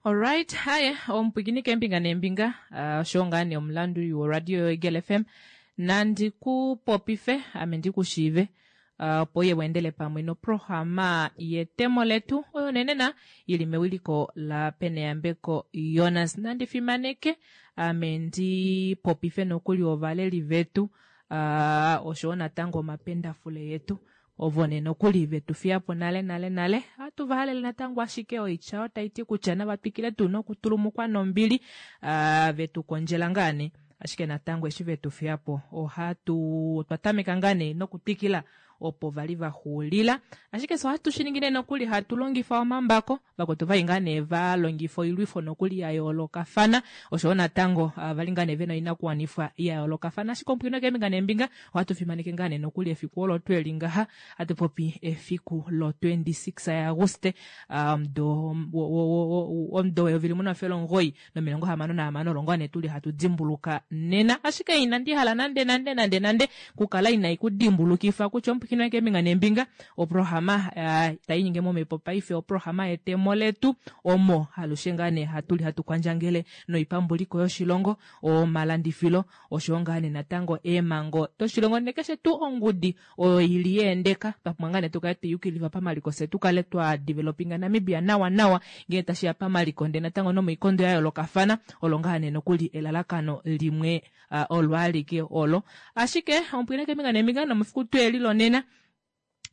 Alright, haye omupwikini keembinga neembinga ah, osho ngaa nee omulanduli woradio yoEagle FM nandi ku popife ame ndi ku shiive ah, opo uye weendele pamwe noprograma yetemo letu oyo nenena yili mewiliko la Peneyambeko Jonas. Nandi fimaneke ame ndi popife nokuli ovaleli vetu ah, oshowo natango omapendafule yetu Ovo nee nokuli ve tu fiya po nale nale nale. Ohatu va halele natango ashike oitya oyo tai ti kutya nava twikile tuu nokutulumukwa nombili, ve tu kondjela ngaa nee. Ashike natango eshi ve tu fiya po ohatu otwa tameka ngaa nee nokutwikila opo va li va xuulila. Ashike fye ohatu shi ningi nee nokuli hatu longifa omambako. Vakwetu ovali ngaa nee va longifa oilwifo nokuli ya yoolokafana oshoyo natango vali ngaa nee vena oinakuwanifwa ya yoolokafana. Ashike omupwiino keembinga neembinga ohatu fimaneke ngaa nee nokuli efiku olo tweli ngaha hatu popi efiku lo 26 yaAguste omudo omudo weyovi limwe nomafele omugoyi nomilongo hamano nahamano olo ngaa nee tuli hatu dimbuluka nena. Ashike inandi hala nande nande nande nande kukala inai ku dimbulukifa kutya omupwikinwa wange keembinga neembinga oprograma uh, tai nyinge momhepo paife oprograma yetemo letu omo alushe ngaa nee hatu li hatu kwandjangele noipambuliko yoshilongo omalandifilo oshowo ngaa nee natango eemhango doshilongo nekeshe tuu ongudi oyo ili yeendeka twa pumbwa ngaa nee tu kale tweyukilifa pamaliko fye tu kale twa developinga Namibia nawa nawa ngee tashi ya pamaliko ndee natango nomoikondo ya yoolokafana olo ngaa nee nokuli elalakano limwe uh, olo alike olo ashike omupwine keembinga neembinga nomefiku tweli lonena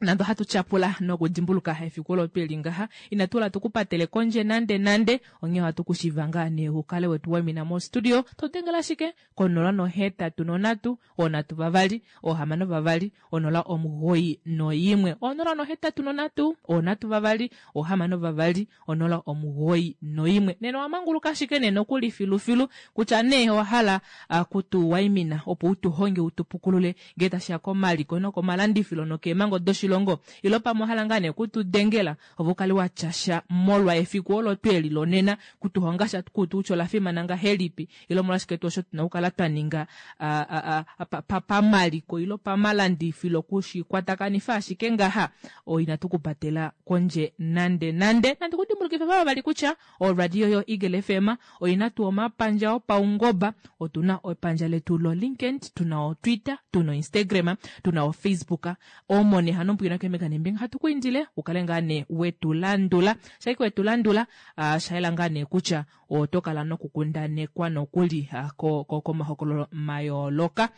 nande ohatu tyapula nokudimbuluka efiku olo tweli ngaha inatu hala tu ku patele kondje nande nande onghee ohatu ku shiva ngaa nee u kale wetu waimina mostudio to dengele ashike konola nohetatu nonhatu oonhatu vavali oohamano vavali onola omugoyi noyimwe onola nohetatu nonhatu oonhatu vavali oohamano vavali onola omugoyi noyimwe. Nena owa manguluka ashike nee nokuli filufilu kutya nee owa hala kutu waimina opo u tu honge u tu pukulule ngee tashi ya komaliko nokomalandifilo nokeemhango doshilongo ilo pamwe owa hala ngaa nee kutu dengela ove u kale wa tya sha molwa efiku olo tweli lonena kutu honga sha kutu kutya ola fimana ngahelipi ile omolwashike tuu osho tu na okukala twa ninga pamaliko ile pamalandifilo kushikwatakanifa ashike ngaha inatu ku patela kondje nande nande. Nandi ku dimbulukife vava vali kutya oradio yo Eagle FM oi na tuu omapandja opaungoba. Otu na epandja letu loLinkedIn, tu na oTwitter, tu na oInstagram, tu na oFacebook. Omo nee hano mbwina keembinga neembinga hatu ku indile u kale ngaa nee wetu landula. Shaike wetu landula, osha yela ngaa nee kutya Oto kala nokukundanekwa nokuli komahokololo mayooloka.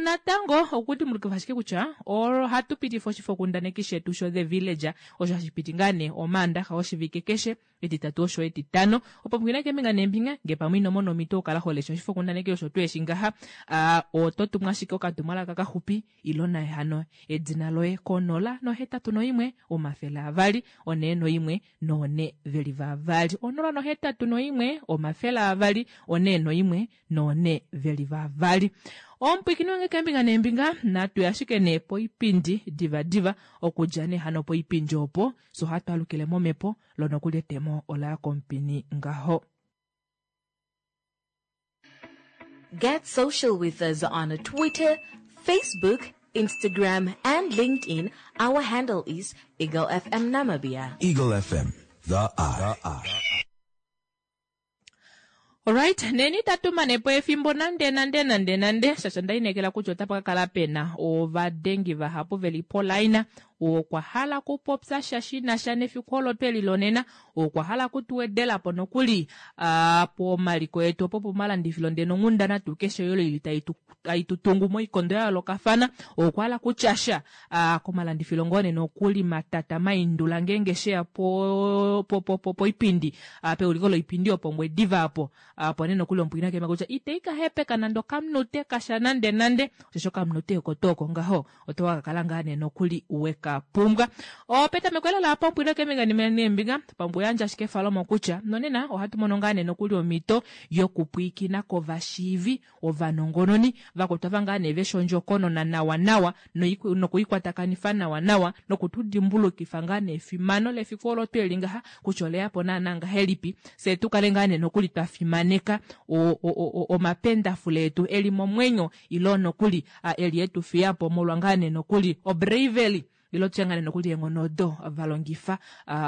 Natango, okudimbulukifa ashike kutya ohatu pitifa oshifokundaneki shetu sho The Villager, osho hashi piti ngaa nee Omaandaxa oshivike keshe, Etitatu osho Etitano. Opo pwiina keembinga neembinga, ngee pamwe ino mona omhito okukala ho lesha oshifokundaneki osho tuu eshi ngaha, oto tumu ashike okatumwalaka kaxupi ilo naye hano edina loye konola nohetatu noimwe 200 401 noone ve li vavali. 081 200 401 noone ve li vavali. Omupwikini wange keembinga neembinga, natu ye ashike nee poipindi divadiva. Okudja nee hano poipindi opo, fye ohatu alukile momhepo, lo nokuli etemo ola ya komupini ngaho. Get social with us on Twitter, Facebook, Instagram, and LinkedIn. Our handle is Eagle FM Namibia. Eagle FM, the eye. Alright, neni itatu mane po efimbo nande nande nande nande shasha nda inekela kutya otapa ka kala pena ovadengi vahapu veli polaina Okwa hala okupopya sha shi na sha nefiku olo twe lilonena. Okwa hala oku tu wedela po nokuli pomaliko etu opo pomalandifilo ndele nonghundana tuu keshe oyo ili tai tu, tai tu tungu moikondo ya yoolokafana. Okwa hala okutya sha komalandifilo ngoo nee nokuli matata maindula ngeenge she ya po, po, po, po, poipindi peuliko loipindi yopOngwediva apo. Opo nee nokuli omupwiina kema kutya itei ka hepeka nande okamunute kasha nande nande, osheshi okamunute oko tuu oko ngaho oto ka kala ngaa nee nokuli we ka pumbwa. Opetameko lela apa omupwiina keembinga neembinga, pamwe yandja ashike efalomo kutya nonena ohatu mono ngaa nee nokuli omhito yokupwiikina kovashiivi ovanongononi vakwetu ava ngaa nee veshi ondjokonona nawa nawa nokuikwatakanifa nawa nawa noku tu dimbulukifa ngaa nee efimano lefiku olo tweli ngaha kutya ole ya po naana ngahelipi, fye tu kale ngaa nee nokuli twa fimaneka omapendafule etu eli momwenyo ilo nokuli eli etu fiya po molwa ngaa nee nokuli obravery. Ilo tutye ngaa nee nokuli eenghono odo va longifa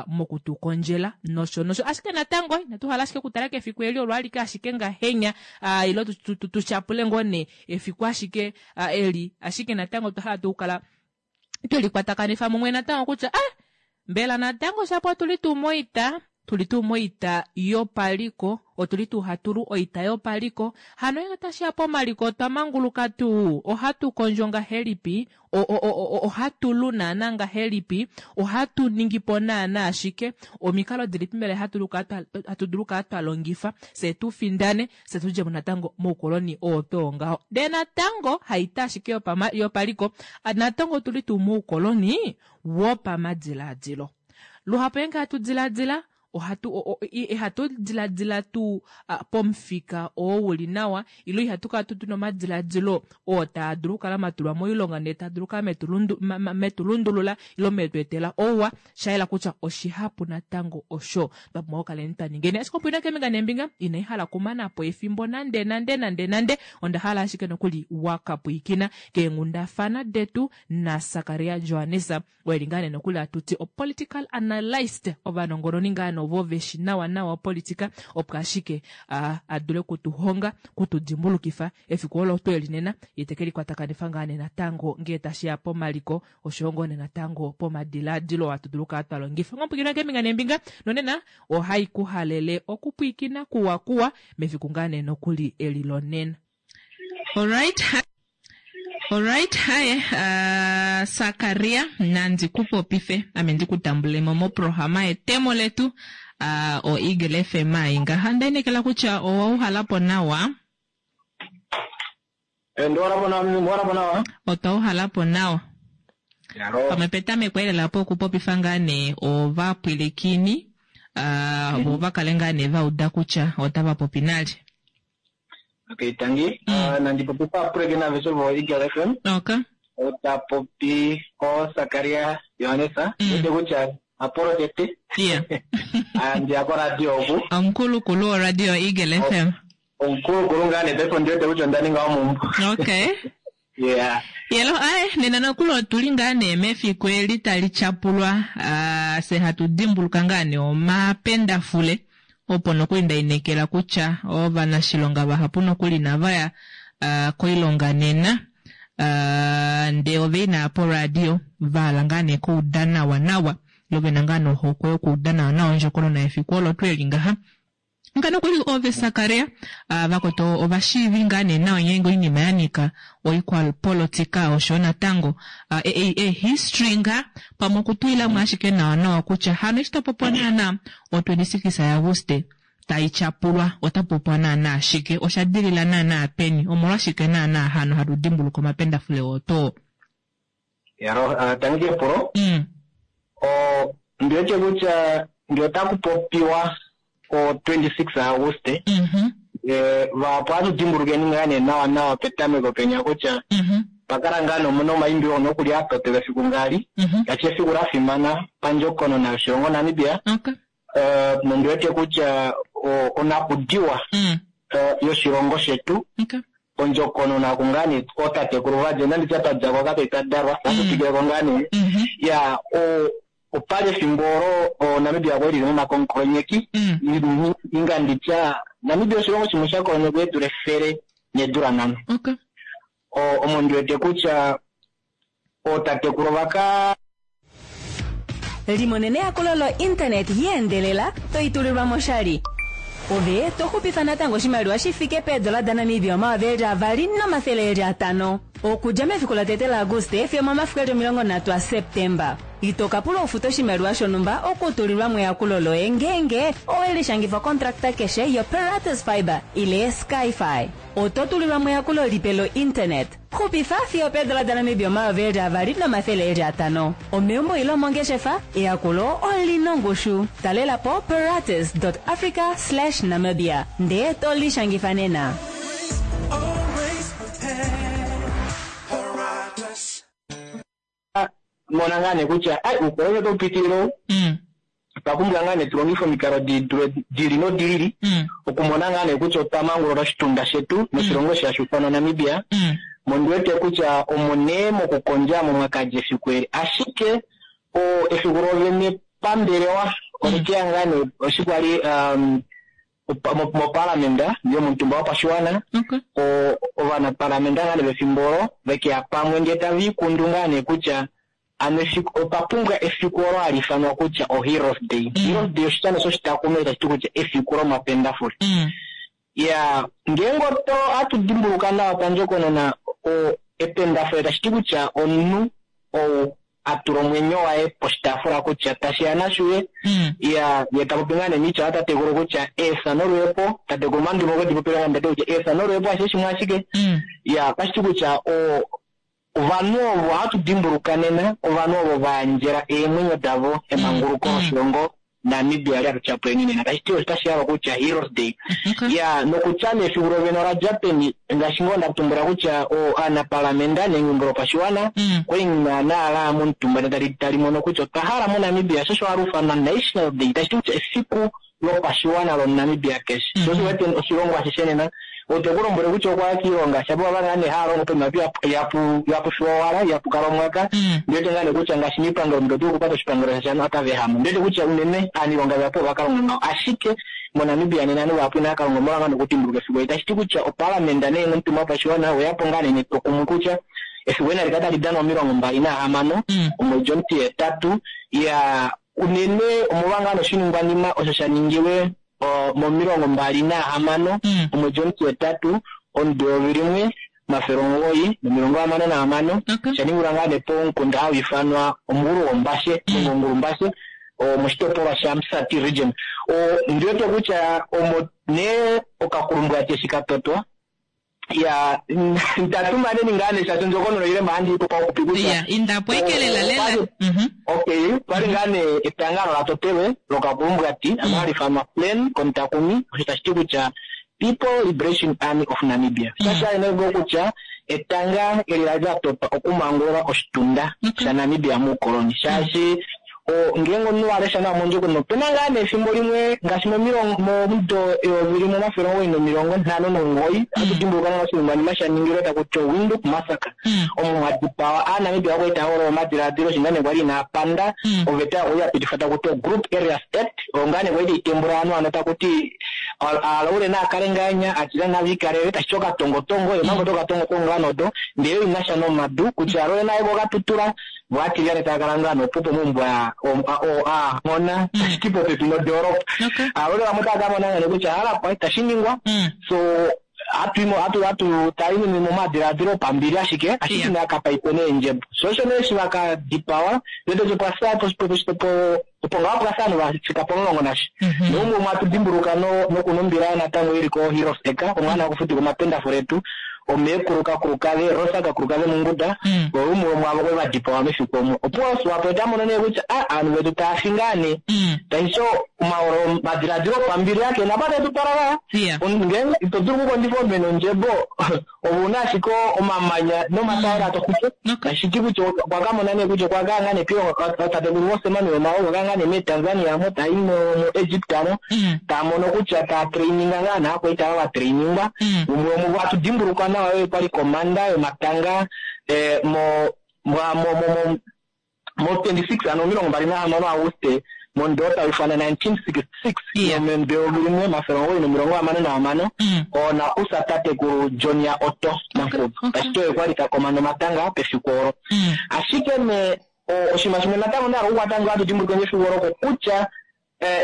moku tu kondjela nosho nosho. Ashike natango inatu hala ashike okutala kefiku eli olo alike ashike ngahenya, ilo tu tyapule ngoo nee efiku ashike eli, ashike natango otwa hala tuu okukala twe likwatakanifa mumwe natango kutya ah, mbela natango shapo otu li tuu moita, tu li tuu moita yopaliko, otu li tuu hatu lu oita yopaliko, hano ngenge tashi ya pomaliko otwa manguluka tuu, ohatu kondjo ngahelipi, ohatu lu naana ngahelipi, ohatu ningi po naana shike, omikalo dilipi mbela hatu dulu okukala twa longifa fye tu findane, fye tu dje mo natango moukoloni oo twoo ngaho. Ndee natango haita ashike yopaliko, natango otu li tuu moukoloni wopamadilaadilo. Luhapu ngeenge hatu diladila, ohatu ihatu diladila tuu pomufika oo u li nawa, ile ihatu kala tuu tuna omadiladilo oo taa dulu okukala matulwa moilonga ndee taa dulu okukala metulundulula ile metu etela ouwa. Sha yela kutya oshihapu natango osho twa pumbwa okukaleni twa ningeni. Ashike opo ina keembinga neembinga, inai hala okumana po efimbo nande nande nande nande. Onda hala ashike nokuli wa ka pwilikina keenghundafana detu naSakaria Johannes. Oye li ngaa nee nokuli hatu ti opolitical analyst, ovanongononi ngaa nee ovo veshi nawa nawa opolitika, opo ashike a, a dule kutu honga, kutu dimbulukifa efiku olo twe li nena, ye te ke likwatakanifa ngaa nee natango ngee tashi ya pomaliko oshoyo ngoo nee natango pomadilaadilo hatu dulu okukala twa longifa. Ngomupwiikini keembinga neembinga nonena ohai ku halele okupwiikina kuwa kuwa mefiku ngaa nee nokuli eli lonena. Alright. Alright, haye uh, Sakaria nandi ku popife ame ndi ku tambule mo moprograma yetemo letu uh, o Eagle FM ai ngaha nda inekela kutya owa uhala po nawa. Eh, ndi wala po nawa, ndi wala po nawa. Otwa uhala po nawa. Yalo. Pamwe petameko elela po okupopifa ngaa nee ovapwilikini uh, vo va kale ngaa nee va uda kutya otava popi nalye. Okay, tangi. Nandi popifa apuleke naveshe vo Eagle FM. Okay. Ota popi ko Sakaria Johannes. Wete kutya apolo tete. Yeah. Andi ako radio oku. Omukulukulu wo radio Eagle FM. Omukulukulu ngaa nee paife ondi wete kutya onda ninga omumbo. Okay. Yeah. Yelo, ae, nena nokuli otuli ngaa nee mefiku eli tali tyapulwa, fye hatu dimbuluka ngaa nee omapendafule, opo nokuli nda inekela kutya ovanashilonga vahapu nokuli inava ya koilonga nena, ndee ove inaya poradio, va hala ngaa nee kuuda nawa nawa, ile vena ngaa nee ohokwe yokuuda nawa nawa ondjokonona yefiku olo tuu eli ngaha. Nga nokuli ove Sakaria, vakwetu ovashiivi ngaa nee nawa ngeenge oinima ya nyika oikwapolotika oshoyo natango e history ngaa pamwe okutulilamo ashike nawa nawa kutya hano eshi tapopiwa naana o 26 yaAguste tai tyapulwa ota popiwa naana shike, osha dilila naana peni, omolwashike naana hano hatu dimbuluka omapendafule oo too. Yalo, tangi kepulo. O, ndi wete kutya ngee otaku popiwa o 26 Auguste, vahapu ohatu dimbulukeni ngaa nee nawa nawa petameko penya kutya pa kala ngaa nee omuna omaimbilo oo nokuli a totelwa efiku ngaali, ngaashi efiku la fimana pandjokonona yoshilongo Namibia. Nondi wete kutya onakudiwa yoshilongo shetu, ondjokonona oku ngaa nee ootatekulu va dja, inandi tya twa dja ko kape twa dalwa, ohatu twikile ko ngaa nee. Ya, opali efimbo olo Namibia kwali lili momakonkolonyeki, inga ndi tya Namibia oshilongo shimwe sha kolonyekwa eedula efele needula nhano. Omo ndi wete kutya ootatekulu ova ka Limonena eyakulo lo internet ya endelela to itulilwa mo oshali. Ove to xupifa natango oshimaliwa shi fike peedola daNamibia 2500. Okudja mefiku lotete laAguste fiyo omomafiku eli 30 aSeptemba. Ito ka pulwa ufute oshimaliwa shonhumba okutulilwa mo eyakulo loye ngeenge owe lishangifa okontrakta keshe yoPeratus Fibre ile SkyFi. Oto tulilwa mo eyakulo lipe lo internet. Xupifa fiyo opeedola daNamibia 2500. Omeumbo ile omongeshefa, eyakulo oli na ongushu. Talela po peratus.africa/namibia ndee to lishangifa nena. Mona ngaa nee kutya ai uukoloni otau pitilile ou. Otwa pumbwa ngaa nee tu longife omikalo di dule di li nodi lili okumona ngaa nee kutya otwa mangulula oshitunda shetu noshilongo eshi hashi ifanwa Namibia. Mondiwete kutya omo nee mokukondja mo mwakadja efiku eli. Ashike efiku lovene pambelewa olekeya ngaa nee eshi kwali mopalamenda yomutumba wopashiwana, ovanapalamenda ngaa nee vefimbo olo vekeya pamwe ndee tava ikundu ngaa nee kutya ano efiku opa pumbwa efiku olo hali ifanwa kutya o Heroes Day. Heroes Day oshitya shoshitakume tashi ti kutya efiku lomapendafule. Ya, ngeenge oto hatu dimbuluka nawa pandjokonona, ependafule tashi ti kutya omunhu ou a tula omwenyo waye poshitaafula kutya tashi ya nashuye. Ya, ye ta popi ngaa nee miitya yatatekulu kutya eefya nolweepo, tatekulu Mandume okwe di popile ngaa nee kutya eefya nolweepo ashishe shimwe ashike. Ya, otashi ti kutya ovanhu ovo hatu dimbuluka nena, ovanhu ovo va yandjela eemwenyo davo emanguluko loshilongo Namibia li hatu tyapuleni nena. Tashi ti otashi hala kutya Heroes Day. Ya, nokutya nee efiku lovene ola dja peni, ngaashi ngoo nda tumbula kutya aanapalamenda nenge lopashiwana kwali naana la momutumba ndele tali mono kutya otwa hala moNamibia, sho osho hali ufanwa National Day, tashi ti kutya efiku lopashiwana lomuNamibia keshe. Sho osho wete oshilongo ashishe nena ote ku lombwele kutya okwa ya kiilonga shapo vava ngaa nee haya longo poima ihapu fiwa owala, ihapu kala omwaka. Ndiwete ngaa nee kutya ngaashi miipangelo omuntu oto kupata oshipangelo shashano otava ehama. Ndiwete kutya unene aaniilonga vahapu ova ka longa ngaho, ashike moNamibia nena ovanhu vahapu inava ka longa omolwa ngaa nokudimbuluka efiku eli. Tashi ti kutya opalamenda nee nomutumba wopashiwana oweya po ngaa nee netwokumwe kutya efiku eli nali kale tali danwa 26 omwedi omutihetatu. Ya, unene omolwa ngaa noshiningwanima osho sha ningilwe mo26 omwedi omutihetatu omudo 1966, sha ningilwa ngaa nee pomukunda hau ifanwa Omugulu Gombashe nenge Ongulumbashe moshitopolwa shaMusati region. Ndiwete kutya omo nee okakulumbwati eshi ka totwa. Ya, ntatumaneni ngaa nee shaashi ondjokonona oile mahandi ipo pauxupi kutya Ya, indapo ikelela lela. Okay, pali ngaa nee etangalo la totelwe lokakulumbwati ano hali ifanwa PLAN komutakumi, osho tashi ti kutya People Liberation Army of Namibia. Shasha ene kutya etanga eli la li la totwa okumangulula oshitunda shaNamibia muukoloni, shaashi ngeenge omunhu wa lesha nawa mondjokonona opena ngaa nee efimbo limwe ngaashi momudo 1959 ohatu dimbuluka nawa oshiningwanima sha ningilwe taku ti Windhoek Massacre, omo mwa dipawa Aanamibia vakwali tava holola omadilaadilo shi ngaa nee kwali inaa panda oveta oyo ya pitifwa taku ti Group Areas Act, oyo ngaa nee kwali tayi tembula ovanhu ano taku ti aalaule naakale ngaanya atila navikalele, tashi ti okatongotongo ye mambo tokatongotongo ngaa nodo ndele inasha nomadu kutya alaule naye kokatutula vo atilyane tava kala ngaa nopupo mombwa aahona, tashi ti popepi nodoolopa. Alaule vamwe otava ka mona ngaa kutya hala itashi ningwa, so hatu tayi momadilaadilo opambili ashike ashike inakapaipe neendjebo. So osho nee eshi vakadipawa ndele opo ngaho pwasa ovanhu vafika pomulongo nasha. Noumwe umwe hatu dimbuluka nokunumbila natango ili ko Heroes Acre omwana wokufutika omapendafule etu omeekulu kakulukave Rosa kakulukave Munguda, oumwe womwaavo kwali vadipawa mefiku omo. Opo Swapo ota mono nee kutya ovanhu vetu tava fi ngaa nee. Tashi omaholo omadilaadilo opambili ake napa tetu twala vaya. Ngeenge ito dulu okukondjifa omene ondjebo ouna ashike omamanya nomatayela to xupu. Tashi ti kutya okwa ka mona nee kutya okwa ka ngaa nee piilongo tatekulu Mose Nujoma okwa ka ngaa nee meTanzania mo tayi moEgypt mo taa mono kutya taa traininga ngaa naakwaita ava va trainingwa. Umwe womuvo hatu dimbuluka nawa oye kwali komanda yomatanga mo mo 26 ano 26 Auguste mondoolopa ifanwa 1966 nomudo 1966 oonakusa tatekulu John ya Otto Nankubu. Tashi ti oye kwali ta komanda omatanga pefiku olo. Ashike nee oshinima shimwe natango nda hala okukwata ngoo hatu dimbuluka efiku olo kutya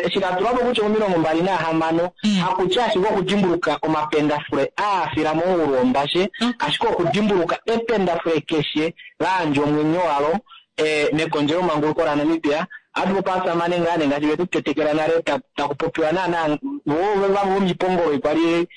eshi la tulwa po kutya 26 hakutya ashike okudimbuluka omapendafule aafila mongulu wombashe, ashike okudimbuluka ependafule keshe la yandja omwenyo walo mekondjelo manguluko laNamibia. Ohatu popi aasamane ngaa nee ngaashi vetu tetekela nale taku popiwa naana vamwe vomipongolo ikwali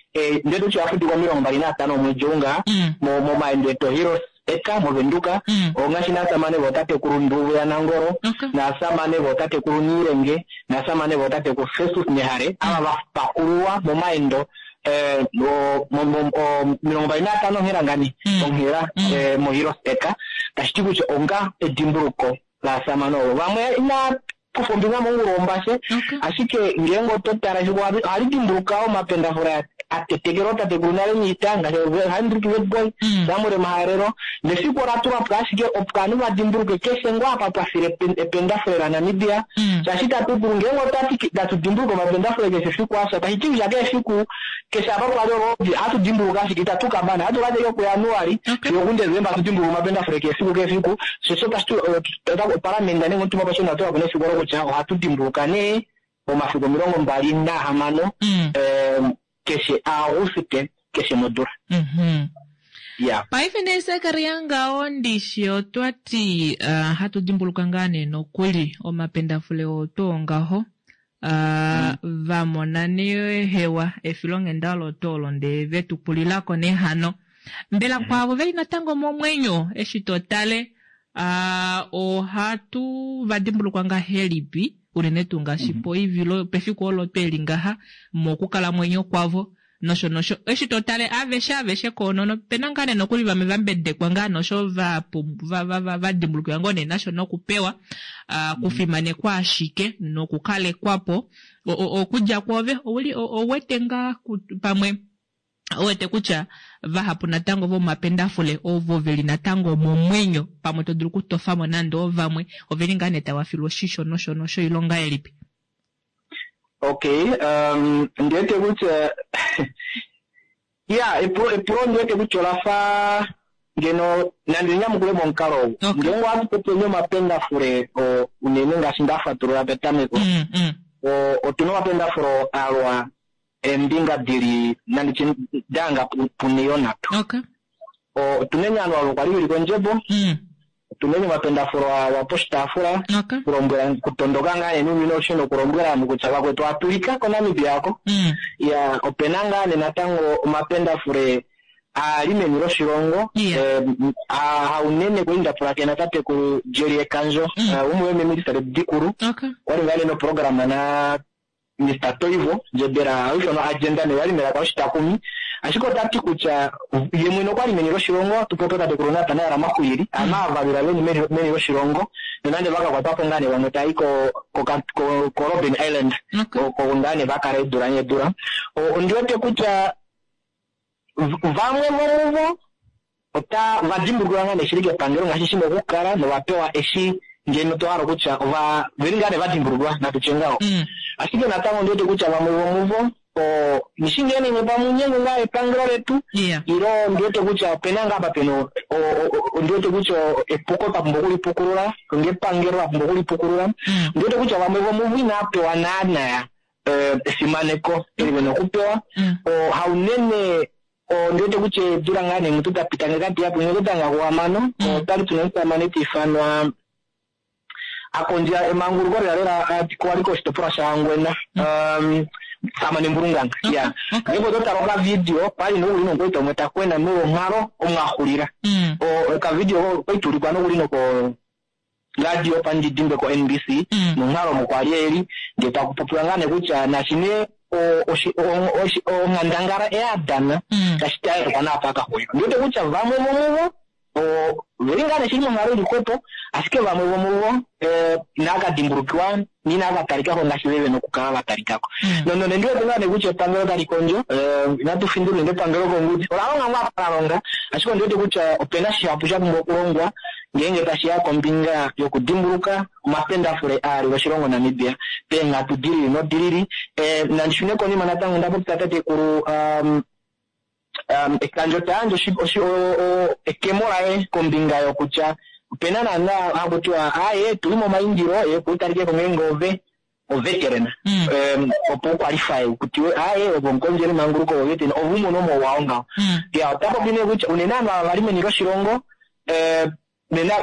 ndele tutye oya 25 omwedi ou ngaa momaendo etu Heroes Acre moVenduka, ongaashi naasamane vootatekulu Nduvu yaNangolo, naasamane vootatekulu Niilenge, naasamane vootatekulu Festus Nehale, ava va pakululwa momaendo 25 onghela ngani onghela moHeroes Acre. Tashi ti kutya onga edimbuluko laasamane ovo vamwe ina kufa ombinga mongulu wombashe. Ashike ngeenge oto tala efiku ohali dimbuluka omapendafule atetekela ootatekulu nale niita ngaashi Hendrik Witbooi, Samuel Maharero. Nefiku ola tulwa po ashike opo ovanhu va dimbuluke keshe ngoo apa pwa file ependafule laNamibia. Shaashi itatu dulu ngeenge otwati tatu dimbuluka omapendafule keshe efiku afya, tashi ti kutya keshe efiku keshe apa pwali olwoodi ohatu dimbuluka ashike itatu ka mana. Ohatu ka teka kuJanuali fiyo okuDesemba hatu dimbuluka omapendafule keshe efiku keshe efiku. Shosho tashi ti opalamende nenge omutumba wopashiwana owa tula po nefiku olo kutya ohatu dimbuluka nee momafiku 26 keshe Auguste keshe modula. Ya. Paife nee Sakaria ngaho ndishi otwa ti hatu dimbuluka ngaa nee nokuli omapendafule oo twoo ngaho va mona nee hewa efilonghenda olo twoo olo ndee ve tu pulilako nee hano. Mbela kwaavo veli natango momwenyo eshi to tale ohatu va dimbulukwa ngahelipi unene tuu ngaashi poivilo pefiku olo tweli ngaha mokukalamwenyo kwavo nosho nosho eshi to tale aveshe aveshe koonono pena ngaa nee nokuli vamwe va mbedekwa ngaa nosho va va dimbulukiwa ngoo nee nasho nokupewa kufimanekwa ashike nokukalekwapo okudja kwoove ouli ouwete ngaa pamwe ouwete kutya vahapu natango vomapendafule ovo veli natango momwenyo pamwe to dulu okutofamo nande ovamwe oveli ngaa nee tava filwa oshisho nosho nosho ilonga elipi. Okay, ndiwete kutya ya epulo ndiwete kutya olafa ngeno nande nyamukule momukalo ou. Ngeenge ohatu popi omapendafule unene ngaashi nda fatulula petameko. Otuna omapendafule alwa eembinga dili nanditye danga puniyo nhatu. Otuna enyanwa olo kwali lili kondjebo. Otuna omapendafule alwa poshitaafula. Kulombwela kutondoka ngaa nee unene osho nokulombwela ovanhu kutya vakwetu atulika koNamibia ako. Ya opena ngaa nee natango omapendafule aali meni loshilongo. Haunene kwali ndapulakena tatekulu Jerry Ekandjo, umwe womeeminista dikulu. Kwali ngaa nee noprograma na Mr. Toivo Ndjebela oifanwa agenda ne yali melaka oshitakumi. Ashike otati kutya ye mwene okwali meni loshilongo tupope tatekulu Nathanael Maxwilili ama avalula veni meni loshilongo nonande vakakwatwapo ngaa nee vamwe taayi ko Robben Island oko ngaa nee vakala eedula needula. Ondiwete kutya vamwe vomuvo ota vadimbulukiwa ngaa nee shili kepangelo ngaashi shina okukala novapewa eshi ngeno tohala kutya ova veli ngaa nee vadimbulukiwa natutye ngaho. Ashike natango ondiwete kutya vamwe vomuvo nishi ngee pamunyengo ngaa epangelo letu ilo ndiwete kutya opena ngaa apa pena ondiwete kutya epuko twapumbwa okulipukulula ngepangelo lapumbwa okulipukulula. Ndiwete kutya vamwe vomuvo inaapewa naana efimaneko eli vena okupewa. Haunene ndiwete kutya eedula ngaa nee mutu dapita ngekati yapo ngeke danga kuhamano otwali tuna omusamane tiifanwa akondja emanguluko lela lela kwali koshitopolwa shaHangwena Samane Mbulunganga. Ya ndipo totala okavideo pali nokuli nokweeta umwe takwena molwonghalo omwaxulila. Okavideo koitulikwa nokuli noko radio pandidimbe ko NBC nonghalo omo kwali eli ndee takupopiwa ngaa nee kutya nashine onghandangala eyadana tashi tayelekwa naapa akaxulila. Ndiwete kutya vamwe vomuvo veli ngaa nee shili monghalo ili xwepo ashike vamwe vomuvo inaakadimbulukiwa inaakatalikako ngaashi veve nokukala vatalikako. Nonande ndiwete ngaa nee kutya epangelo tali kondjo inatu findula nande epangelo kongudi ola longa ngoo apa la longa ashike ondiwete kutya opena shihapu sha pumbwa okulongwa ngeenge tashiya kombinga yokudimbuluka omapendafule aali oshilongo Namibia peenghatu dilili nodilili. Nandishune konima natango ndapopya tatekulu Ekandjo tayandje ekemo laye kombinga yokutya opena naana hakutiwa aaye tuli momaindilo ye kuutalikeko ngeenge ove oveteran opo uqualify kutiwe aaye ove omukondjeli manguluko woveteran ove umone omauwa ngaho. Ya otapopi nee kutya unene ovanhu ava vali meni loshilongo nena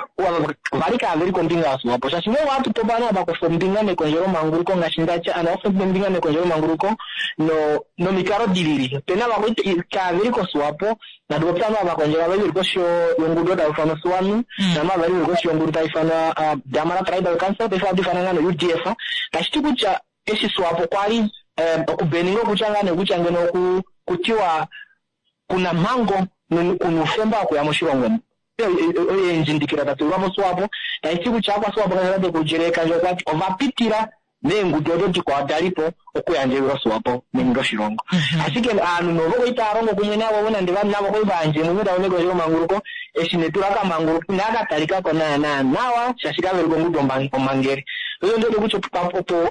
vali kaaveli kombinga yaSwapo shaashi ngenge ohatu popi ovanhu ava vakufa ombinga mekondjelo manguluko ngaashi ndatya ovanhu vakufa ombinga mekondjelo manguluko nomikalo dilili. Opena vamwe kaaveli koSwapo natu popye ovanhu ava vakondjela vali veli koshi yongudu tayi ifanwa Swanu namwe vali veli koshi yongudu tayi ifanwa Damara Tribal Council paife ohatu ifana ngaa no-UDF. Tashi ti kutya eshi Swapo kwali okubeninga okutya ngaa nee kutya ngeno kutiwa kuna mhango kuna oufemba wokuya moshilongo omu. Eendjindikila da tulwa moSwapo tashi ti kutya akwaSwapo tatekulu Jerry Ekandjo okwa ti ovapitila meengudu odo dikwao da li po okuyandja ewi loSwapo meni loshilongo. Ashike ovanhu novo kwali tava longo kumwe navo nande navo kwali va yandja eemwenyo davo mekondjelomanguluko, eshi nee tula kamanguluka inaa ka talika ko naana nawa shaashi kave li kongudu omhangeli. Osho ndi wete kutya opo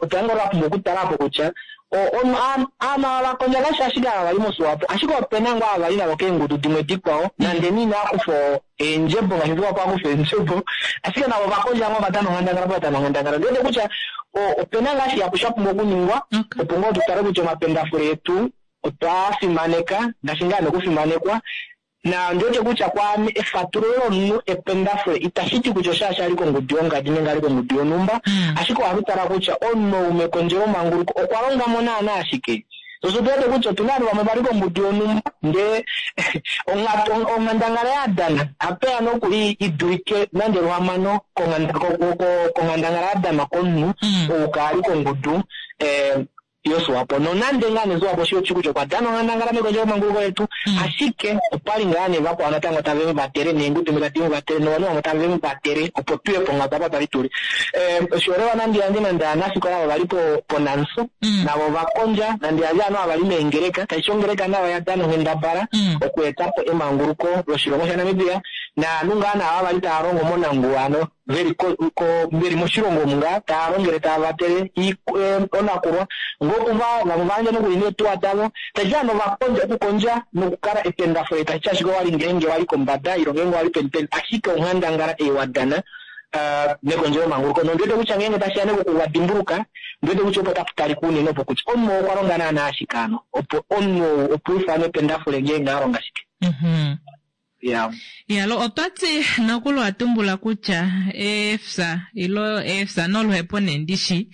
otwa nga twa pumbwa okutala apo kutya ovanhu ava vakondja kashi ashike ava vali moSwapo, ashike opena ngoo ava vali navo keengudu dimwe dikwao nande nee inaa kufa eendjebo ngaashi Swapo akufa eendjebo, ashike navo ovakondja ngoo ovadana onghandangala po vadana onghandangala. Ndi wete kutya opena ngaa shihapu sha pumbwa okuningwa opo ngoo tutale kutya omapendafule etu otwa fimaneka ngaashi ngaa nokufimanekwa. Na ondi wete kutya kwaame efatululo lomunhu ependafule itashi ti kutya oshaashi ali kongudu yongadi nenge ali kongudu yonhumba, ashike ohatu tala kutya omunhu ou mekondjelomanguluko okwa longa mo naana ashike. Osho tu wete kutya otuna ovanhu vamwe vali kongudu yonhumba ndee onghandangala yadana apeya nokuli idulike nande luhamano konghandangala yadanwa komunhu ou kaali kongudu yoSwapo. Nonande ngaa nee Swapo shi kutya okwa dana onghandangala mekondjelomanguluko letu, ashike opali ngaa nee vakwao natango tave mu vatele neengudu tadi mu vatele novanhu vamwe tave mu vatele opo tuye ponghatu apa twali tuli. Oshiholelwa nande yandje nande aanafikola avo vali poNANSU navo ovakondja, nande yandje ovanhu ava vali meengeleka, tashi ti ongeleka nayo oya dana onghendabala okueta po emanguluko loshilongo shaNamibia, naanhu ngaa naava vali tava longo monanguwa ano veli moshilongo omu ngaa tava longele tava vatele onakulwa ngoo vamwe vayandja nokuli neetuwa davo, tashi ti ovanhu ovakondja okukondja nokukala ependafule, tashi ti ashike owali ngeenge wali kombada ile ngeenge wali peni peni, ashike onghandangala ei wadana mekondjelomanguluko. Nondi wete kutya ngeenge tashiya nekokuvadimbuluka, ndi wete kutya opo tapu talika unene opo kutya omunhu okwa longa naana ashike ano opo omunhu ou opo ufanwe ependafule ngeenge a longa shike. Yalo otwati nokuli watumbula kutya eefya ilo eefya noluhepo nee ndishi.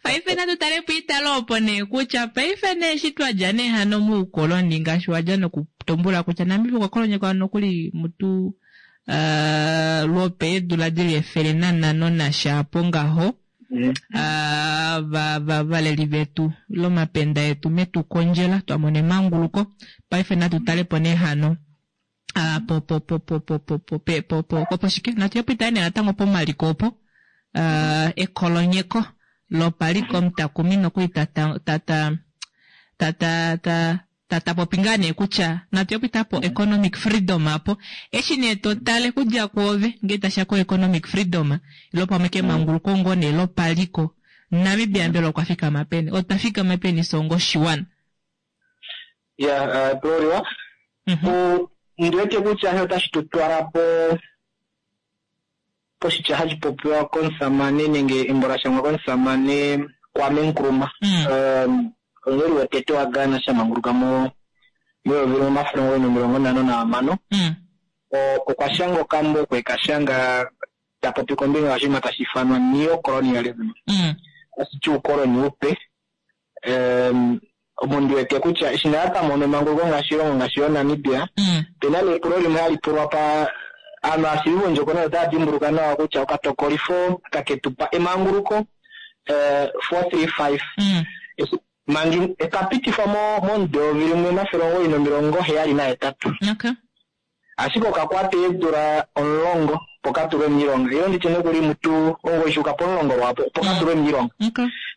Paife natu tale po italo opo nee kutya paife nee eshi twadja nee hano moukoloni ngaashi wadja nokutumbula kutya Namibia okwa kolonyekwa nokuli mutu lwopeedula dili 105 nasha apo ngaho. Valeli vetu lomapenda yetu metukondjela twamona emanguluko. Paife natu tale po nee hano po shike natu ye po itale nee natango pomaliko opo ekolonyeko lopaliko omutakumi nokuli tata popi ngaa nee kutya natu ye po po economic freedom apo eshi nee totale kudja kwoove ngee tasha ko economic freedom ilo pamwe kemanguluko ngoo nee lopaliko Namibia mbela okwa fikama peni, otwa fikama peni songo oshiwana? Ya Gloria, ndi wete kutya otashi tu twala po poshitya hashi popiwa komusamane nenge embo la shangwa komusamane Kwame Nkrumah, omuleli wotete waGhana shamanguluka mo 1956. Okwa shanga okambo okwe ka shanga ta popi kombinga yoshinima tashi ifanwa neo-colonialism, tashi ti uukoloni upe. Omo ndi wete kutya eshi naa twa mono emanguluko ngaashi oshilongo ngaashi yoNamibia, opena nepulo limwe hali pulwa pa aanhu aashivi vondjokonona otava dimbuluka nawa kutya okatokolifo kaketupa emanguluko 435 mangi ekapitifwa momudo 1978, ashike okakwata eedula 10 opo katulwe miilonga, ilo nditye nokuli mutu 9 shuuka po10 lwapo opo katulwe miilonga.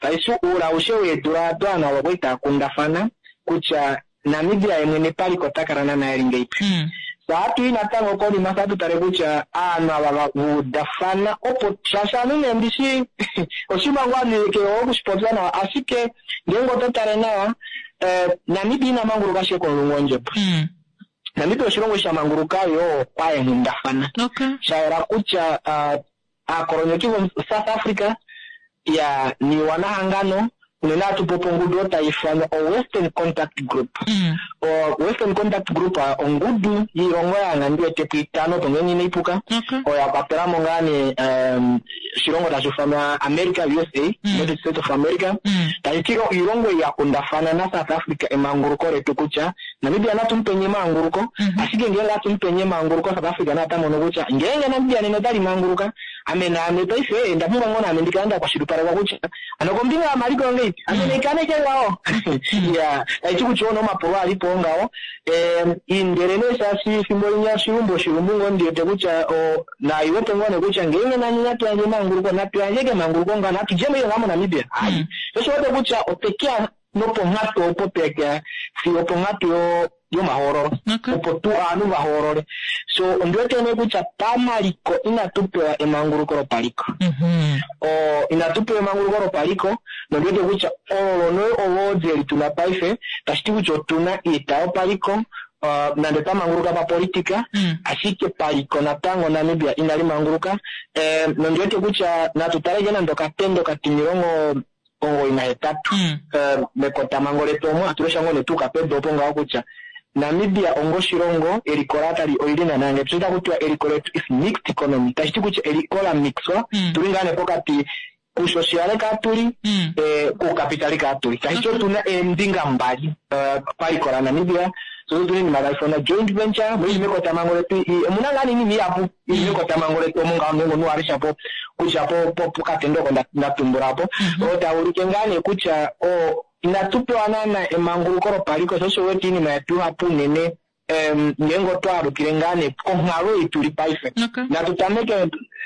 Tashi uula aushe weedula ado ovanhu avo kwali tava kundafana kutya Namibia ye mwene paliko ota kala naana eli ngeipi. Saatu i natango konima saatu tale kutya aanhu ava vaudafana opo shaashi aanhu nee ndishi oshinima ngoo ame ke okushipopya nawa, ashike ngeenge oto tale nawa Namibia ina manguluka ashike komulungu wondjebo. Namibia oshilongo sha manguluka yo paenghundafana. Sha yela kutya aakolonyeki vo South Africa ya niiwana hangano unene hatu popi ongudu oyo tayi ithanwa o Western Contact Group. O Western Contact Group ongudu yiilongo yanga ndi wete po itano opo ngenge inayi puka, oyo ya kwatela mo ngaa nee oshilongo tashi ithanwa America, USA, United States of America. Tashi ti iilongo ei ya kundafana na South Africa emanguluko letu kutya Namibia natu mupenye emanguluko, ashike ngeenge atu mupenye emanguluko South Africa naye ota mono kutya ngeenge Namibia nena otali manguluka. Ame naame paife nda pumbwa ngoo naame ndikale nda kwashilipalekwa kutya ano kombinga yomaliko ongeipi ame naikane ngaho. Ya, taiti kutya ono omapulo alipo ngaho. Indele nee shaashi fimbo linya oshilumbu oshilumbu ngoo ndiwete kutya naiwete ngoo nee kutya ngeenge nani natu yandje emanguluko, natu yandje kemanguluko ngaho, natu djemo ile ngaa moNamibia. Ai, osho wete kutya otekeya noponghatu opo tekeya fiyo oponghatu yomahoololo. Opo tu ovanhu vahoolole. So ondiwete nee kutya pamaliko inatu pewa emanguluko lopaliko. Inatu pewa emanguluko lopaliko, nondiwete kutya olo nee olwoodi eli tuna paife, tashi ti kutya otuna iita yopaliko, nande twamanguluka papolitika, ashike paliko natango Namibia inali manguluka. Nondiwete kutya natu taleke nande okatendo katimilongo 98 mekotamango letu omo atulesha ngoo netu kapedu opo ngaho kutya Namibia ongoshilongo eliko latali olili nanange tuita kutiwa eliko letu is mixed economy, tashi ti kutya eliko la mixwa, tuli ngaa nee pokati kusociale kaatuli, kukapitali kaatuli, tashi ti otuna eembinga mbali paliko la Namibia. So tuna iinima tayi ithanwa joint venture moili mekotamango letu, omuna ngaa niinima ihapu ili mekotamango letu omo ngaho ngeenge omunhu walesha po kutya pokatendo oko ndatumbula po oo taulike ngaa nee kutya inatu pewa naana emanguluko lopaliko, sho osho wete iinima yetu ihapu unene ngeenge otwaalukile ngaa nee konghalo ei tuli paife. Natu tameke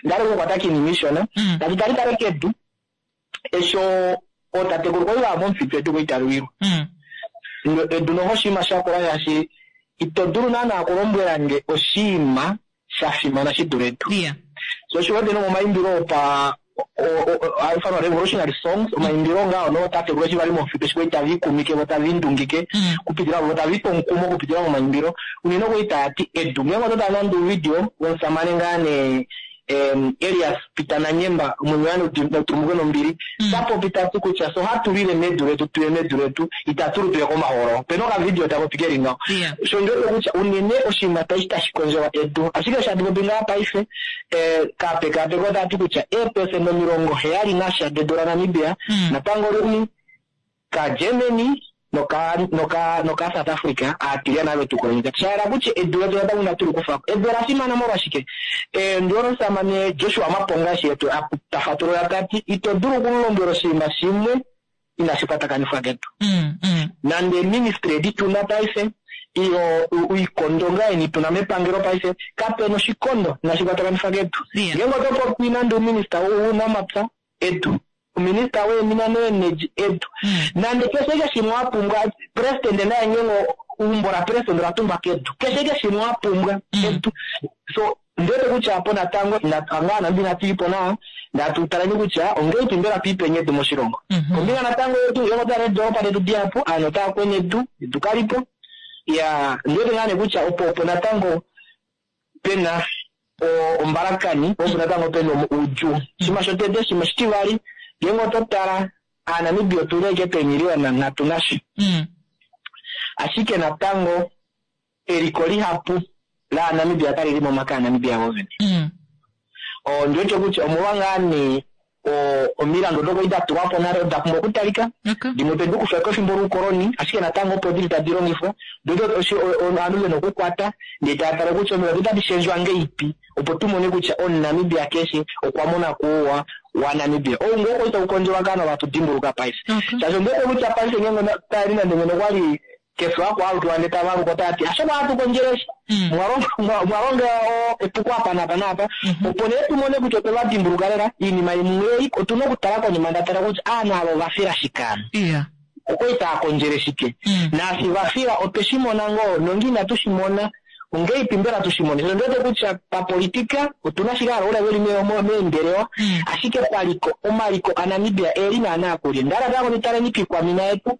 ndale okukwata kiinima ishona, natu tale tale kedu esho ootatekulu kwali vaya momufitu edu koitalwilwa. Edu noho oshinima shakula shaashi ito dulu naana okulombwela nge oshinima sha fimana shi dule edu. So osho wete nomomaimbilo opa haifanwa revolutionary songs, omaimbilo ngaho nootatekulu eshi vali momufitu eshi kwali tava ikumike vo tava indungike kupitila vo tava ipe omukumo okupitila momaimbilo, unene okwali taya ti edu. Ngeenge oto tala nande ouvidio womusamane ngaa nee Elias Peter Nanyemba omwenyo natulumuke nombili, tapopi tati kutya so hatu lile medu letu, tuye medu letu, itatu lu tuye komahoololo. Opena okavidio tapopi keli ngaho. So ndiwete kutya unene oshinima tashi kondjelwa edu, ashike osho hatu popi ngaa paife kapekapeko otati kutya eepesenda 70 dedu laNamibia natango lili kaGermany noka South Africa aatilyana ave tukolonita. Shayela kutya edu letu natango inatu li kufako. Edu ola fimana molwashike? Ndiwona omusamane Joshua Maponga eshi etu tafatulula tati ito dulu okulombwela oshinima shimwe inashi kwatakanifwa kedu. Nande ministry edi tuna paife iyo oikondo ngaa eni tuna mepangelo paife kapena oshikondo inashi kwatakanifwa kedu. Ngeenge oto popi nande ominista wounamapya edu, ominista weemina noenergy edu, nande keshe shimwe wa pumbwa, president naye ngeenge umbo la president ola tungwa kedu, keshe shimwe wa pumbwa edu. So ndiwete kutya apo natango ngaa Namibia inatu ipo nawa, ndatu taleni kutya ongeipi mbela tuipenye edu moshilongo. Kombinga natango yetu ngeenge otwa needoolopa detu dihapu, aanhu otava kwene edu, edu kalipo. Ya, ndiwete ngaa nee kutya opo natango pena ombalakani, opo natango pena oudjuu. Shima shotete, shima shitivali, ngeenge oto tala aaNamibia otuli ashike peemiliyona 3 nasha. Ashike natango eliko lihapu laaNamibia kali li momake aaNamibia vovene. Ndiwete kutya omolwa ngaa nee omilandu odo kwali da tulwa po nale oda pumbwa okutalika, dimwe otwe di kufa kefimbo loukoloni, ashike natango opo dili tadi longifwa. Ndiwete ovanhu vena okukwata ndee tava tala kutya omilandu otadi shendjwa ngeipi opo tumone kutya omuNamibia keshe okwa mona kuuwa waNamibia. Ou ngoo kwali taukondjelwa ngaa novatu dimbuluka paife. Shaashi ondiwete kutya paife ngeenge tali nande ngeno kwali keshe wakwaalukiwa ndee tavaluka otava ti ashike ohatu kondjele mwalonga epuko apa napa napa, opo nee tumone kutya otwe vadimbuluka lela iinima imwe ei otuna okutala konima ndatala kutya aanhu ava ovafila shike ano. Okwali tava kondjele shike, naashi vafila otwe shi mona ngoo nonge inatu shi mona ongeipi mbela tu shi mone. So ndiwete kutya papolitika otuna ashike hala veli meembelewa, ashike paliko omaliko aNamibia eli naana kulye. Ndala tango nitaleni pikwamina yetu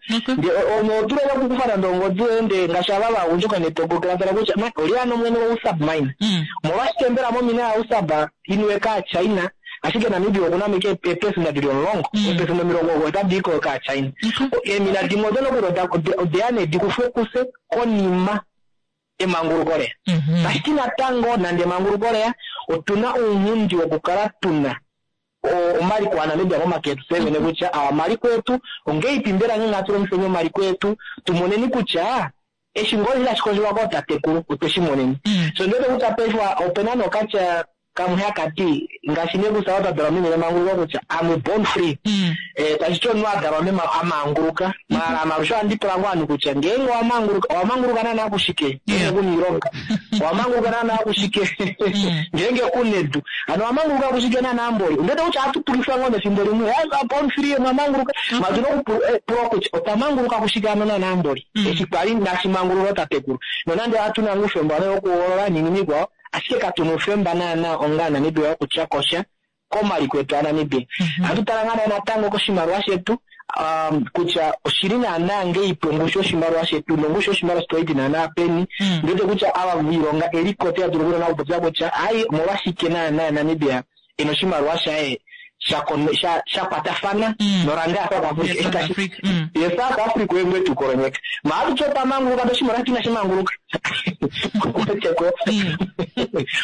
notulele okukufa nande ongodi yoye nde ngaashi ava vagundjuka netogokela tala kutya oli ano mwene wousab mine, omolwashike mbela momina yausab inuwe kaaChina, ashike Namibia okuna mike eepesenda dili 10, eepesenda 90 otadi i ko kaaChina. Eemina dimwe odo nokuli odeya nee dikufwe kuse konima emanguluko leya. Tashi natango nande emanguluko leya otuna ounghundi wokukala tuna omaliko aNamibia momake etu fye vene kutya awa omaliko etu ongeipi mbela ngeenge hatu longifeni omaliko etu tumoneni kutya eshi ngoo tashi kondjelwa kootatekulu otwe shi moneni. So ndiwete kutya paife opena nokatya Kamwe haka ti ngaashi nee kutya twa dalwa meni lemanguluko kutya I'm born free. Tashi ti omunhu a dalwa mema a manguluka. Maala ame alushe ohandi pula ngoo ovanhu kutya ngeenge owa manguluka, owa manguluka naana kushike? Ngeenge ku na oilonga. Owa manguluka naana kushike? Ngeenge ku na edu. Hano owa manguluka kushike naana mboli? Ondi wete kutya ohatu pulifwa ngoo nefimbo limwe, I'm born free, mwa manguluka. Maala otu na okupulwa kutya otwa manguluka kushike hano naana mboli? Eshi kwali inashi mangululwa tatekulu. Nonande ohatu na ngoo oufemba wokuhoolola noinima ikwao, Ashike katu na oufemba naana onga Aanamibia wokutya ko sha komaliko etu aNamibia. Ohatu tala ngaa nee natango koshimaliwa shetu kutya oshili naana ngeipi ongushu yoshimaliwa shetu nongushu yoshimaliwa shetu oili naana peni. Ndi wete kutya ava viilonga eliko otaya dulu naana okupopya kutya ai omolwashike naana Namibia ena oshimaliwa shaye sha sha kwatafana noranda ya South Africa. Eshi tashi ye South Africa oye ngoo etu kolonyeka. Ma ohatu ti otwa manguluka ndee oshimaliwa shetu inashi manguluka. Weteko?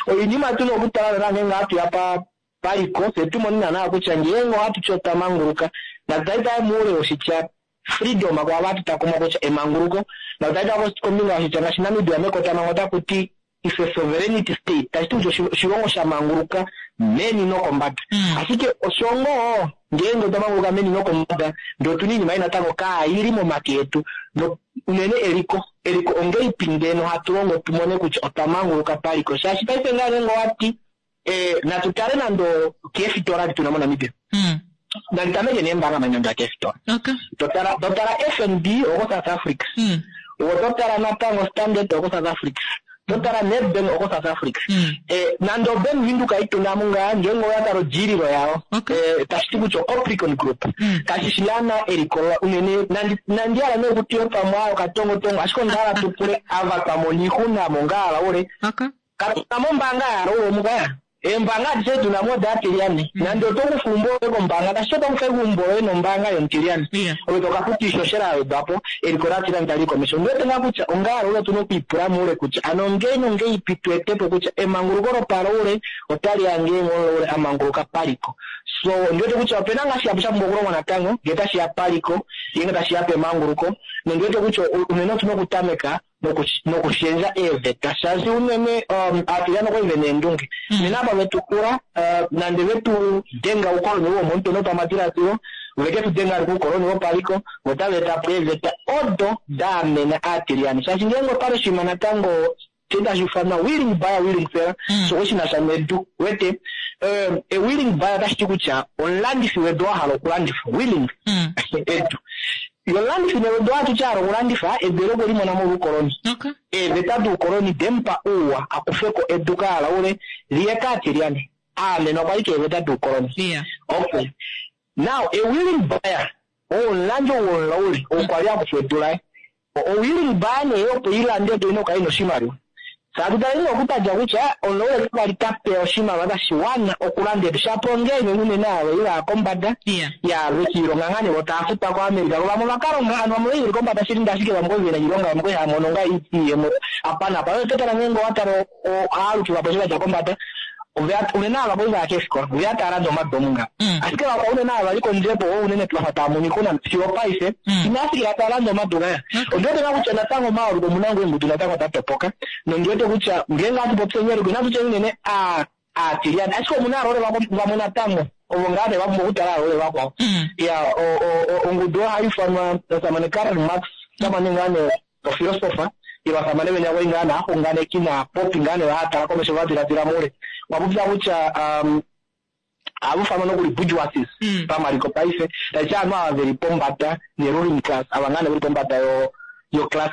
Oinima tuna okutala naana ngeenge ohatu ya paliko fye tu mone naana kutya ngeenge ohatu ti otwa manguluka natu tale tale moule woshitya freedom kwaava hatu takumwa kutya emanguluko. Natu tale tale kombinga yoshitya ngaashi Namibia mekotamhango otaku ti is a sovereignty state, tashi ti kutya oshilongo sha manguluka meni nokombada. Ashike osho ngoo ngeenge otwa manguluka meni nokombada ndee otuna oinima ei natango kaayili momake etu, no unene eliko. Eliko ongeipi ngeno hatu longo tu mone kutya otwa manguluka paliko? Shaashi paife ngaa ngeenge owati natu tale nande keefitola adi tuna moNamibia. Nandi tameke neembaanga manga inandi ya keefitola. Totala totala FNB oko South Africa. Wo totala natango Standard oko South Africa. Totala Nedbank oko South Africa. Nande oBank Windhoek ituna mo ngaa ngeenge owa tala odjiililo yayo. Tashi ti kutya oCapricorn Group. Kashi shi naana eliko unene nandi nandi hala nee okutiwa pamwe aa okatongotongo ashike onda hala tu pule ava twa mona oixuna mo ngaa hala ule. Katu na mo ombaanga ya hala ule omuka. Eembaanga adishe tu na mo odaatilyane. Nande oto kufa eumbo loye kombaanga, tashi ti oto kufa eumbo loye nombaanga yomutilyane. Ove to ka futa oishoshela ya wedwa po, eliko laatilyane tali i komesho. Ondi wete ngaa kutya onga aloule otu na okwiipula moule kutya ano ongei nongeipi tu ete po kutya emanguluko lopaloule otali ya ngeenge omulaule a manguluka paliko. So, ondi wete kutya ope na ngaa shihapu sha pumbwa okulongwa natango ngee tashi ya paliko, ngeenge tashi ya pemanguluko, nondi wete kutya unene otu na okutameka nokushendja eeveta shaashi unene aatilyane okwali vena eendunge. Unene apa vetu pula nande vetu denga oukoloni womomutwe nopamadiladilo, veke tu denga ashike oukoloni wopaliko, vo otava eta po eeveta odo da amena aatilyane. Shaashi ngeenge opali oshinima natango tashi ifanwa willing buyer willing seller, sho shi na sha nedu, wete a willing buyer otashi ti kutya omulandifi wedu wa hala okulandifa, willing edu. Ye omulandifi nee wedu ohatu ti a hala okulandifa edu eli okwe li mona molwoukoloni. Eeveta doukoloni de mu pa ouwa a kufe ko edu kaalaule li ye kaatilyane. A amenwa kwali keeveta doukoloni. Okay. Now, a willing buyer, ou omulandi ou womulaule, ou kwa li a kufa edu laye. O willing buyer nee opo i lande edu oina okukala ina oshimaliwa. Fye hatu tale nee okutadja kutya omulaule ka li ta pewa oshimaliwa tashi wana okulanda edu shapo ongeenge unene ava vali vaya kombada ya vekiilonga ngaa nee vo tava futwa ko America vo vamwe ovaka longa hano vamwe veli kombada shili ndee ashike vamwe okwali vena oilonga vamwe okwali hava mono ngaa iiyemo apa naapa. Oto tala ngeenge owa tala ohaalukilwapo eshi vadja kombada unene ava kwali vaya keefikola oveya tava lande omadomu ngaho ashike vakwao unene ava vali kondjebo oo unene twafa tava mono oixuna fiyo opaife inava fikila tava lande omadu ngaya. Ondi wete ngaa kutya natango omayooloko omuna ngoo eengudu natango da topoka nondi wete kutya ngeenge ohatu popi enyoleko inatu tya unene aatilyane ashike omuna aloole vamwe natango ovo ngaa nee va pumbwa okutala aloole vakwao. Iya ongudu oyo ohai ifanwa omusamane Karl Marx omusamane ngaa nee ofilosofa ile ovasamane venya kwali ngaa naaxunganeki naapopi ngaa nee vahatala komesho va diladila moule. Okwa popya kutya ohava ifanwa nokuli bourgeoisies pamaliko paife, tashi ti ovanhu ava veli pombada ne ruling class, ava ngaa nee veli pombada yo class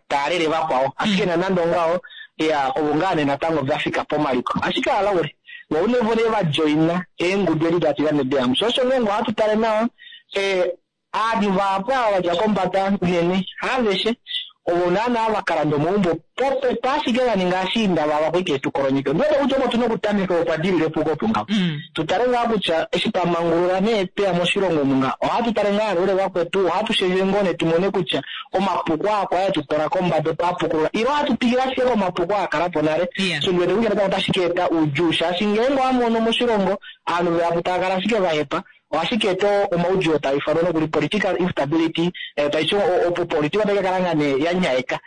taa lele vakwao. Ashike nanande ongaho, iya ovo ngaa nee natango va fika pomaliko. Ashike alaule, vo unene vo nee va joina eengudu edi da tila nedeamu. Sho osho ngeenge ohatu tale nawa, Ovanhu vahapu ava va dja kombada unene, haaveshe, ovo naanaa va ka landa omaumbo popepi ashike va ninga ashiinda vavo akuike tu kolonyeke. Ondi wete kutya opo tu na okutameka opo pa dilile epuko opo ngaho. Tu tale ngaa kutya eshi twa mangulula nee tweya moshilongo omu ngaho, ohatu tale ngaa aloule vakwetu, ohatu shendje ngoo nee tu mone kutya omapuko aa kwali etu twala kombada otwa a pukulula ile ohatu twikile ashike komapuko aa kala po nale. So ndi wete kutya natango otashi ka eta oudjuu shaashi ngeenge owa mono moshilongo ovanhu vahapu tava kala ashike va hepa, Ohashi ka eta omaudjuu oo taa ifanwa nokuli political instability, tashi ti opolitika otai ka kala ngaa nee ya nyaeka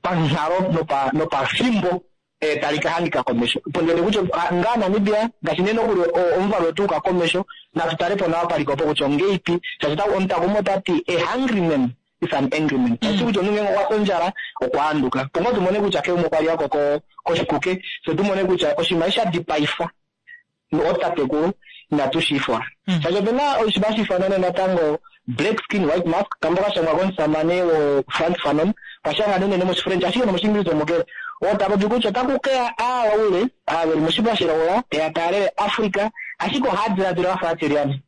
panghalo nopafimbo. Tali ka hangika komesho. Ponhele kutya ngaa Namibia ngaashi nee nokuli omuvalu wetu uka komesho, natu tale po nawa paliko opo kutya ongeipi, shaashi omutakumo ota ti a hungry man is an angry man. Tashi ti kutya omunhu ngeenge okwa fya ondjala okwa handuka. Opo ngoo tu mone kutya keumwe okwa li ako koshikuke, fye tu mone kutya oshinima eshi sha dipaifwa ootatekulu inatu shi ifola. Shaashi ope na oshinima hashi ifanwa nee natango Black Skin White Mask, kambo ka shangwa komusamane wo Frantz Fanon, okwa shanga nee unene mOshifrench ashike nomOshiingilisa omo keli. Oo ta popi kutya otaku keya aalaule, aa veli moshipa shilaula, teya taalele Africa, ashike ohaa diladila vafa aatilyane.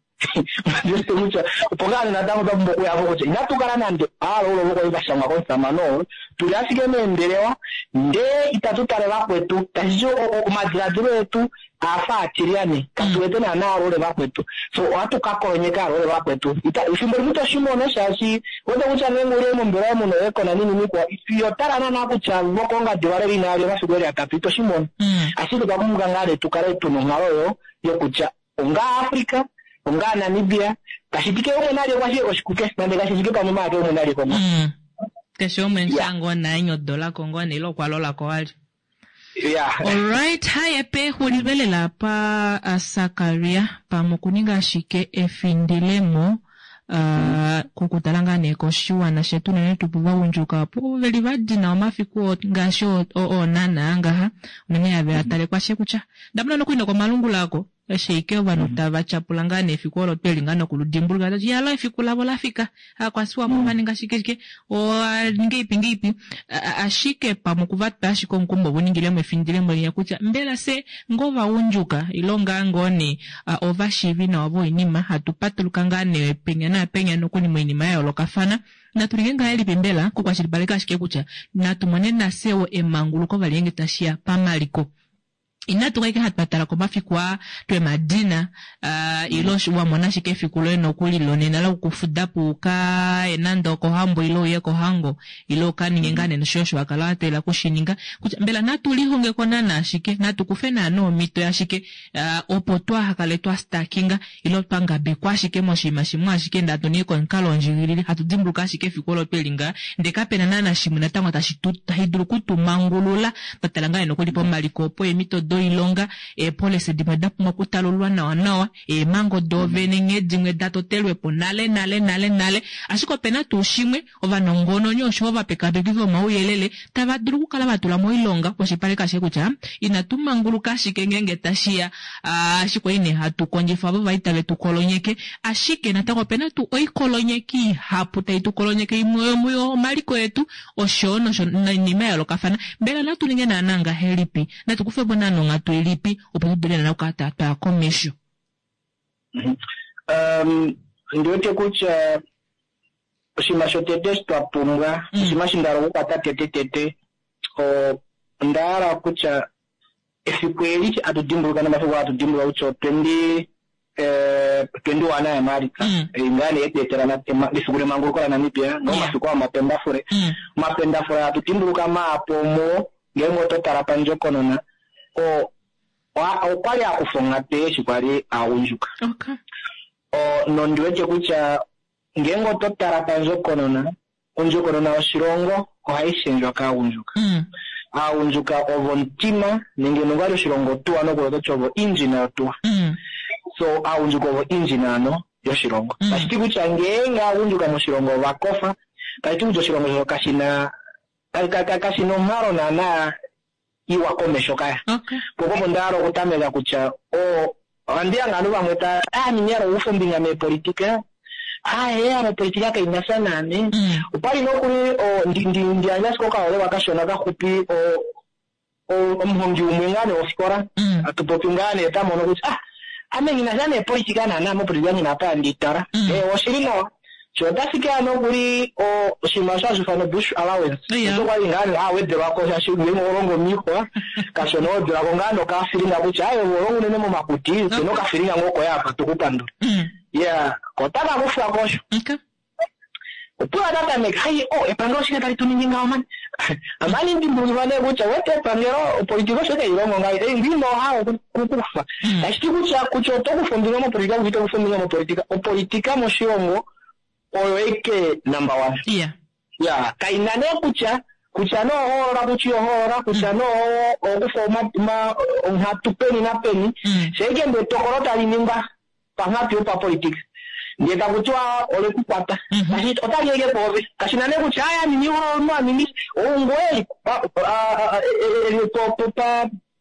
Ndiwete kutya opo ngaa nee natango twa pumbwa okuya po kutya inatu kala nande aalaule ovo kwali va shangwa komusamane oo, tuli ashike meembelewa ndee itatu tale vakwetu, tashi ti omadiladilo etu aafa aatilyane, katu wete naana aalaule vakwetu. So ohatu ka kolonyeka aalaule vakwetu. Ita, efimbo limwe ito shi mono shaashi wete kutya ngeenge uli mombelewa muno eekona ninini kwa, iho tala naana kutya vokoongadi valeli inava lya omafiku eli atatu, ito shi mono. Ashike otwa pumbwa ngaa nee tu kale tuna onghalo oyo yokutya onga Africa, onga Namibia, tashi ti kehe umwe nalye kwashe oshikuke, nande kashi fike pamwe maala kehe umwe nalye ko mo. Keshe umwe yeah. ngoo naye nyodolako ngoo nee ile okwa lolako wali. Yeah. Alright, haye pexulilo lela pa Sakaria pamwe okuninga ashike efindilemo kokutala ngaa nee koshiwana shetu unene tuu povagundjuka opo veli va dina omafiku ngaashi oonana ngaha unene have a tale kwashe kutya ndamona nokuli nokomalungula ako eshi ike ovanhu tava tyapula ngaa nee efiku olo tweli ngaa nokuludimbuluka tati yalo efiku lavo la fika aakwasiwapo va ninga shike shike ngeipi ngeipi ashike pamwe okuva twa ashike omukumo vo ningilemo efindilemo linya kutya mbela se ngoo vagundjuka ilo ngaa ngoo nee ovashiivi nawa voinima hatu patuluka ngaa nee penya naapenya nokuli moinima ya yoolokafana natu ninge ngahelipi mbela kukwashilipaleka ashike kutya natu mone nafye wo emanguluko vali ngeenge tashiya pamaliko Inatu kala hatu tala komafiku aa twemadina uh, ile wa mona ashike efiku loye nokuli lonena lokufuda po uka ye nande okohambo ile uye kohango ile uka ninge ngaa nene osho osho wa kala wa teelela kushininga kutya mbela natu lihonge ko naana ashike natu kufe naana omhito yashike uh, opo twaaha kale twa stakinga ile twa ngabekwa ashike moshinima shimwe ashike ndee hatu ningi komukalo wondjikilile hatu dimbuluka ashike efiku olo tweli ngaa ndee kapena naana shimwe natango tashi tu tashi dulu okutumangulula twa tala ngaa nokuli pomaliko opo eemhito doilonga eepolisi dimwe da pumbwa okutalululwa nawa nawa eemhango doovene nghee dimwe da totelwepo nale nale nale nale ashike opena tuu shimwe ovanongononi oshowo ovapekapeki vomauyelele tava dulu okukala va tula moilonga oshipaleka ashike kutya inatu manguluka ashike ngeenge tashi ya ashike ine hatu kondjifa ovo vai tave tu kolonyeke ashike natango opena tuu oikolonyeki ihapu tai tu kolonyeke imwe yomuyo omaliko etu oshowo nosho noinima ya yoolokafana mbela natu ninge naana ngahelipi natu kufe po naana onghatu ilipi opo tu dule naana okukala twaya komesho Ondi wete kutya oshinima shotete eshi twa pumbwa, oshinima eshi nda hala okukwata tetetete, onda hala kutya efiku eli hatu dimbuluka nomafiku aa hatu dimbuluka kutya o twenty 21 yaMaalitsa, ei ngaa nee yetu etela efiku lemanguluko laNamibia, nomafiku aa omapendafule. Omapendafule hatu dimbuluka maapu omuo, ngeenge oto tala pandjokonona, okwali a kufa onghatu eshi kwali a gundjuka. Nondi wete kutya ngeenge oto tala pandjokonona, ondjokonona yoshilongo ohai shendjwa kaagundjuka. Aagundjuka ovo omutima nenge nongwali oshilongo otuwa nokuli oto ti ovo engine yotuwa. So aagundjuka ovo engine ano yoshilongo. Tashi ti kutya ngeenge aagundjuka moshilongo ova kofa, tashi ti kutya oshilongo osho kashi na kashi na onghalo naana iwa komesho kaya. Po opo nda hala okutameka kutya o ohandi hange ovanhu vamwe ta ah ame ina hala okukufa ombinga meepolitika, ah ee ame opolitika kai na sha naame. Opwali nokuli o ndi ndi ndi yandje ashike okaholelwa kashona kaxupi o omuhongi umwe ngaa nee wofikola hatu popi ngaa nee ta mono kutya ah ame nghi na sha neepolitika naana ame opolitika nghi na apa handi i tala. Ee oshili nawa. Sho otashi ke ya nokuli oshinima osho hashi ifanwa bush allowance. Osho kwali ngaa nee a wedelwa ko shaashi ngeenge oho longo miixwa kashona ho wedelwa ko ngaa nokafilinga kutya aaye ove oho longo unene momakuti opena okafilinga ngoo koye apa tuku pandula. Yeah, ko otaka kufwa ko osho. Opuwo ota tameke, hai oh epangelo oshike tali tu ningi ngaho mani? Amani dimbulukifa nee kutya wete epangelo opolitika osho tai longo ngaho, ei ngoo ino hala okukufa. Tashi ti kutya kutya oto kufa ombinga mopolitika kutya ito kufa ombinga mopolitika, opolitika moshilongo oyo eke number one. Ya, kai na nee kutya. Kutya nee ohoolola kutya ihohoolola, kutya nee ohokufa onghatu peni napeni, shaike ndee etokolo tali ningwa panghatu yopapolitika ndee taku tiwa ole ku kwata, otali eke kwoove. Kashi na nee kutya aya ningi omunhu a ningi oungoye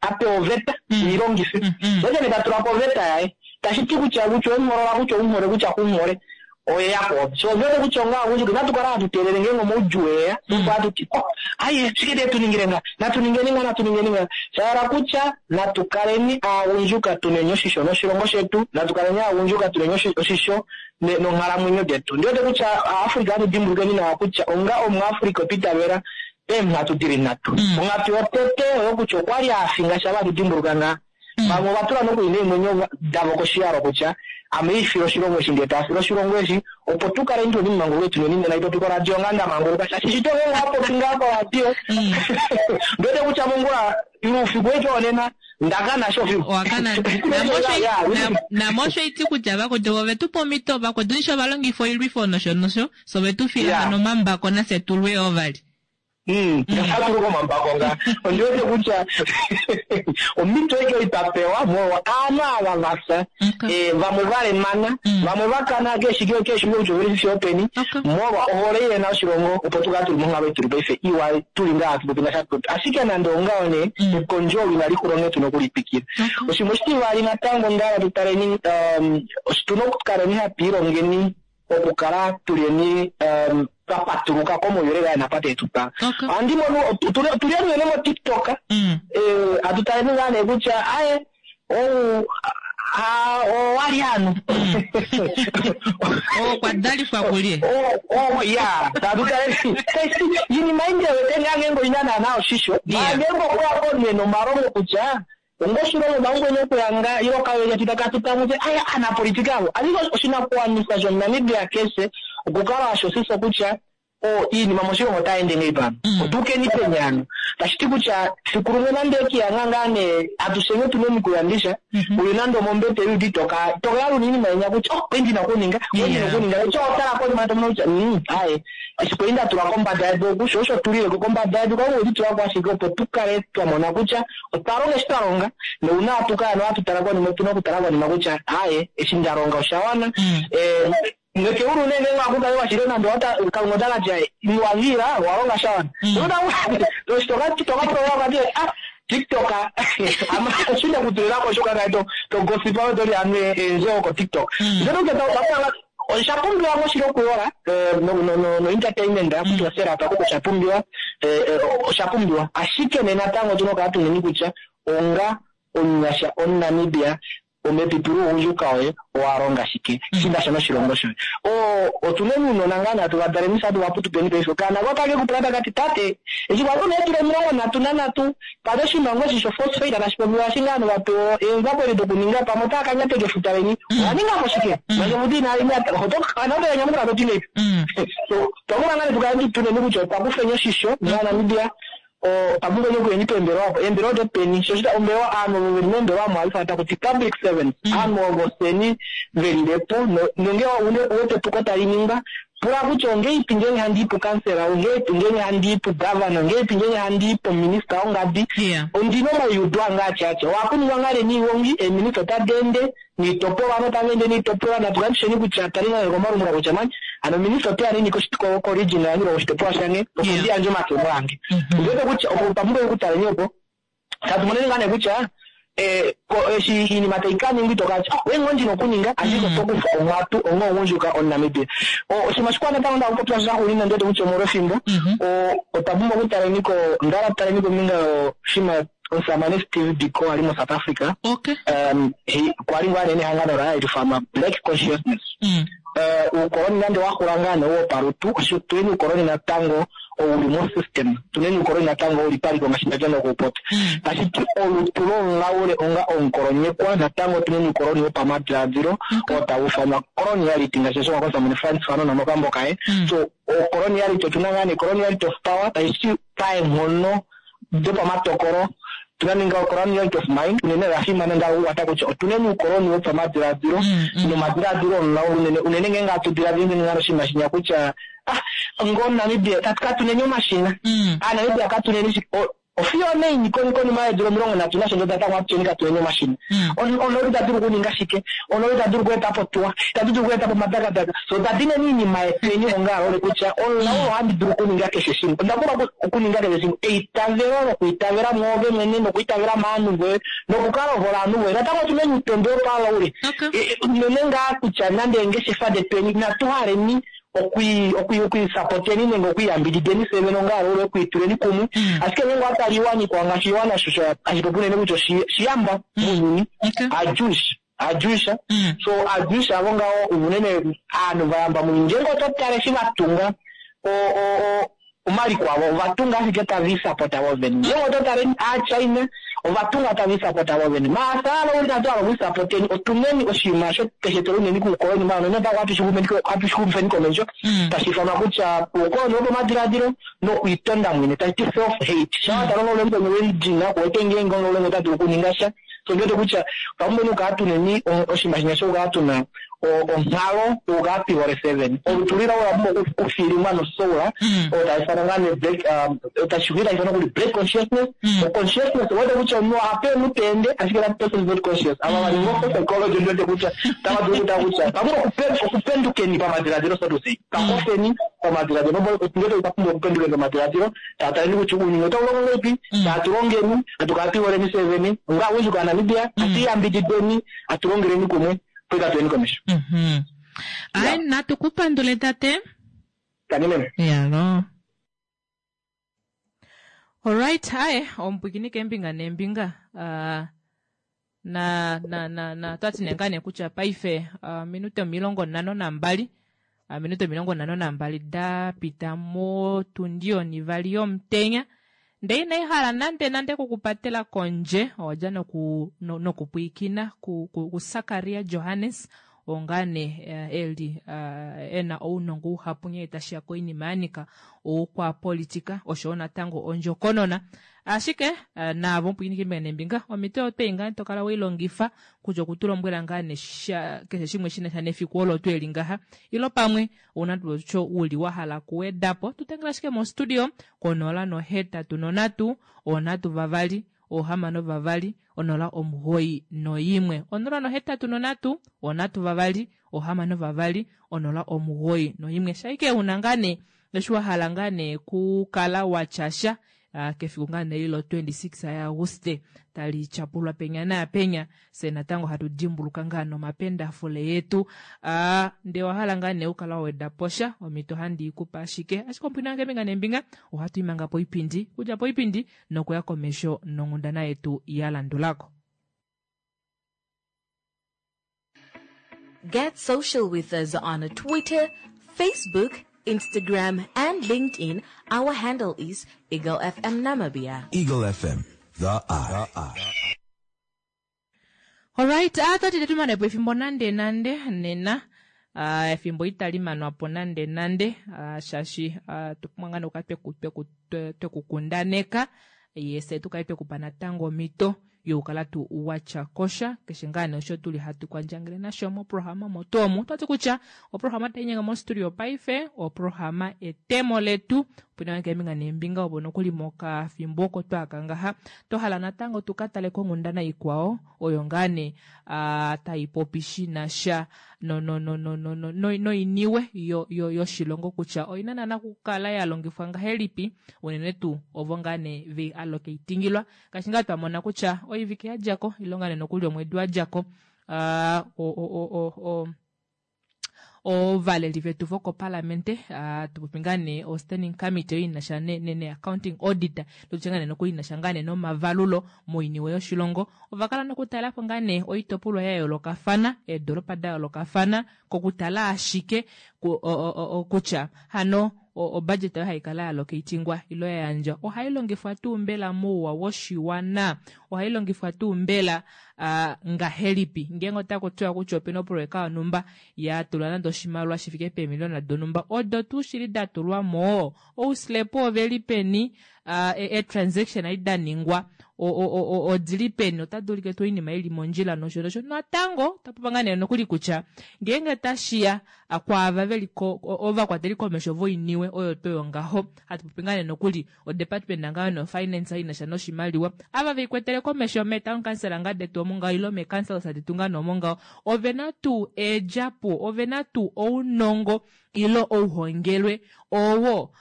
a pewa oveta ei longife. Oye nee ta tula po oveta yaye. Tashi ti kutya kutya owemuholola kutya oumuhole kutya kumuhole oye ya kwoove. Sho ovete kutya onga aagundjuka inatu kala hatu teelele ngeenge omaudjuu eya opo hatu ti oh aye shike te tu ningile nga natu ningeni nga natu ningeni nga. Sha hala kutya natu kaleni aagundjuka tuneni oshisho noshilongo shetu, natu kaleni aagundjuka tuneni oshisho nonghalamwenyo detu. Ndi wete kutya Aafrica natu dimbulukeni nawa kutya onga Omuafrica otwa itavela eenghatu di li nhatu. Onghatu yotete oyo kutya okwa li a finga sha hatu dimbuluka ngaa. Vamwe ova tula nokuli neemwenyo davo koshiyalo kutya ame ifile oshilongo eshi ndee taa file oshilongo eshi opo tu kale tuli mumanguluke tuneni nena ipopi koradio ngaa nda manguluka shaashi shito ngeenge owa popi ngaa koradio ndiwete kutya mongula ile oufiku weke wonena ndakana sho fiku. Owakana. Namosho iti kutya vakwetu ove tu pa omhito vakwetu nisho va longifa oilwifo nosho nosho so ve tu fila hano omambako nafye tulwe ovali. Ndatulu komambako nga ondi wete kutya omhito eke ei twa pewa molwa aanhu ava va fya, vamwe va lemana, vamwe va kana keshi keshi kutya oveli fiyo openi, molwa ohole ei yena oshilongo opo tu kale tuli monghalo ei tuli paife iwa tuli ngaa hatu popi ngaashi hatu popi. Ashike nande ongaho nee ekondjo olo inali xula onghee tuna okuli twikila. Oshinima oshitivali natango onda hala tu taleni otuna okukaleni hatu ilongeni okukala tuleni twa patuluka komauyelele aa napa tee tu twala. Ohandi mono otuli unene moTikTok, hatu taleni ngaa nee kutya aye ou owali hano. Okwa dalifwa kulye? Ya, hatu taleni iinima ei ndiwete ngaa ngeenge oina naana oshisho, maa ngeenge okweya ko nee nomalongo kutya Onga oshilongo naumwe okuyanga ile okawenya tita katu tamwe aya anapolitika avo. Ashike oshinakuwanifwa shOmunamibia keshe okukala ashosisa kutya o iinima moshilongo otai ende ngei pano. Otuukeni peni hano. Tashi ti kutya fiku limwe nande okiyanga ngaa nee atusheni otuna omikuyandisha, uli nande omombete yuudi toka toka yalula iinima yenya kutya oh kwali ndina okuninga, kwali ndina okuninga. Eshi otala konima to mono kutya aye eshi kwali nda tula kombada yedu oku sho osho tulileko kombada yedu Kalunga okwe tu tulako ashike opo tu kale twa mona kutya otwa longa eshi twa longa nouna hatu kala nohatu tala konima otuna okutala konima kutya aaye eshi nda longa osha wana. Nokeulu nee ngeenge ohaku kale washile nande Kalunga ota ka tya wa vila wa longa sha wana. Toka pula okati ah TikTok ama shinde kutulilako osho kaka to to gossipa to li anu eendjo ko TikTok. Ndele kutya osha pumbiwa ngoo okuyola no entertainment kutya serapa koko osha pumbiwa, osha pumbiwa. Ashike nee natango otuna okukala tuneni kutya onga omunyasha omuNamibia omepipi lougundjuka woye owa longa shike shinasha noshilongo shoye. Otuna ounona ngaa nee hatu vadaleni fye hatu vaputupeni paife. Okaana koye otake kupula takati tate eshi kwali una eedula 33 pali oshimaliwa eshi sho phosphate tashi popiwa eshi ngaa ovanhu vapewa eenzapo edi dokuninga pamwe otava ka nyateka efuta leni owa ningapo shike? Manje efuta inali nyata oto nyamukula toti ngahelipi? So otwa pumbwa ngaa nee tukale tuneni kutya otwa kufeni oshisho ovanamibia otwa pumbwa okuyeni peembelewa opo eembelewa dopeni sho shita ombelewa aanhu ovo veli meembelewa omo hali ifana takuti public servants aanhu ovo fyeni velilepo nonge uwete epuko tali ningwa pula kutya ongeipi ngeenge handi i pukansela ongeipi ngeenge handi i pugavana ongeipi ngeenge handi i pominista wongadi ondina omaiudo ange atya atya ohakuningwa ngaa nee niigongi eeminista otadi ende niitopolwa ovanhu otava ende niitopolwa natu kale tusheni kutya tali ngaa komalungula kutya mani hano minista oteya nini koregion yange ile koshitopolwa shange opo ndi yandje omakemo ange. Ondiwete kutya opo otwa pumbwa okutaleni opo tatu moneni ngaa nee kutya eshi iinima tai ka ningwa ito kala oh oye ngoo ndina okuninga ashike oto kufa onghatu onga omugundjuka omuNamibia. Oshinima shikwao natango nda okupopya shaxuuninwa ndiwete kutya omolwefimbo otwa pumbwa okutaleni ko onda hala tutaleni kombinga yoshinima omusamane Steve Biko ali moSouth Africa. Kwali ngaa nee nehangano laye hali ifanwa Black Consciousness. Uukoloni nande wa xula ngaa nee wopalutu, tuneni uukoloni natango ouli mo system, tuneni uukoloni natango ouli paliko ngaashi ndadja nokuupopya. Tashi ti olutu lomulaule onga omukolonyekwa natango tuneni uukoloni wopamadiladilo oo tau ifanwa coloniality ngaashi osho komusamane Frantz Fanon mokambo kaye. So coloniality otuna ngaa nee coloniality of power tashi ti paenghono dopamatokolo. Tuna ninga ocoloniality of mind unene oya fimana nda okukwata kutya otuneni uukoloni wopamadiladilo nomadiladilo omulaulu unene unene ngeenge atu diladila unene ngalo oshinima shinya kutya ah ngo Namibia katuneni omashina. Aanamibia katuneni ofiyo neini konima yeedula 30 nasho ndo natango atutyeni katuneni omashina. Onooli ta dulu okuninga shike? Onooli ta dulu okweeta po tuwa, itatu dulu okweeta po omadakadaka. So otwa dineni oinima yetweni onga kutya omulaulu ohandi dulu okuninga keshe shimwe. Onda pumbwa okuninga keshe shimwe. Eitavelo lokwiitavela mwoove mwene nokwiitavela maanhu voye nokukala ohole ovanhu voye. Natango otuneni uutondwe wopalaule. Unene ngaa kutya nande eengeshefa detweni inatu haleni okwiisapoteni nenge okwiiyambidideni fye vene onga aloule okwiituleni kumwe. Ashike ngeenge owatala iiwana ikwao ngaashi oshiwana osho hashi popi unene kutya oshiyamba mounyuni, aaJewish. Aajewish. So aaJewish avo ngaho unene aanhu vayamba mounyuni. Ngeenge oto tale eshi vatunga omaliko avo ovatunga ashike tava isapota vovene. Ngeenge oto tale aaChina ovatunga tava isapota vovene. Maasa alo inatu hala okwiisapoteni otuneni oshinima osho keshe tuli unene kuukoloni maala unene natango hatu shi xumifeni komesho tashi ifanwa kutya uukoloni wopamadiladilo nokwiitonda mwene tashi ti self hate. Shampa watala omulaulu welidina kuwete ngeenge omulaulu ota dulu okuninga sha. So ndiwete kutya otwa pumbwa okukala tuneni oshinima shinya shokukala tuna onghalo yokukala twihole fye vene. Olutu lila ola pumbwa okufilimwa nosoula oyo tai ifanwa ngaa nee black tashi ifanwa kuli black consciousness. O consciousness owete kutya omunhu ohape omunhu ta ende ashike that person is not conscious. Ava va ninga psychology ndiwete kutya otava dulu okutala kutya otwa pumbwa okupendukeni pamadiladilo so to say. Twakofeni pamadiladilo. Ndiwete otwa pumbwa okupendukeni pamadiladilo tataleni kutya ounyuni otau longo ngahelipi, tatu longeni, hatu kala twiholeni fye vene onga aagundjuka yaNamibia, hatu iyambidideni, hatu longeleni kumwe opo katu komesho. Ai, natu ku pandule tate. Tangi meme. Yalo. Alright, aye, omupwikini keembinga neembinga. Na na na na twati nee ngaa nee kutya paife minute 52 minute 52 da pita motundi onivali yomutenya ndee inai hala nande nande kukupatela kondje owadja noku nokupwiikina ku, ku, ku Sakaria Johannes oo ngaa nee eli ena ounongo uhapu nghee tashiya koinima ya nyika oukwapolitika oshowo natango ondjokonona. Ashike naavo omupwiikini keembinga neembinga omhito oyo ngaa to kala weilongifa kutya okutulombwela ngaa nee keshe shimwe shina sha nefiku olo tweli ngaha ilo pamwe ouna tuu uli wa hala kuwedapo tutengela ashike mostudio ko 083 3 6 2 091 083 3 6 2 091 shaike una ngaa nee eshi wa hala ngaa nee kukala watyasha kefiku ngaa nee lo 26 yaAguste tali tyapulwa penya naapenya fye natango hatu dimbuluka ngaa nomapendafule yetu. Ndee owa hala ngaa nee ukala wa weda posha omhito handi ikupa ashike ashike omupwina wange keembinga neembinga ohatu imanga poipindi kudja poipindi nokuya komesho nonghundana yetu ya landulako. Get social with us on Twitter, Facebook, Instagram, and LinkedIn. Our handle is Eagle FM Namibia. Eagle FM, the eye. Alright, atati tetumanepo efimbo nande nande nena efimbo itali manwapo nande nande shaashi tupumbwa ngaa nokukala twekukundaneka yese tukale twekupa natango omhito yokukala tu watya kosha keshe ngaa nee osho tuli hatu kwandjangele nasho moprograma motu omu. Otwati kutya oprograma tainyenga mostudio paife oprograma etemo letu opuna keembinga neembinga opo nokuli mokafimbo oko twaka ngaha twahala natango tukatale konghundana ikwao oyo ngaa nee taipopi shinasha noiniwe yoshilongo kutya oina naana okukala yalongifwa ngahelipi unene tuu ovo ngaa nee vei allocatingilwa ngaashi ngaa twamona kutya oivike yadjako ile ngaa nee nokuli omwedi wadjako ovaleli vetu vokopalamente tupopi ngaa nee o standing committee oyo inasha ne accounting auditor tutye ngaa nee nokuli inasha ngaa nee nomavalulo moiniwe yoshilongo ovakala nokutalapo ngaa nee oitopolwa ya yoolokafana eedoropa da yoolokafana kokutala ashike kutya hano obudget oyo haikala ya allocatingwa ilo ya yandjwa ohai longifwa tuu mbela mouwa woshiwana ohai longifwa tuu mbela ngahelipi ngeenge otaku tiwa kutya opena oproyeka yonhumba ya tulwa nande oshimaliwa shi fike peemiliona donhumba odo tuu shili da tulwa mo ouslepo oveli peni e-transaction ai da ningwa. Odili peni, otadi ulike tuu oinima ili mondjila nosho nosho. Natango tapopa ngaa nee nokuli kutya ngeenge tashiya kwaava veli ovakwateli komesho voiniwe oyo to yongaho, hatu popi ngaa nee nokuli odepartment ngaa no finance inasha noshimaliwa, ava veikwetele komesho mee town council ngaa detu omo ngaho ilo mee councils detu ngaa noomo ngaho, ovena tuu eedjapo, ovena tuu ounongo ilo ouhongelwe owo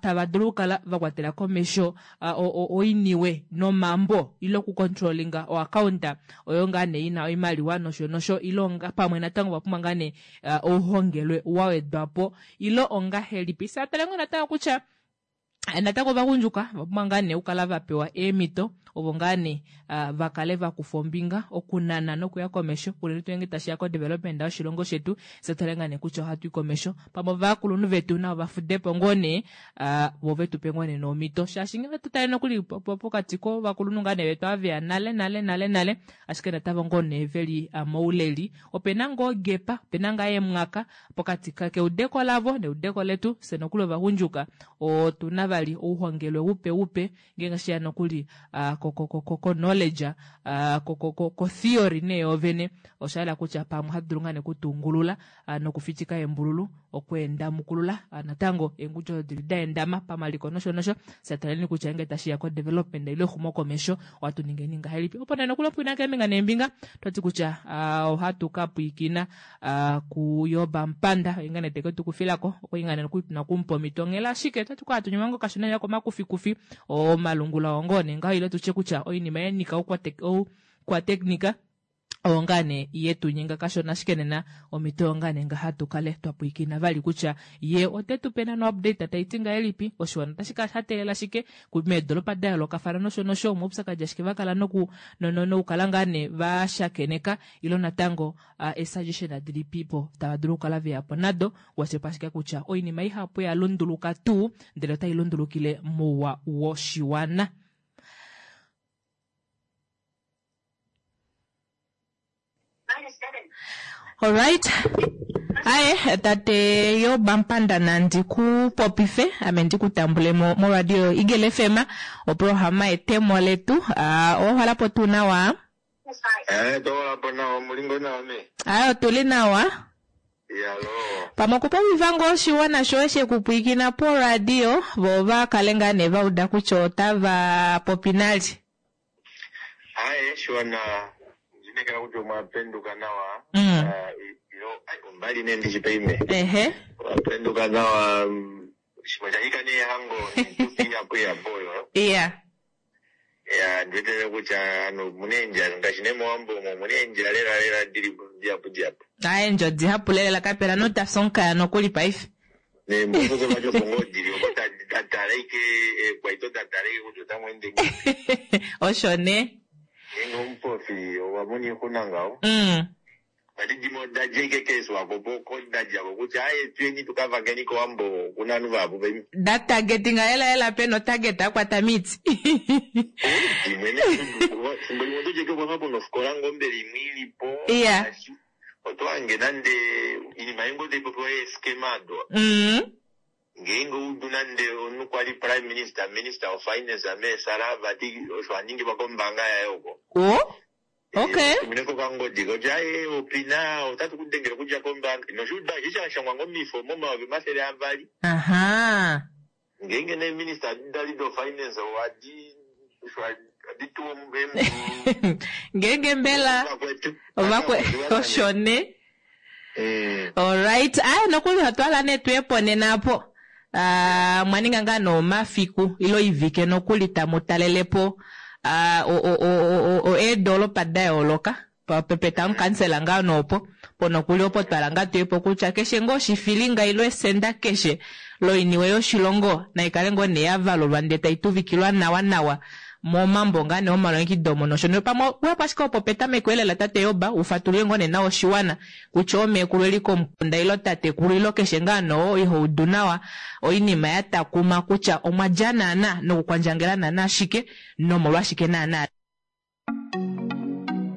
tava dulu okukala va kwatela komesho oiniwe nomambo ilo okucontrollinga oaccounta oyo ngaa nee ina oimaliwa nosho nosho, ilo pamwe natango va pumbwa ngaa nee ouhongelwe wa wedwa po ilo ongahelipi. Satale ngoo natango kutya natango ovagundjuka va pumbwa ngaa nee okukala va pewa eemhito ovo ngaa nee va kale va kufa ombinga okunana nokuya komesho, unene tuu ngeenge tashiya ko development yoshilongo shetu. Fye tale ngaa nee kutya ohatu i komesho pamwe ovakulunhu vetu navo vafudepo ngoo nee, vo vetu pe ngoo nee nomhito, shaashi ngenge tutale nokuli pokati kovakulunhu ngaa nee vetu ava veya nale nale nale nale, ashike natango ngoo nee veli mouleli, opena ngoo gap, opena ngaa emwaka pokati keudeko lavo neudeko letu. Fye nokuli ovagundjuka otuna vali ouhongelwe upe upe ngeenge shiya nokuli ko knowledge, ko theory nee yoovene, osha yela kutya pamwe ohatu dulu ngaa nee okutungulula nokufitika embululu okweenda mukulula natango eengudju odo dili daendama pamaliko nosho nosho. Sataleni kutya ngenge tashiya ko development ile exumo komesho ohatu ningeni ngahelipi, opo nee nokuli opwina keembinga neembinga twati kutya ohatu ka pwiikina kuYoba Mpanda oye ngaa nee teke tukufilako okwa ngaa nee nokuli tuna okumupa omhito onghela, ashike otati kwa hatu nyuma ngoo kashona lela komakufikufi omalungula oo ngoo nee ngaho, ile tutye kutya oinima ya nyika oukwateknika oyo ngaa nee yetu nyenga kashona, ashike nena omhito oyo ngaa nee nga hatu kale twa pwiikina vali kutya ye ote tu pe nano update tayi ti ngahelipi, oshiwana otashi kala sha teelela shike meedolopa da yoolokafana nosho nosho, omaupyakadi ashike va kala nokukala ngaa nee va shakeneka, ilo natango esuggestion dilipipo tava dulu okukala veya po nado, washepa ashike kutya oinima ihapu ya lunduluka tuu ndele otai lundulukile mouwa woshiwana. Alright. Aye, tate Yoba Mpanda nandi ku popife, ame ndi ku tambule mo moradio Eagle FM, oprograma etemo letu. Owa po tuu nawa? Tohola po nawa, omulingo nawa me. Aye, otuli nawa. Yalo. Pamwe okupopifa ngoo oshiwana shoye shekupwiikina poradio, vo va kale ngaa nee va uda kutya otava popi nali. Aye, shiwana ndinekela kutya omwapenduka nawa. Ilo ombali nee ndishi ime. Omwapenduka nawa, shimwe shanyika neehango nitufi ihapu ihapu oyo. Ya, ndiwetele kutya ano omuna eendjala ngaashi nee mowambo omo omuna eendjala lela lela dili dihapu dihapu. Aye, endjo dihapu lela kapela notafya omukaya nokuli paife. Neembososo vati opo ngoo dili oko datala ike eekwaito datala ike kutya otamu ende ngiini. Osho nee. Ngeenge omupofi owa mona oixuna ngaho. Vati dimwe oda dja ike keeswakopo oko da djako kutya aye tuyeni tukavakeni kowambo okuna ovanhu vahapu paife. Da targetinga lela lela pena otarget akwata miiti. Dimwe nee fimbo limwe oto dja ike okwafa puna ofikola ngoo mbela imwe ilipo. Oto hange nande oinima ei ngoo taipopiwa yeeskema ado. Ngeenge oudu nande omunhu kwali prime minister, minister of finance meesala vati osho aningilwa kombaanga yaye oko. Okay. Tumine kokangodi kutya aye opina otatu ku dengele okudja kombaanga. Noshuuda eshi sha shangwa ngoo mifo mo200,000. Ngeenge nee minister dali do finance owadi osho adi tuwa emu. Ngeenge mbela ovakwe osho nee. Alright, aye nokuli otwala nee tuye nena apo. Mwaninga ngaa noomafiku ilo ivike nokuli tamu talelepo eedolopa da yooloka pepeta omukansela ngaa noopo po nokuli opo twala ngaa tuyepo kutya keshe ngoo oshifilinga ilo esenda keshe loiniwe yoshilongo naikale ngoo nee yavalulwa ndee tai tuvikilwa nawa nawa momambo ngaa nee omalongekido omo nosho nosho. Pamwe uyapo ashike opo petameko elela tate Yoba ufatulule ngoo nee nawa oshiwana kutya omeekulu eli komukunda ilo tatekulu ilo keshe ngaa noo ihoudu nawa oinima ya takuma kutya omwa dja naana nokukwandjangela naana ashike nomolwashike naana.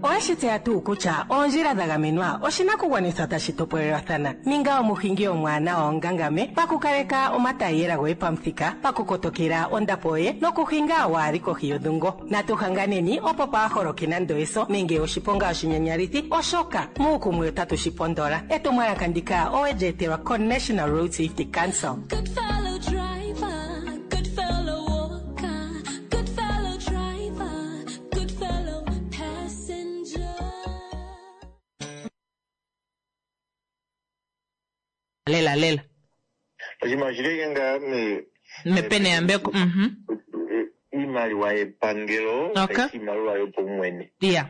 Owa Oweshi tseya tuu kutya oondjila dha gamenwa oshinakugwanithwa tashi topolelwathana? Ninga omuhingi omwaanawa ongangame pakukaleka omataiyela goye pamuthika, pakukotokela ondapo yoye nokuhinga waali kohi yodhungo. Natu hanganeni opo paa holoke nando eso nenge oshiponga oshinyanyalithi, oshoka muukumwe otatu shi pondola. Etumwalaka ndika owe li etelwa koNational Road Safety Council. Good fellow driver, good fellow walker, good fellow driver, good fellow passenger. Lela lela. Oshinima oshili ike ngaa me- Mepene yambeko. Iimaliwa yepangelo Okay. kaishi iimaliwa yopaumwene. Yeah.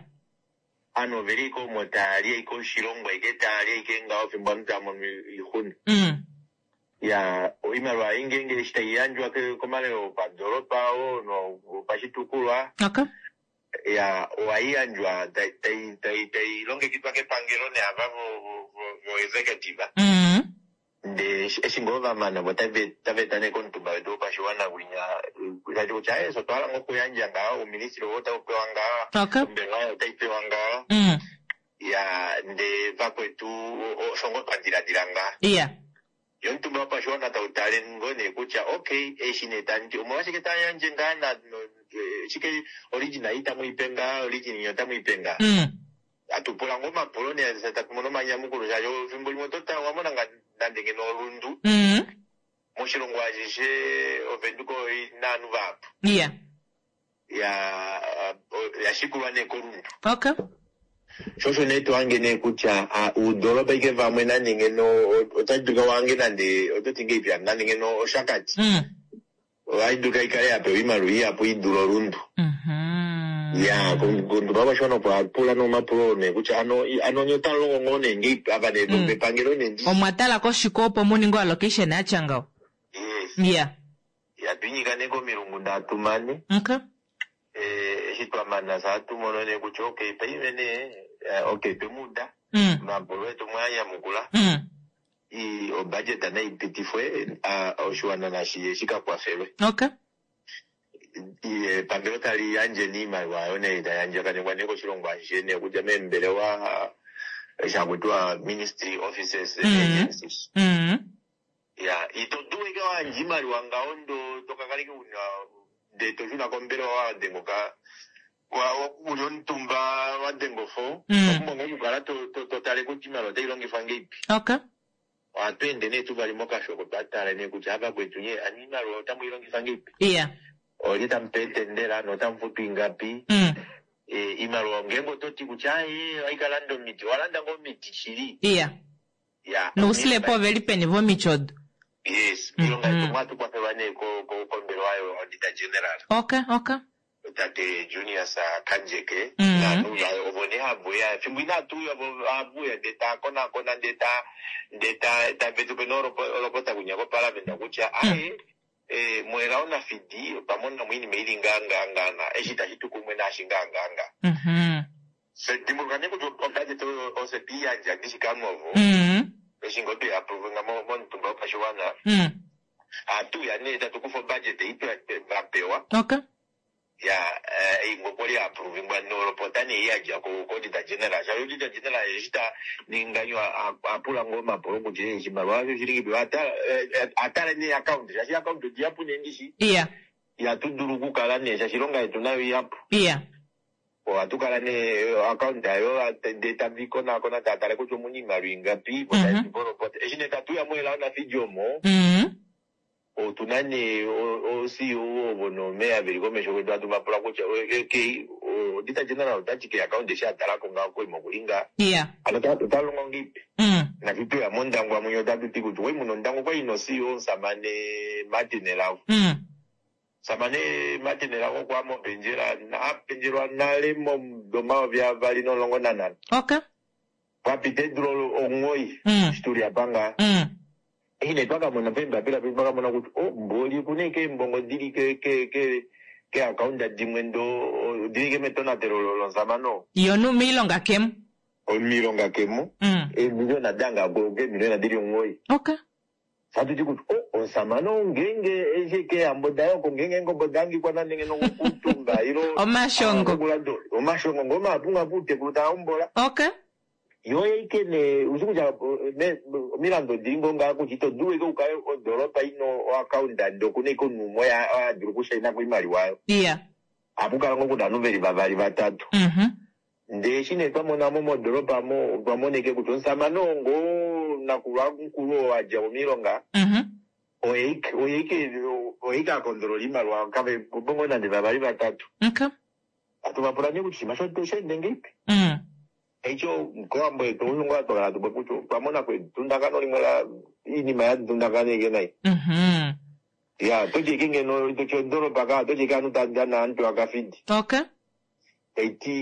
Aanhu oveli ike omo taya li ike oshilongo ike taya li ike ngaho fimbo ovanhu taya mono oixuna. Ya oimaliwa ei ngeenge eshi tai yandjwa komalelo opadoolopa oo nopashitukulwa Okay. ya ohai yandjwa tai tai tai tai longekidwa kepangelo neava vo vo vo executive. Ndee eshi ngoo va mana vo otava eta nee komutumba wetu wopashiwana kwinya tati kutya aaye fye otwa hala ngoo okuyandja ngaha ouministry oo otau pewa ngaha Okay. ombelewa oyo otai pewa ngaha ya ndee vakwetu osho ngoo twa diladila ngaha. Yeah. Ye omutumba wopashiwana tau tale ngoo nee kutya okay eshi nee tamu ti omolwashike tamu yandje ngaa na shike origin ei tamu i pe ngaa origin inya otamu i pe ngaa. Hatu pula ngoo omapulo nee fye tatu mono omanyamukulo shaashi efimbo limwe oto tale owa mona ngaa nande ngeno olundu moshilongo ashishe Ovenduka oi na ovanhu vahapu. Yeah. Ya ya shikulwa nee koLundu. Okay. Sho osho nee to hange nee kutya uudolopa ike vamwe nande ngeno otashi dulika uhange nande oto ti ngeipi hano nande ngeno Oshakati ohashi dulika ikale ya pewa oimaliwa ihapu i dule Olundu. Ya komutumba wopashiwana opo a pula nee omapulo oo nee kutya ano ano nye otamu longo ngoo nee ngeipi ava nee vepangelo nee ndi Omwa tala koshike opo mu ninge oallocation ya tya ngaho? Yes. Yeah. Ya twinyika nee komilungu ndatu mane. Okay. Eshi twa mana fye ohatu mono nee kutya okay paife nee okay twe mu uda omapulo etu omwe a nyamukula. Obudget nai pitifwe oshiwana nashi shi ka kwafelwe. Okay. Epangelo tali yandje nee iimaliwa yayo nee tai andjakanekwa nee koshilongo ashishe nee okudja meembelewa eshi haku tiwa ministry offices and agencies. Ya ito dulu ike wayandja iimaliwa ngaho ndo tokakala ike una ndee to shuna kombelewa wadenga oka uli omutumba wadenga ofo. Owa pumbwa ngoo okukala to tale kutya iimaliwa otai longifwa ngeipi. Okay. Ohatu ende nee tuvali mokashoko twa tala nee kutya ava kwetu nye ani iimaliwa otamu i longifa ngeipi. Yeah. Olye tamu pe etendela notamu futu ingapi. Iimaliwa ngeenge oto ti kutya aaye ohai ka landa omiti, owa landa ngoo omiti shili? Yeah. Ya. Nousilepo oveli peni vomiti odo? Yes, miilonga yetu ohatu kwafelwa nee kombelewa yo Auditor General. Okay, okay. Tate Junias Kandjeke naanhu vaye ovo nee have uya fimbo inatu uya vo have uya ndee ta konakona ndee ta ndee ta tave tu pe nee olopota kunya koparliament kutya aaye moElao Nafidi otwa mona mo iinima ili ngaa ngaa ngaa na eshi itashi tu kumwe naashi ngaa ngaa ngaa. Se dimbuluka nee kutya obudget oyo ofye twe i yandja ndishi kaanhu ovo eshi ngoo twei approvinga momutumba wopashiwana. Ohatu uya nee tatu kufa obudget ei twa pewa. Okay. Ya ei ngoo kwali ya approvingwa nolopota nee ei yadja ko Auditor General. Shaashi Auditor General eshi ta ninga oha pula ngoo omapulo kutya oshimaliwa osho oshili ngeipi. Oha tale nee account shaashi account odihapu nee ndishi. Yeah. Ihatu dulu okukala nee shaashi oilonga yetu nayo ihapu. Yeah. Ohatu kala nee account ayo ndee tavi konaakona tava tale kutya omuna iimaliwa ingapi vo tave tu pe olopota. Eshi nee tatu uya moElao Nafidi omo otu na nee o-CEO ovo noomeya veli komesho kwetu hatu va pula kutya okay Auditor General ota ti keaccount eshi a talako ngaho koima okuli ngaa. Yeah. Hano ota longo ngeipi? Nafye tweya mOndangwa mwinya otatu ti kutya okwali muna Ondangwa okwali ina o-CEO omusamane Martin Elago. Omusamane Martin Elago okwa ya mopendjela a pendjelwa nale momudo 2015. Okay. Pwa pita eedula 9 eshi tuli apa ngaha. Eshi nee twa ka mona peembapila petu twa ka mona kutya oh mboli oku na ashike eembongo dili keeakaunda dimwe do odili ashike metonatelo lomusamane oo. Ye omumiilonga kemo. Omumiilonga kemo. Eemiliona danga keemiliona dili 9. Okay. Satuti kutya o omusamane ou ngeenge eshi keehambo daye oko ngeenge eengobe oda hangikwa nande ngeno okukuutumba ilo Omashongo. Omashongo ngoo mahapu ngapo outekulu taa hombola. Okay. Yo ike nee ushi kutya omilandu odili ngoo ngaha kutya ito dulu ike ukale odoropa ina oaccountant okuna ike omunhu umwe oye ha dulu okushaina koimaliwa oyo. Iya. Ohapu kala ngoo kuna ovanhu veli vavali vatatu. Ndee eshi nee twa mona mo modoropa mo otwa mona ike kutya omusamane oo ngoo nakulwa mukulu oo a dja mo moilonga oye ike oye ike oye ike a kondolola oimaliwa kave po ngoo nande vavali vatatu. Okay. Hatu va pula nee kutya oshinima osho osha enda ngahelipi. Eico kOwambo yetu osho ngoo hatu kala hatu popi kutya otwa mona ko edundakano limwe la oinima ya dundakana ike nai. Ya, oto ti ike ngeno to ti odoropa ka, oto ti ike aantu taa dana aantu akafidi. Okay. Tai ti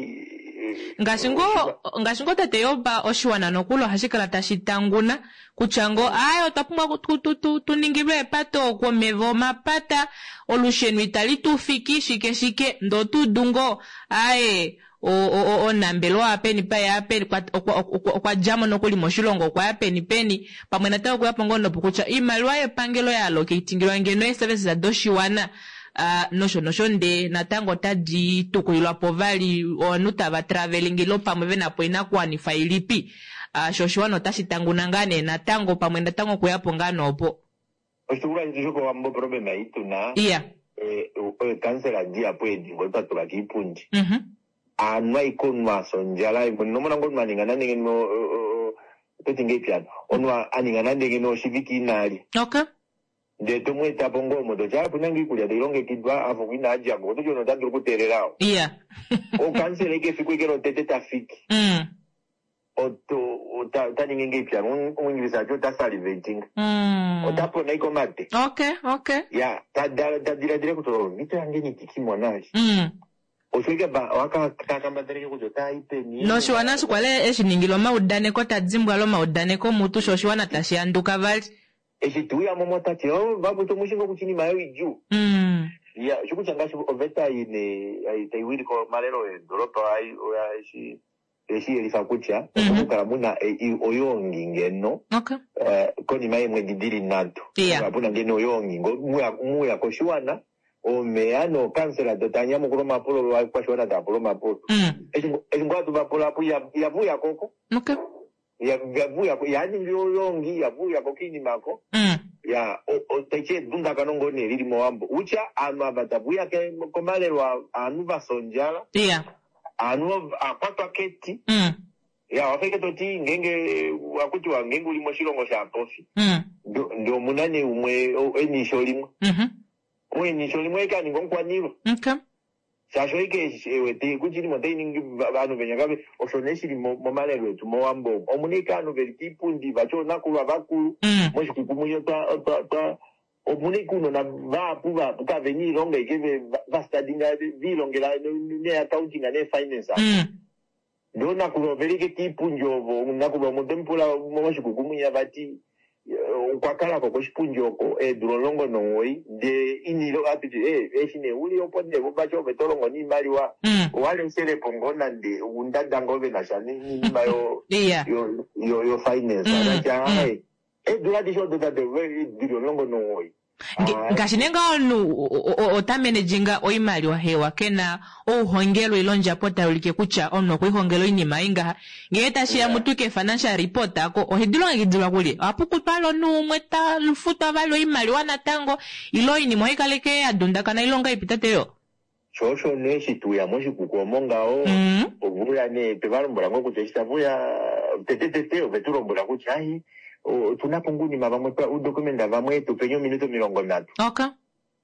Ngaashi ngoo ngaashi ngoo tate Job oshiwana nokuli ohashi kala tashi tanguna kutya ngoo aaye otwa pumbwa tu, tu, tu, tu ningilwe epato oku omeva omapata olusheno itali tu fiki shike shike ndee oto udu ngoo aaye omunambelewa apeni paye apeni okwa djamo nokuli moshilongo okwa ya peni peni pamwe natango okuya po ngoo nopo kutya oimaliwa yepangelo ya allocatingilwa ngeno ee services doshiwana nosho nosho ndee natango otadi tukulilwa po vali ovanhu tava travelling ilo pamwe vena po oinakuwanifwa ilipi sho oshiwana otashi tanguna ngaa nee natango pamwe natango okuya po ngaa noopo. Oshitukulwa shetu shokOwambo oproblema ei tu na Iya. Eekansela dihapu edi ngoo twa tula kiipundi aanhu aike omunhu a fya ondjala ino mona ngoo omunhu a ninga nande ngeno oto ti ngahelipi hano omunhu a ninga nande ngeno oshivike ina lya Okay. ndee to mu eta po ngoo omo toti opu na ngoo iikulya tai longekidwa afa oku ina dja ko oto ti omunhu ota dulu okuteelela oo Iya. Okansela eke efiku eke lotete ta fiki Oto, ota, ota ningi ngeipi ano? Omuingilisa ati ota salivating. Ota pona ike omate. Okay, okay. Ya, ta, ta, ta diladila kutya oh, omhito yange inandi ki mona vali. Osho ike ba, oha ka, ta kambadhala ike kutya ota i peni. Noshiwana eshi kwali eshi ningila omaudaneko, ta dimbwa omaudaneko mutu, sho oshiwana tashi anduka vali. Eshi te uya mo ota ti, oh, vakwetu omu shi ngoo kutya oinima oyo idjuu. Ya, osho kutya ngaashi oveta ei nee, tai wilike omalelo eedolopa, oya, eshi, Oye shi yelifa kutya omu kukala mu na oyoongi ngeno konima yeemwedi di li nhatu. Kukala pu na ngeno oyoongi ngo mu ya koshiwana, oomeya nookansela do tava nyamukula omapulo ovakwashiwana tava pula omapulo. Eshi ngoo hatu va pula apo ihava uya ko oko. Ihava uya ko, ihava ningi oyoongi, ihava uya ko koinima oko. Ya, taiti edundakano ngoo nee lili mOwambo. Kutya ovanhu ava tave uya komalelo ovanhu va fya ondjala. Aanhu a kwatwa keti. Ya, owa fa ike to ti ngeenge ohaku tiwa ngeenge u li moshilongo shaapofi, ndee omu na nee umwe e na eisho limwe. Ou e na eisho limwe oye ike a ninga omukwaniilwa. Shaashi oye ike e wete kutya oinima otai ningi ovanhu venya kave. Osho nee shi li momalelo etu mOwambo omu. Omu na ike ovanhu ve li koipundi vati oonakulwa vakulu. Moshikuku mwinya otwa, otwa, Omuna ike uunona vahapu vahapu kavena iilonga ike va studyinga viilongela nee accounting nee finance apo. Ndee oonakulwa oveli ike kiipundi ovo, nakulwa umwe otemu pula moshikuku mwinya vati okwa kalako koshipundi oko eedula 19 ndee ina ilonga atuti ee eshi nee uli opo nee vati ove to longo niimaliwa owa leshelepo ngoo nande oundada ngoo venasha niinima yo yo finance tati aaye Eedula adishe odo tate dili 19. Ngaashi nee ngaho omunhu ota managing oimaliwa hewa ke na ouhongelwe ile ondjapo tai ulike kutya omunhu okwe lihongela oinima ei ngaha. Ngee tashi ya mutu ke financial report ako ohedi longekidilwa kulye? Ohapu kutwa omunhu umwe ta futwa vali oimaliwa natango ile oinima ohai kala ike ya dundakana ile ongahelipi tate yo? Sho osho nee eshi twe uya moshikuku omo ngaho, ove uya nee twe va lombwela ngoo kutya eshi tave uya tetetete ove tu lombwela kutya ai otu na po ngoo ounima vamwe uudokumenta vamwe tu peni ominute 30.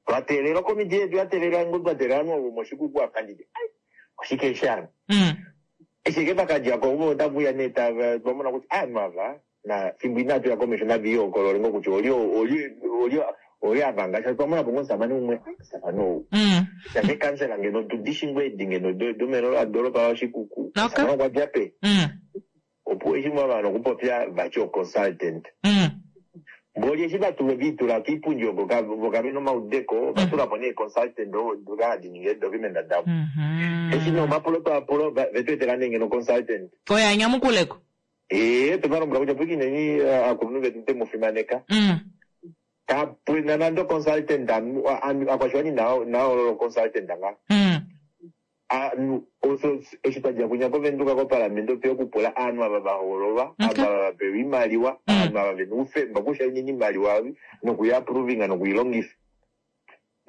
Twa teelela okomitiye yetu ya teelela ngoo twa teelela ovanhu vomoshikuku apa nditi ai oshike eshi hano. Eshi ashike va ka dja ko vo otave uya nee tava twa mona kutya ovanhu ava Na fimbo inatu ya komesho nava ihokolole ngoo kutya olye olye olye olye a vanga shaashi otwa mona po ngoo omusamane umwe ai omusamane ou shaashi eekansela ngeno otu di shi ngoo edi ngeno domelelo ladoolopa laOshikuku omusamane okwa dja peni opuwo eshi mwa mana okupopya vati oconsultant mboli eshi va tulwa viitula kiipundi oko vo kave na omaudeko ova tula po nee consultant ovo hadi ningi eedocument davo eshi nee omapulo twa pula ve tu etela nee ngeno consultant Oye a nyamukuleko. Ee, otwe va lombwela kutya pwikineni aakulunhu vetu twe mu fimaneka. Kapena nande oconsultant akwashiwana inaa hoolola oconsultant nga. Osho eshi twa dja kwinya kOvenduka kopalamende otweya okupula aanhu ava va hoololwa, ava va pewa oimaliwa, aanhu ava vena oufemba okushainina iimaliwa oyo nokuyi approvinga nokuyi longifa.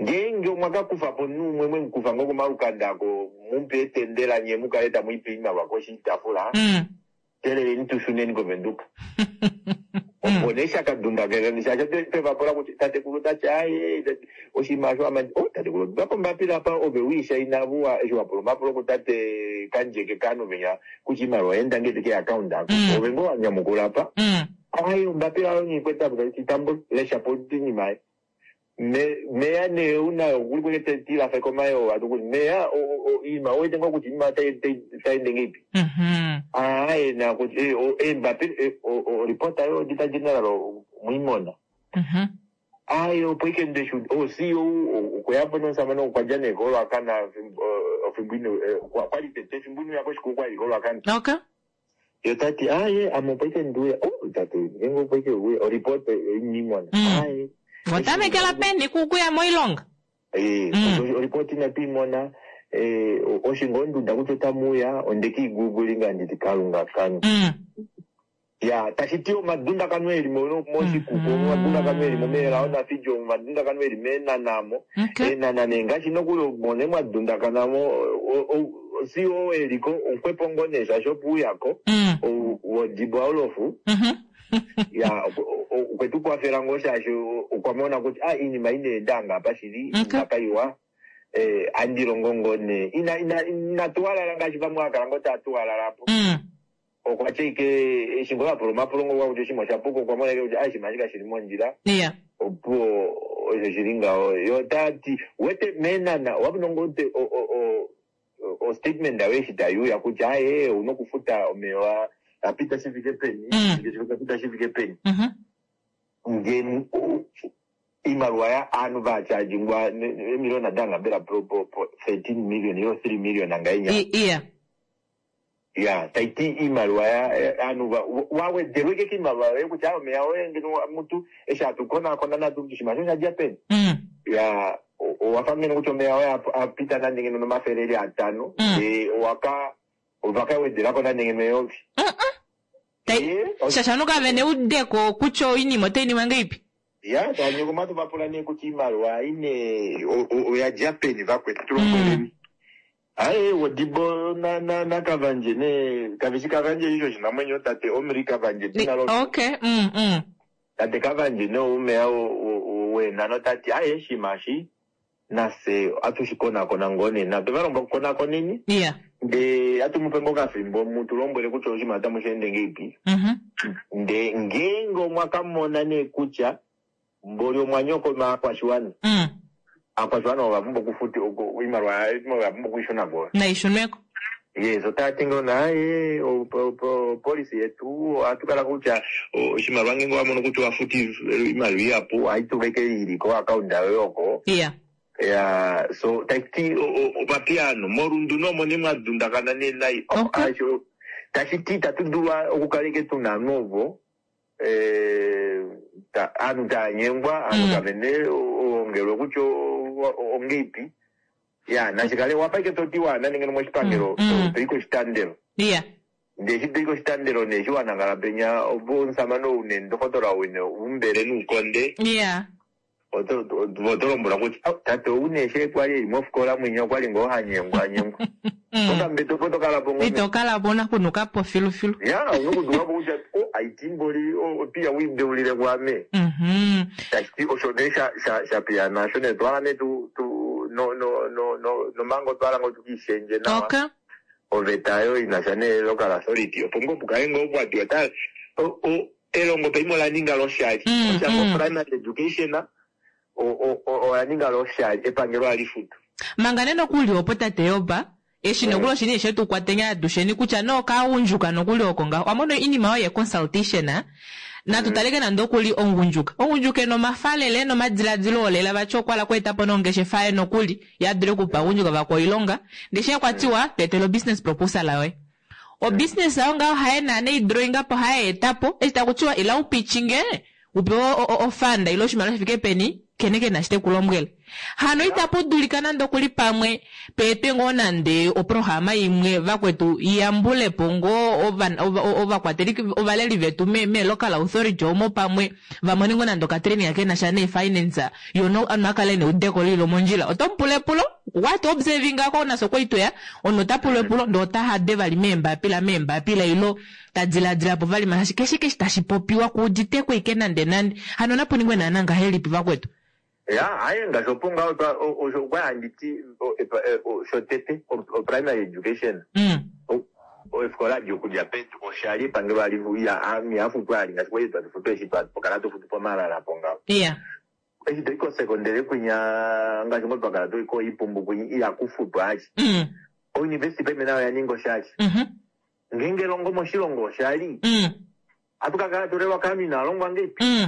Ngeenge omwa ka kufa po omunhu umwe mwe mu kufa ngoo komalukanda ako mu mu pe etendela nye mu kale tamu i pe oimaliwa koshitaafula, Teeleleni tu shuneni kOvenduka. Opo nee sha ka dundakana shaashi otwe va pula kutya tatekulu ota ti aaye oshinima osho amandi oh tatekulu otwa pa ombapila apa ove wi shaina vuwa eshi wa pula omapulo kutate Kandjeke kaanhu venya kutya iimaliwa oya enda ngahelipi keeaccount ako ove ngoo wa nyamukula apa aaye ombapila oyo nghikwete apa taiti tambula lesha po oinima ei. Me, meya nee una okuli kwete te tilafa komayoo atu kuti meya iinima owete ngoo kutya iinima otai tai ende ngeipi aaye na kuti eh, eembapila eh, o- yo auditor general omwiimona aaye opo ike ndeshu o CEO okweyapo nomusamane okwa dja nee koLwakana ofimbo ine eh, kwali tete efimbo inouya koshikuku kwali koLwakana Okay. Yo tati aaye ame opo ike ndiuya oh tate ngeenge opo ike uya oripota inimona aaye Watamekela peni kukuya moilonga? Eh, oripota inatu imona eh, osho ngoo nduda kutya otamuuya onde kiigugulinga nditi kalunga kange ya tashi ti omadundakano eli mo- moshikuku omadundakano eli mo meelao nafidjo omadundakano eli meenanamo eenana nee ngaashi nokuli mone mwa dundakanamo CEO eliko omukwepo ngoo nee shaashi opo uyako wodibo Aulofu ya okwe tu kwafela ngoo shaashi okwa mona kutya ah, iinima ina enda ngapa shili inima kaiwa eh, andi longo ngoo nee ina ina inatuwalala ngaashi vamwe hakala ngoo taa tuwalala po okwa tya ike eshi ngoo apula omapulo ngoo kutya oshinima osha puka okwa mona ike kutya ah, oshinima eshi kashili mondjila opuwo osho shili ngaho yo tati wete meenana owapuna ngoo te o statement ayo eshi tayi uya kutya aye ouna okufuta omeya apita shi fike peni apita shi fike peni nge iimaliwa ya aanhu vachaajingwa emiliona danga mbela po po 13 million ilo 3 million angainya iya ya taiti iimaliwa ya aanhu wawedelwa ike kiimaliwa yoye kutya omeya oye ngeno mutu eshi hatu konakona natu kuti oshinima osho osha dja peni ya owafa ngeno kutya omeya oye apita nande ngeno nomafele eli atano ndee owaka ovaka wedelako nande ngeno eyovi shasha kave neudeko kutya oinima otai ningwa ngeipi ya tanyoko matu vapula nee kutya iimaliwa ine oya dja peni vakwetu tulombweleni aye wodibo na na na kavanje ne kavishi kavanje isho oshinamwenyo tate omri kavanje dina lo okay tate kavanje ne umeya wenano tati aye shimashi nase atushikonakona ngoo nena tova kukonakoneni yeah ndee atumupe ngoo kafimbo mutulombwele kutya oshinima otamu shi ende ngeipi ndee ngeenge omwa kamona nee kutya mboli omwa nyokoma aakwashiwana aakwashiwana ova pumbwa okufuta iimaliwa oya pumbwa okuishuna ko naishunweko yes otaya ngoo naye opolisi yetu ohatu kala kutya oshimaliwa ngeenge wamono kutya owafuti iimaliwa ihapu ohayi tulwa ike ili ko-account yoye oko yeah ya so taiti opapiano morundu nomo ne mwadundakana ne nai tashi ti itatu dulu okukala ike tuna novo aanhu taya nyengwa aanhu kavene ongelwe kutya ongeipi ya nashikale wafa ike toti wana nenge moshipangelo toyi koshitandelo yeah ndee eshi toyi koshitandelo nee eshi wanangala penya opo omusamane ou nendokotola ou umbele nuukonde yeah oto lombwelwa kutya tate ou nee she kwali eli mofikola mwinya okwali ngoo hanyengwa anyengwa okambete opo tokala po ngoo ito kala po una kunuka po filufilu ya una kuduka po kutya o aitimboli opiya wiideulile kwame tashiti osho nee sha piya nasho nee twala nee tu tu no no no no nomango twala ngoo tukiishendje nawa okay oveta yo inasha nee local authority opo ngoo pukale ngoo pwatiwa ta elongo paimwe ola ninga loshali osha ngo primary education ola ninga loshali epangelo ali futu manga nee nokuli opo tate yoba eshi nokuli oshini eshe tu kwatenya atusheni kutya no kaagundjuka nokuli oko ngaho wamono iinima yoye consultation natu taleke nande okuli omugundjuka omugundjuka ena omafalele nomadiladilo olela vati okwala kweetapo nongeshefa ye nokuli yadule okupa agundjuka vakwa oilonga ndee she kwatiwa tweetela obusiness proposal yoye obusiness ayo ngaho haye naana idrawinga po haye etapo eshi takutiwa ila upitchinge. Upewe ofanda ile oshimaliwa shifike peni, kene ke na shi te ku lombwele. Hano itapu dulika nande okuli pamwe peetwe ngoo nande oprograma imwe vakwetu yambule po ngoo ovakwateli ovaleli vetu me, me local authority omo pamwe va mone ngoo nande okatraining ke na sha nee finance yo no akale neudeko lili lomondjila. Oto mu pula epulo, what observing ngako nafye okwali tweya, omunhu ota pulwa epulo ndee ota hade vali meembapila meembapila ilo ta diladila po vali shaashi keshe keshe tashi popiwa ku uditeko ike nande nande. Hano napu ningwe naana ngahelipi vakwetu? Ya, aye ngaashi opo ngaho twa osho okwa handi ti shotete o primary education. Ofikola adi okudja pedu oshali epangelo ali ya mihafutu ali ngaashi kwali twatu futu eshi twa kala tu futu pomalala po ngaho. Eshi toi kosekondele kwinya ngaashi ngo twakala toi koipumbu kwinya iya kufutwa ashi. Ouniversity paife nayo oya ninga oshali. Ngeenge elongo moshilongo oshali. Atu ka kala tulelwa kaanhu inaa longwa ngeipi.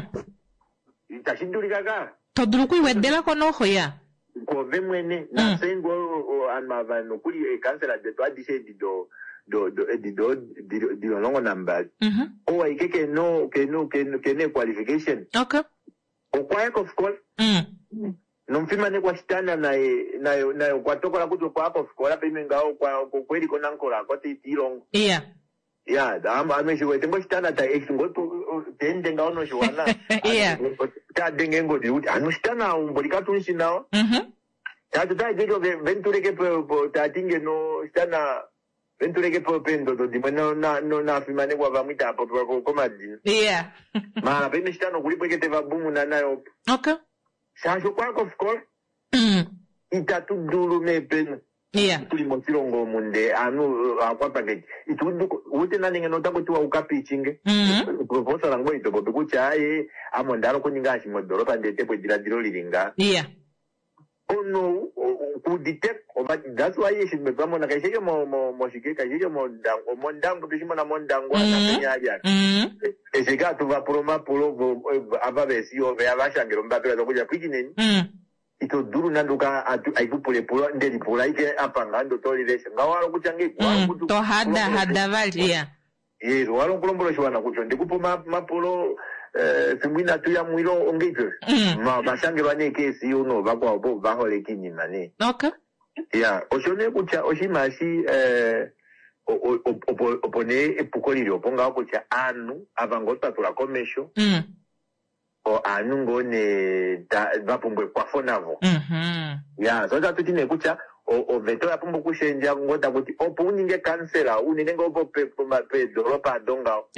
Itashi dulika ka. To dulu okuiwedelako noho ya. Kove mwene nafye ngoo ovanhu ava nokuli eekansela detu adishe edi do do do edi do dili 12. Ou aike kena kena kena eequalification. Okwa ya kofikola. Nomufimanekwa Shitana naye naye naye okwa tokola kutya okwa ya kofikola paife ngaho okwa okwe li koNankola oko te ilongo. Ya, ame shi wete ngo Shitana ta eshi ngo ta ende ngaho noshiwana. Ta denge engodi kuti ano Shitana umboli katu shi nawa. Tati ta ti ventuleke po ta ti ngeno Shitana ventuleke po peendodo dimwe nafimanekwa vamwe itava popiwa komadina. Mara paife Shitana okuli po eke te va bumuna naye opo. Shaashi okwa ya kofikola. Itatu dulu meepena. Tuli moshilongo omu ndee aanhu aakwapaketi. Ito udu nande ngeno otaku tiwa uka pitchinge. Proposal ngoo ito popi kutya aaye ame onda hala okuninga eshi modoropa ndi etepo ediladilo lili ngaa. Omunhu ou ku udite that's why eshi twa mona kashi eke moshike kashi eke mOndangwa tweshi mona mOndangwa napenya ali apa. Eshi eke hatu va pula omapulo ava veesiyo veya va shangela ombapila tokutya pwikineni. Ito dulu nande uka aikupula epulo ndelipula aike apa ngaa ndo tolilesha ngaho wahala okutya ngeipi to hada hada vali ya. Yes, wahala okulombwela oshiwana kutya ondikupa omapulo fimbo inatu ya mwilo ongeipi osho. Vashangelwa nee keesiyo noovakwao po vaholeka iinima nee. Ya, osho nee kutya oshinima eshi opo nee epuko lili opo ngaho kutya aanhu ava ngoo twa tula komesho aanhu ngoo nee va pumbwa ekwafo navo. Ya, so otatu ti nee kutya oveta oya pumbwa okushendja ngoo taku ti opo u ninge kansela unene ngoo peedoropa ado ngaho.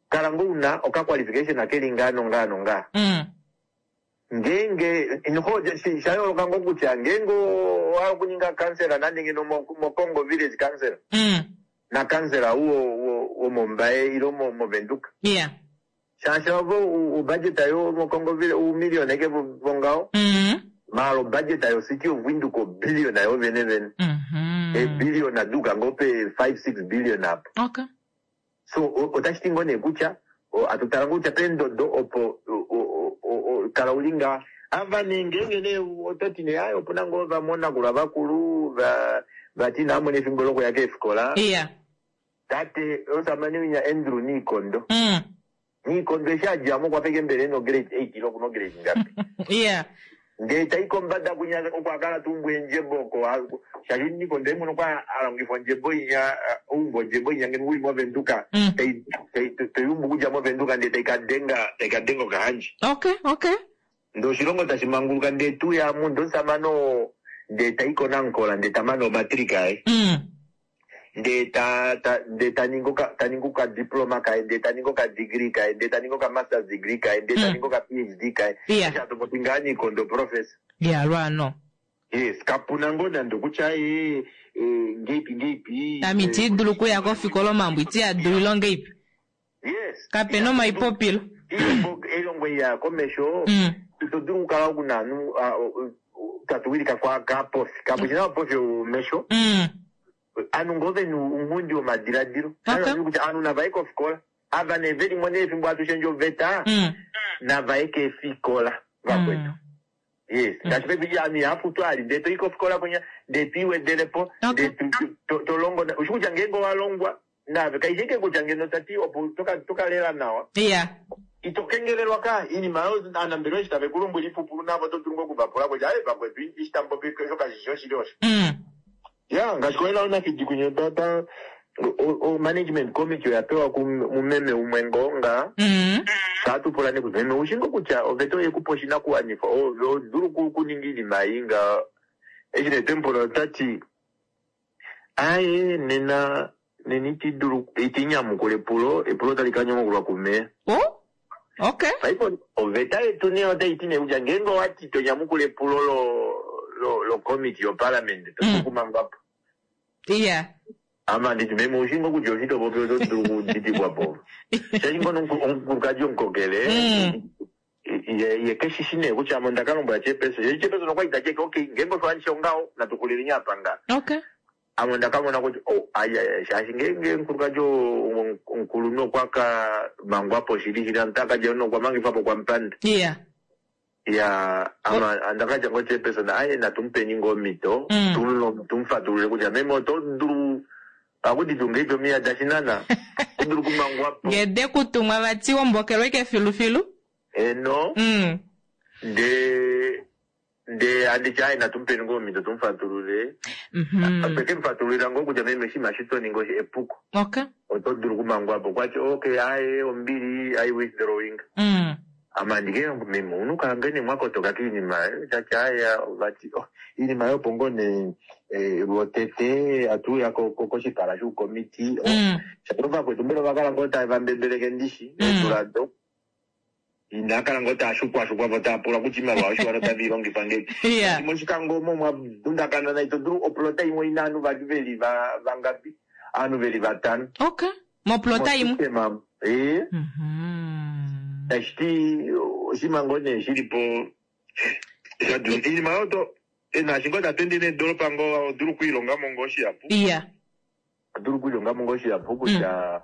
Kala ngoo una oka qualification keli ngaa nongaa nongaa. Ngeenge sha yooloka ngoo kutya ngeenge owa okuninga kansela nande ngeno moKongo village council na kansela womOmbaye ilo moVenduka. Shaashi ovo ubudget yo moKongo village umillion eke vongaho. Mara obudget yo City of Windhoek obillion yo vene vene. Ebillion aduka ngoo pe 5-6 billion apo. So otashi ti ngoo nee kutya atutala ngoo kutya peendodo opo kala uli ngaa ava nee ngeenge nee ototi nee aye opuna ngoo vamwe oonakulwa vakulu vati inaamona efimbo lokuya keefikola. Tate omusamane winya Andrew Niikondo. Niikondo eshi adjamo okwa feka mbele eno grade 8 ilo kuno grade ngapi. Ndee tai kombada kunya okwa kala tuumbwa eendjebo oko shaashi Niikondo ye mwene okwa alongifa ondjebo inya oumbwa ondjebo inya ngeno uli moVenduka toyumbu okudja moVenduka ndee taikadenga taikadenga Okahandja. Ndee oshilongo tashi manguluka ndee tuya mu ndee omusamane oo ndee tai koNankola ndee tamane omatrika aye. Ndee ta ta ndee ta ningi oka ta ningi okadiploma kaye ndee ta ningi okadegree kaye ndee ta ningi okamasters degree kaye ndee ta ningi oka-PhD kaye. Eshi hatu popi ngaa Niikondo professor. Ya lwaano. Yes, kapuna ngoo nande okutya ee ngeipi ngeipi. Ame iti dulu okuya kofikola omambo iti a dulu ilo ngeipi. Yes. Kapena omaipopilo. Elongo ei ya komesho ito dulu okukala una ovanhu tatu wilika kwa kapofi. Kapofi na pofi omesho. Aanhu ngoo vena ounghundi womadiladilo. Kutya aanhu navaye kofikola. Ava nee velimo nee fimbo hatu shendje oveta navaye keefikola vakwetu. Yes, ngaashi paife aanhu ihava ali ndee toyi kofikola kwinya ndee twiiwedelepo ndee tolongo ushi kutya ngeenge owalongwa naave kaishi ike kutya ngeno tati opo tokalela nawa. Ito kengelelwa ka iinima oyo aanambelewa eshi tave ku lombwele iipupulu navo oto dulu ngoo okuvapula kutya aye vakwetu eshi tamu popi osho kashi shi oshili osho. Ya ngaashi koHelao Nafidi kwinya otwa twa o management committee oya pewa ku meme umwe ngoo nga shaa tu pula nee kutya meme oushi ngoo kutya oveta oye kupa oshinakuwanifwa ove oho dulu okuninga iinima ei nga eshi nee twemu pula ota ti Aaye, nena, nena iti dulu, iti nyamukula epulo, epulo otali ka nyamukulwa kumeya. Oh, okay. Paife oveta yetu nee otai ti nee kutya ngeenge owa ti to nyamukula epulo lo, lo, lo committee yoparliament, to dulu okumangwa po. Yeah. Ame andi ti, meme, oushi ngoo kutya oshi to popi oto dulu okuditikwa po. Shaashi ngoo omukulukadi omukokele, Ye, ye ke shi shi nee kutya ame onda ka lombwela chairperson. Ye chairperson okwa li ta ti ashike, okay, ngeenge osho handi shi ongaho, natu xulileni apa nga. Okay. Ame onda ka mona kutya, oh, ai, ai, ai, shaashi ngeenge omukulukadi oo omukulunhu okwa ka mangwa po shili shili, ota ka dja nokwa mangifwa po kwamupanda. Yeah. Ya, ame onda ka tya ngoo chairperson, aye, natu mu peni ngoo omhito, tu tu mu fatulule kutya meme oto dulu Ohaku ti tuu ngeipi omiya da shinana, oto dulu okumangwa po. Nge de ku tumwa vati wombokelwa ike filufilu. Heeno. Ndee, ndee handi ti aye natu mu peni ngoo omhito tu mu fatulule. Otwe ke mu fatululila ngoo kutya meme oshinima eshi to ningi osho epuko. Okay. Oto dulu okumangwa po. Okwa ti okay aye ombili, I withdrawing. Ame andike meme ouna okukala ngoo nee mwakotoka kiinima shaashi aya vati oh, iinima yopo ngoo nee eh, lwotete atuuya koshipala shoukomiti oh, mm. shaashi ovakwetu mbela ovakala ngoo tava mbembeleke ndishi mm. eedula do inaa kala ngoo taa shukwashukwa vo taa pula kutya iimaliwa yoshiwana otave i longifa ngeipi yeah. moshikango omo mwa dundakana nai to dulu oplota imwe ina ovanhu vali veli vangapi ovanhu veli vatano okay Moplota imwe. Mosystema ee. Tashi ti oshinima ngoo nee shi li po sha dula iinima oyo to naashi ngoo tatu ende needolopa ngoo oho dulu okwiilonga mo ngoo shihapu. Iya. Oho dulu okwiilonga mo ngoo shihapu kutya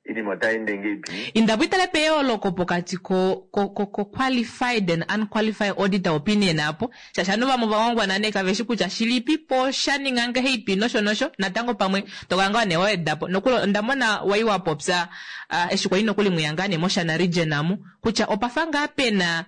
iinima otai ende ngeipi. Inda po itale peyooloko pokati ko ko ko qualified and unqualified auditor opinion apo. Shaashi ovanhu vamwe ova ngwangwana nee kave shi kutya shilipi po sha ninga ngaheipi nosho nosho. Natango pamwe to kala ngaa nee wa weda po. Nokuli onda mona wai wa popya eshi kwali nokuli mweya ngaa nee mOshana region amu kutya opa fa ngaa pe na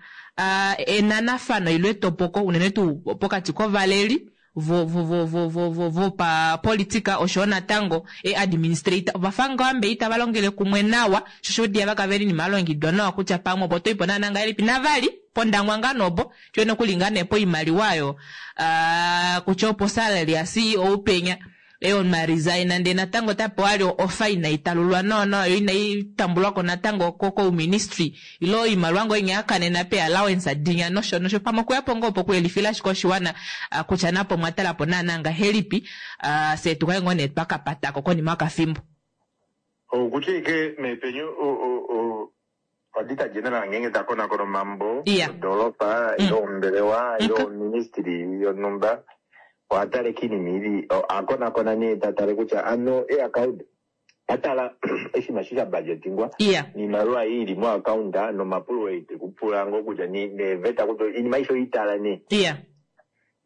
enanafano ile etopoko unene tuu pokati kovaleli vo vo vo vo vo vo vopapolitika oshoyo natango e administrator ova fa ngaa mbe itava longele kumwe nawa sho osho diava kave li inima ya longekidwa nawa kutya pamwe opo toipo naana ngahelipi navali pOndangwa ngaa noopo Tye nokuli ngaa nee poimaliwa oyo kutya opo salary ya CEO penya eyo ma resign ndee natango ota pewa ali ofa inai talulwa nawa nawa yo inai tambulwako natango ko kouministry ile oimaliwa ngoo inya ya kanena pe allowance dinya nosho nosho pamwe okuyapo ngoo opo okuyelifila ashike oshiwana kutya napo omwa talapo naana ngahelipi fyee tukale ngoo nee twa kapatako konima yokafimbo. Okutya ike meepenyu Auditor General ngeenge ta konakona omambo Iya. odoolopa ile ombelewa ile oministry yonhumba oha tale kiinima ili oha konakona nee ta tale kutya ano eaccount ta tala oshinima eshi sha budgetingwa Iya. niimaliwa ei ili moaccount nomapulo ei te ku pula ngoo kutya ni- neeveta kutya iinima aishe oyi tala nee Iya.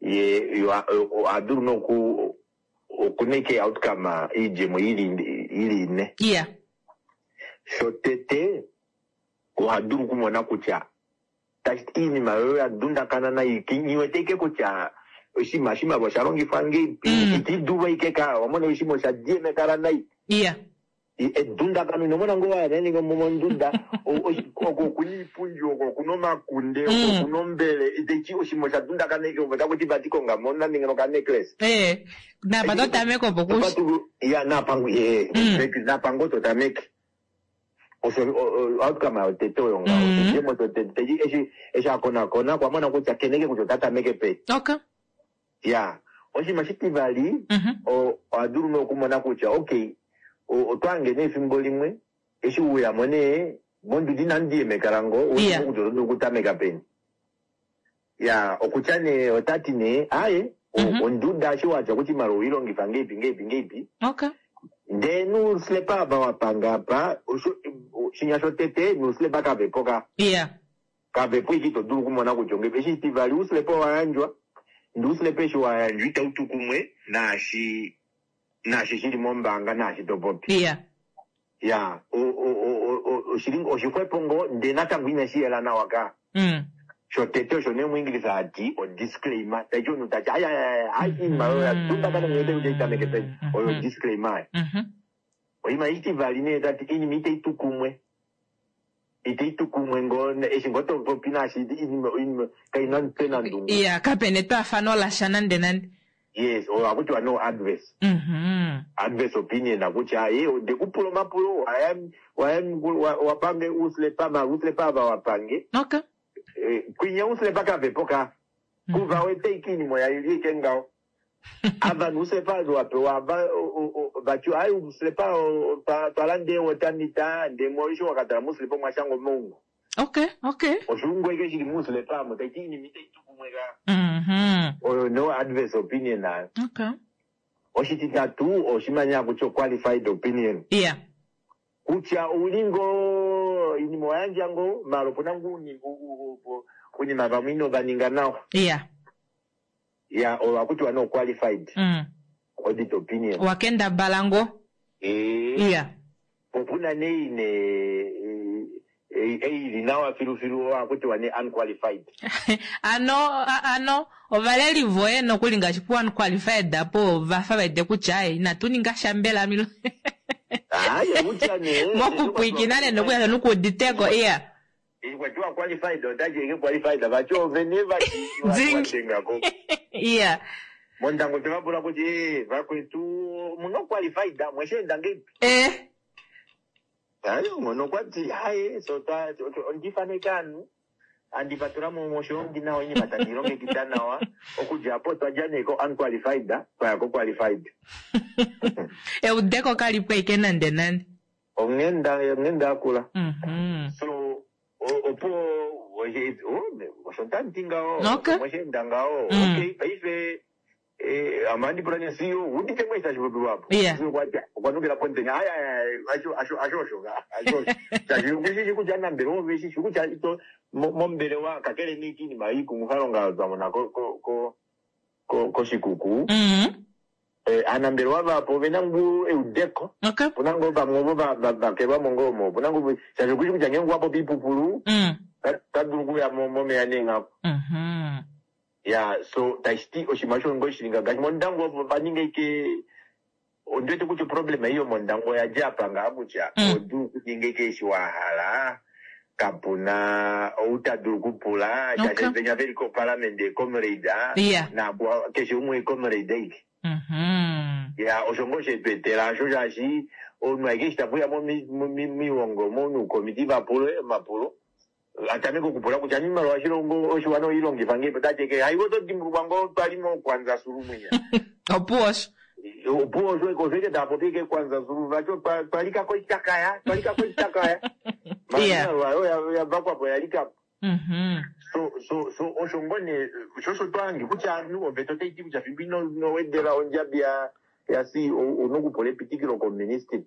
ye yo oha dulu noku okuna ike outcome iidjemo ili ili ine. Iya. Shotete, oha dulu okumona kutya tashi ti iinima oyo ya dundakana nai nghi wete ike kutya oshinima oshimaliwa osha longifwa ngeipi, iti dulu ike ka wa mona oshinima osha diemekala nai. Iya. Edundakano ino mona ngoo waya nande monduda oko okuna iipundi oko okuna omakunde oko okuna ombele tashi oshinima osha dundakana ike ove otaku ti vati konga mo nande ngeno oka necklace. Ee, napa to tameke opo kushi. Ya napa ee exactly napa ngoo to tameke. Osho outcome yotete oyo ngaho. Oshidjemo shotete eshi eshi a konakona okwa mona kutya kena ike kutya ota tameke peni. Okay. Ya, oshinima oshitivali, oha dulu nee okumona kutya okay, oto hange nee efimbo limwe eshi we uya mo nee monduda inamu diyemekala ngoo, u wete ngoo kutya oto dulu okutameka peni. Ya, okutya nee ota ti nee aaye, onduda eshi wa tya kutya oimaliwa owei longifa ngeipi ngeipi ngeipi, Okay. ndee nuuslepa ava wa panga apa, osho, shinya shotete nuuslepa kave po ka. Iya. Kave po ike ito dulu okumona kutya ongeipi. Eshi shitivali, ouslepa owa yandjwa, ndee ouslepa eshi wa yandjwa itau tu kumwe naashi naashi shi li mombaanga naashi to popi. Iya. Ya, o, o, o, o, o, Oshili oshixwepo ngoo ndee natango inashi yela nawa ka. Shotete osho nee muEnglisa hati o disclaimer, taiti omunhu tati ai ai ai ai iinima oyo ya dundakana ngiwete kutya itameke peni, oyo disclaimer. Oinima itivali nee tati iinima itayi tu kumwe. Itayi tu kumwe ngoo eshi ngoo to popi naashi iinima iinima kaina omutwe nandungu. Iya, kapena etwaafano lasha nande nande. Yes, oyo haku tiwa no adverse. Adverse opinion akutya ye onde ku pula omapulo waya waya wapange uuslepa mara uuslepa ava wapange. Okay. Kwinya uuslepa kavepo ka. Kuva wete ike iinima oya ili ike ngaho. Ava nuuslepa wapewa ava vati ayi uuslepa twalanda eewater meter ndee eshi wakatala muuslepa omwa shangwa omaungo. Okay, okay. Oshuungo ike shili muuslepa amo taiti iinima itayi tu kumwe ka. Oyo no adverse opinion ayo. Okay. Oshititatu oshimanya kutya qualified opinion. Kutya ouli ngoo iinima oyandja ngoo mara opuna ngoo uunima vamwe ino va ninga nawa. Ya, oyo hakutiwa no qualified audit opinion. Wakendabala ngoo. Opuna nee ine ei ili nawa filufilu oyo hakutiwa nee unqualified. Ano, ano ovaleli voye nokuli ngaashi pu unqualified apo vafa vaite kutya ai inatu ninga sha mbela milo. Haye kutya nee. Mokupwikina nee nokuya nokuuditeko iya. Kwatiwa qualified otachi eke qualified vati ovene vati watengako. Iya. Mondango tevapula kuti vakwetu muno qualified mwesheenda ngeipi? Hayi ngono kwati haye so ta ondifaneka anu andivatula moshilongi nawa iinima tandi longekida nawa okudja apo twadja nee ko unqualified twaya ko qualified. Eudeko kalipo ike nande nande. Onghenda onghenda akula. So opo osho tandi ngaho. Okay. Mwesheenda ngaho. Okay, paife amandi pula ne CEO udite mwesa chipopiwa apo. CEO kwati okwanukira pontenya ai ai ai asho asho asho osho ka asho osho. Chachi kutya nambele oveshi kutya ito mombelewa kakele niikinima iikumuthalonga twamona ko ko ko ko koshikuku. Aanambelewa vapo ovena ngu eudeko. Okay. Opuna ngoo vamwe ovo vakelwamo ngoo omo. Opuna ngoo shaashi okushi kutya ngenge wapopi ipupulu ta dulu okuya momeya neenghaku. Ya, so tashiti oshinima osho ngoo shilinga ngaashi mondango opo vaninga ike ondiwete kutya oproblema iyo mondango oya dja apa ngaa kutya odulu okuninga ike eshi wa hala kapuna ou ta dulu okupula shaashi venya veli koparliament comrade naapo keshe umwe comrade aike. Ya, osho ngoo shetwetela asho shaashi omunhu aike eshi tapuya momiwongo monukomiti vapule omapulo atameke okupula kutya iimaliwa oshilongo oshiwana oilongifa ngee otati ke haiwo oto dimbulukwa ngoo twali mokwanza sulu mwinya. Opuwo osho. Opuwo osho osho ike taapopi ke kwanza sulu vacho twalikako itakaya twalikako itakaya. Iimaliwa oyo yavakwapo yalikapo. So so so osho ngoo nee sho osho twahange kutya ovanhu oveta otaiti kutya fimbo ino wedela ondjabi ya CEO una okupula epitikilo koministry.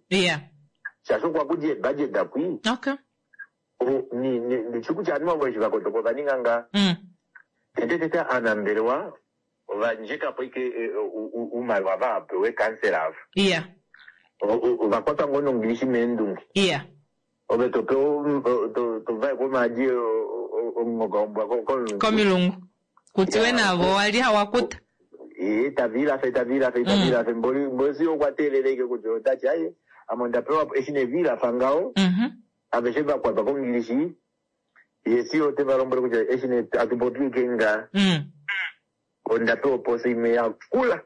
Shaashi okwa kudja eebudget akwi. Okay. Ndishi kutya ovanhu avo eshi vakotoka ova ninga ngaa. Tete tete aanambelewa ovandjekapo ike oumaliwa vapewe kansela ava. Ovakwatwa ngoo nongilishi meendunge. Ove topewa tovaekwa omaadi omungoka wombwa komulungu. Komilungu. Kutiwe navo wali hawakuta. Tavilafe tavilafe tavilafe mboli okwa teelela ike kutya otati aye ame onda pewa eshi nevilafa ngaho. Aveshe vakwatwa kongilishi ye si ote va lombwele kutya eshi ne atupopi ike nga onda pewa oposa imwe yakula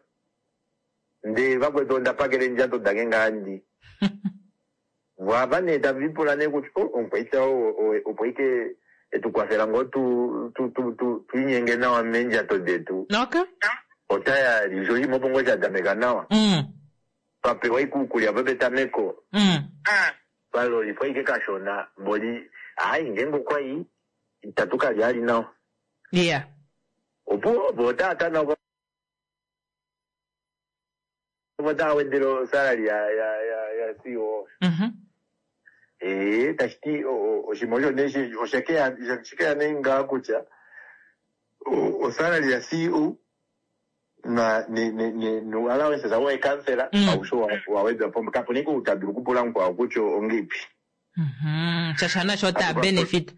ndee vakwetu onda pakela eendjato dange ngaa ndi vava nee tavipula nee kutya omukwaita opo ike etukwafela ngoo tuinyenge nawa meendjato detu. Okay. Otayali sho shimwe opo ngoo shatameka nawa. Twapewa ikuukulya pepetameko. Twalolifwa ike kashona mboli hayi ngenge okwai itatu kalya ali nawa. Opo opo otaata nawa otaa wedele osalary ya ya ya ya CEO. Tashiti oshinima osho nee oshekeya nee ngaa kutya osalary ya CEO na ne ne ne no allowances awo ekansela ausho wawedwa po kapuna ike ou tadulu okupula mukwao kutya ongeipi. Shaashi nasho ota benefit.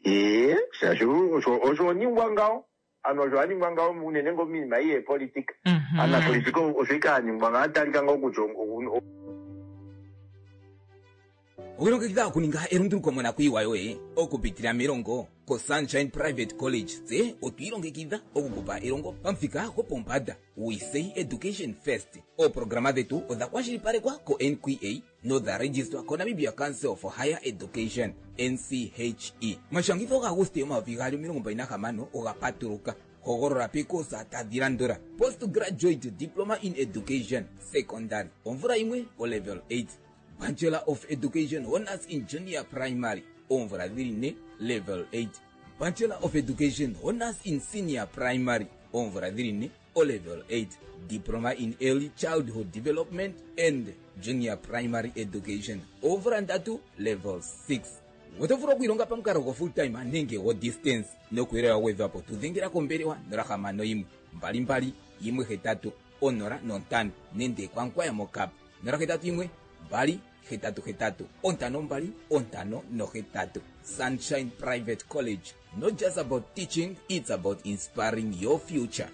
Ee, shaashi osho oningwa ngaho. Ano osho aningwa ngaho unene ngoo minima ei yeepolitika. Anapolitika osho ike aningwa ngaho atalika ngaho kutya Owelongekidha okuninga elunduluko monakuyiwa yoye okupitila melongo koSunshine Private College. Tse otwi ilongekidha okukupa elongo pamuthika gwopombanda. We say education first. Ooprograma dhetu odha kwashilipalekwa koNQA nodha registwa koNamibia Council for Higher Education, NCHE. Omashangitho gaAguste 2026 oga patuluka. Hogolola peekosa tadhi landula: Postgraduate Diploma in Education, Secondary, omvula yimwe, olevel 8. Bachelor of Education Honours in Junior Primary, oomvula dhili ne, level 8. Bachelor of Education Honours in Senior Primary, oomvula dhili ne, olevel 8. Diploma in Early Childhood Development and Junior Primary Education, oomvula ndatu, level 6. Oto vulu okwiilonga pamukalo go full time nenge go distance. Nokuyelela wa gwedhwa po tu dhengela kombelewa 061 22 18 05 nenge kwankwaya mokap 081 2 8 8 5 2 5 8. Sunshine Private College, not just about teaching, it's about inspiring your future.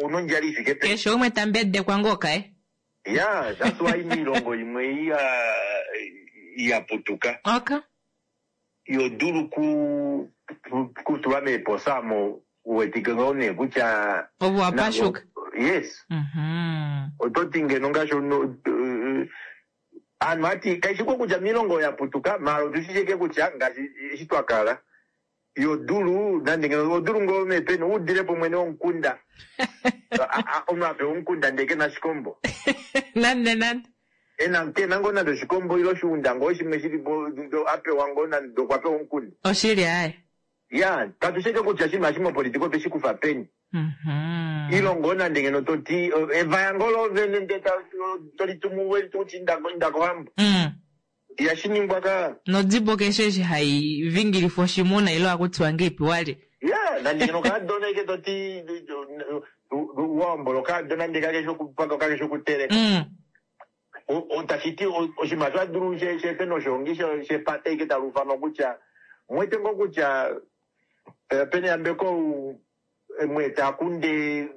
Una ondjala i fike peni. Keshe umwe ta mbedekwa ngoo kaye. Ya, that's why miilongo yimwe ei ya ya putuka. Okay. Yo dulu ku kutulwa meeposa omo u wetike ngoo nee kutya Ove wa pashuka. Yes. Oto ti ngeno ngaashi omunhu aanhu hati kaishi ko kutya miilongo ya putuka maala otu shi shike kutya ngaashi eshi twa kala yo dulu nande ngeno odulu ngoo meepeni u dile po mwene womukunda omunhu a pewa omukunda ndee ke na oshikombo. Nande nande. Ena ke na ngoo nande oshikombo ile oshiunda ngoo shimwe shili po a pewa ngoo nande okwa pewa omukunda. Oshili aaye. Ya, katu shi ashike kutya oshinima eshi mopolitika otwe shi kufa peni. Ile ngoo nande ngeno to ti evaya ngoo loovene ndee to li tumu we li tumu inda kohambo. Ihashi ningwa ka. Nodibo keshe eshi hai vingilifwa oshimuna ile ohaku tiwa ngeipi wali. Ya, nande ngeno okaadona ike to ti wa hombola okaadona ndee kakeshi okupaka kakeshi okuteleka. Tashi ti oshinima sha dulu shefe noshoongi shepata ike talu ufanwa kutya mwete ngoo kutya pena eyambeko ou mwete akunde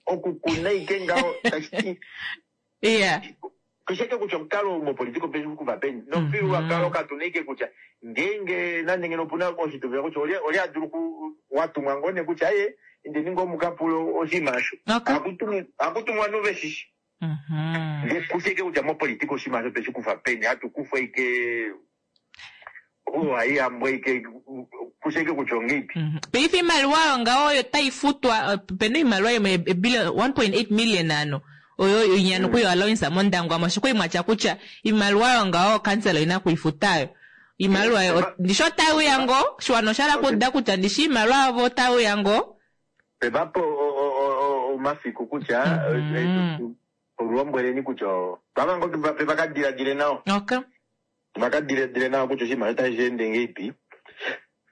okukuna ike ngaho tashi ti Yeah. Kusheke kutya omukalo mopolitika ope kuva peni nomufyuululwakalo katu na ike kutya ngeenge nande ngeno opuna oshituvila kutya olye olye a dulu ku watumwa ngoo nee kutya aye indeni ngoo mukapule oshinima osho. Okay. Hakutumwa ovanhu veshishi. Ndee kusheke kutya mopolitika oshinima osho otwe shi kufa peni hatu kufa ike ohaiyambwa ike kusheke kutya ongeipi. Paife iimaliwa oyo ngaho oyo tayi futwa opena iimaliwa yimwe ebillion 1.8 million ano oyo inya noku yo allowance mOndangwa mo shiko imwe atya kutya iimaliwa oyo ngaho kansela oyina kuifutayo iimaliwa oyo ndishi otayi uya ngoo shiwana osha hala kuuda kutya ndishi iimaliwa yavo otayi uya ngoo. Pevapo omafiku kutya lombweleni kutya pava ngoo tuvape vakadiladile nawa. Okay. Vaka diladile nawa kutya oshinima otashi ende ngeipi.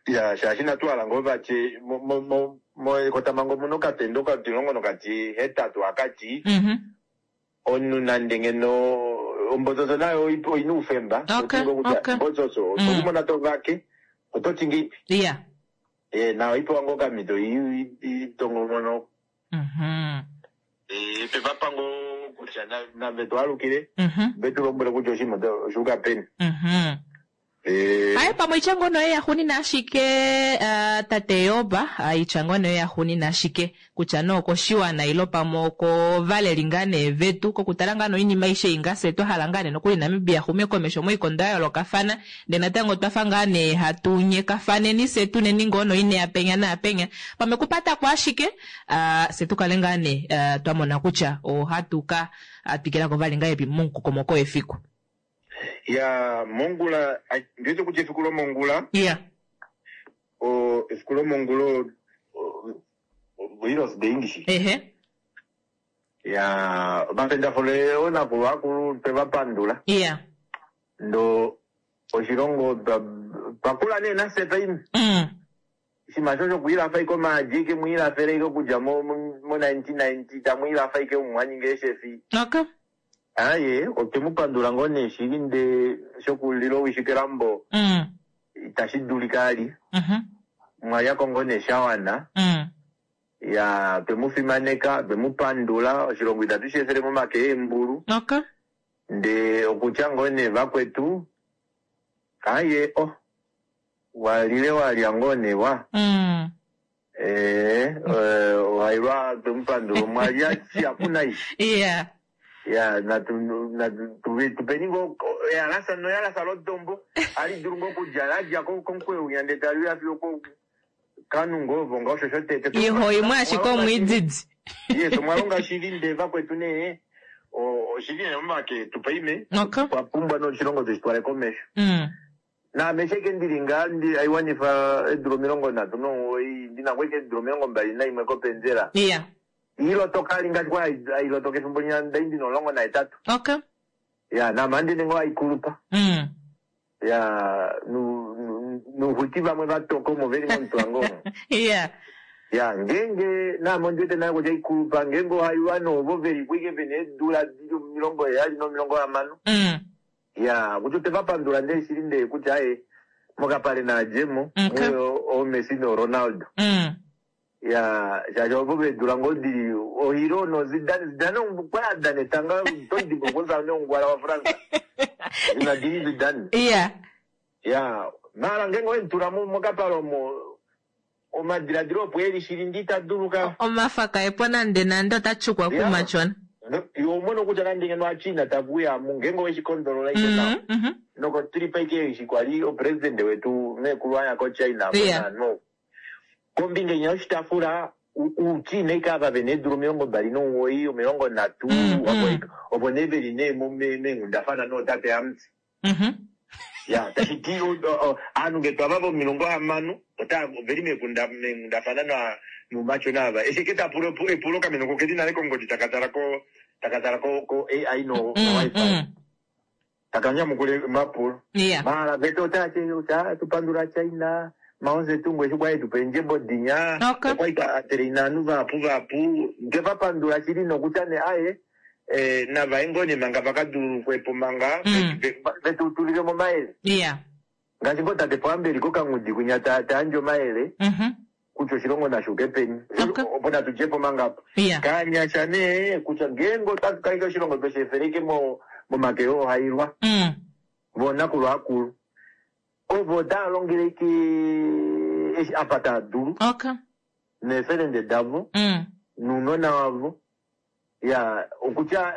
Ya, shaashi inatu hala ngoo vatye moekotamhango omuna okatendo okatilongo nokatihetatu hakati omunhu nande ngeno ombotsotso nayo oina oufemba. Okay, Oti ngoo kutya okay. mbotsotso otokumona to vake ototi ngeipi. Eh, nayo ipewa ngoo okamhito itongomono. Eh, pevapango kutya nave twalukile vetu lombwele kutya oshinima oshuuka peni. Eh. Aye pamwe itya ngoo noye yaxunina ashike tate Yoba, itya ngoo noye yaxunina ashike kutya nee okoshiwana ile pamwe okovaleli ngaa nee vetu kokutala ngaa nee oinima aishe ei ngaa fye twa hala ngaa nee nokuli Namibia axume komesho moikondo ya yoolokafana ndee natango otwafa ngaa nee hatu nyekafaneni fye tuneni ngoo noinea penya naapenya pamwe kupatako ashike fye tukale ngaa nee twamona kutya ohatu ka twikilako vali ngahelipi momukokomoko wefiku. Ya mongula ndiwete kutya efiku lomongula. Yeah. O efiku lomongula o Heroes Day ndishi. Ehe. Ya omapendafule oonakulwa akulu twe va pandula. Yeah. Ndo oshilongo twakula nee nafye paife. Oshinima sho shokwiilafa ike omaadi ike mwiilafele ike okudja mo mo 1990 tamwiilafa ike mumwaninga eeshefi. Okay. Aaye, otwe mu pandula ngoo nee shili ndee shokulila owishi kelambo itashi dulika ali. Mwa lyako ngoo nee sha wana. Ya, twe mu fimaneka, twe mu pandula, oshilongo itatu shi efele momake eembulu. Okay. Ndee okutya ngoo nee vakwetu, aaye oh, wa lile wa lya ngoo nee wa. Ee, ohailwa twe mu pandula, omwa lya shihapu nai. Yeah. Ya, natu, natu, tu, tupeni ngoo eyalasa noyalasa lodombo, ali dulu ngoo okudja, la dja komukweyo winya ndee tali uya fiyo ko kanu ngoo ovo ngaho osho shotete. Iho imwe ashike omwiididi. Yes, omwa longa shili ndee vakwetu nee, oshili nee momake etu paime. Okay. Twa pumbwa noshilongo tushi twale komesho. Naame eshi ashike ndili ngaa ndi aiwanifa eedula 39, ndi na ngoo ashike eedula 21 kopenzela. Yeah. Iilotoka ali ngaashi kwali ailotoka efimbo linya ndai ndina 18. Okay. Ya, naame ohandi ningi aikulupa. Ya, nuuxwiki vamwe vatoka omo veli momutwango omo. Yeah. Ya, ngeenge naame ondi wete nale kutya aikulupa, ngeenge ohaiwa noovo veli po ike vena eedula dili 70 no60. Ya, kutya otwe va pandula ndee shili ndee kutya aye, mokapale naadjemo, Okay. muyo ooMessi nooRonaldo. Ya, shaashi ovo veedula ngoo dili oHero noZidane. Zidane okwa dana etanga oto dimbuluka omusamane wongwala waFrance. Zinedine Zidane. Yeah. Ya, maala ngeenge owe mu tula mokapale omo, omadiladilo opo eli shili ndi ita dulu ka. Omafa kaepo nande nande ota tyukwa kumatyona. Yo omono kutya nande ngeno aChina tave uya mu, ngeenge owe shi kondolola ike nawa. Nokotripa ike eshi kwali opresidente wetu meekulu aya koChina apo naanhu. Kombinga inya yoshitafula, uuChina ike ava vena eedula 29, 30, opo nee veli nee meenghundafana nootate Amutse. Ya, tashi ti ovanhu nge twava vo60 ota veli meenghundafana noumatyona ava. Eshi eke ta pula epulo kameno ko keli nale kongodi taka tala ko, taka tala ko, ko AI no, no WiFi. Taka nyamukula omapulo. Yeah. Maala vete otava ti kutya tu pandula China, Mao Zedong eshi kwali etu pa eendjembo dinya, Okay. okwali a traina ovanhu vahapu vahapu. Nde va pandula shili nokutya nee aye, nava ye ngoo nee manga vaka dululukwe po manga, vetu tulile mo omayele. Yeah. Ngaashi ngoo tate Pohamba eli kokanghudi kwinya ta yandje omayele kutya oshilongo nashi uke peni. Okay. Opo natu dje po manga apa. Yeah. Kanyasha nee kutya ngeenge otatu kaleke oshilongo tweshi efeleke momake oohailwa, voonakulwa akulu, ovo otava longele ike eshi apa tava dulu. Okay. Neefelende davo, nounona wavo. Ya, okutya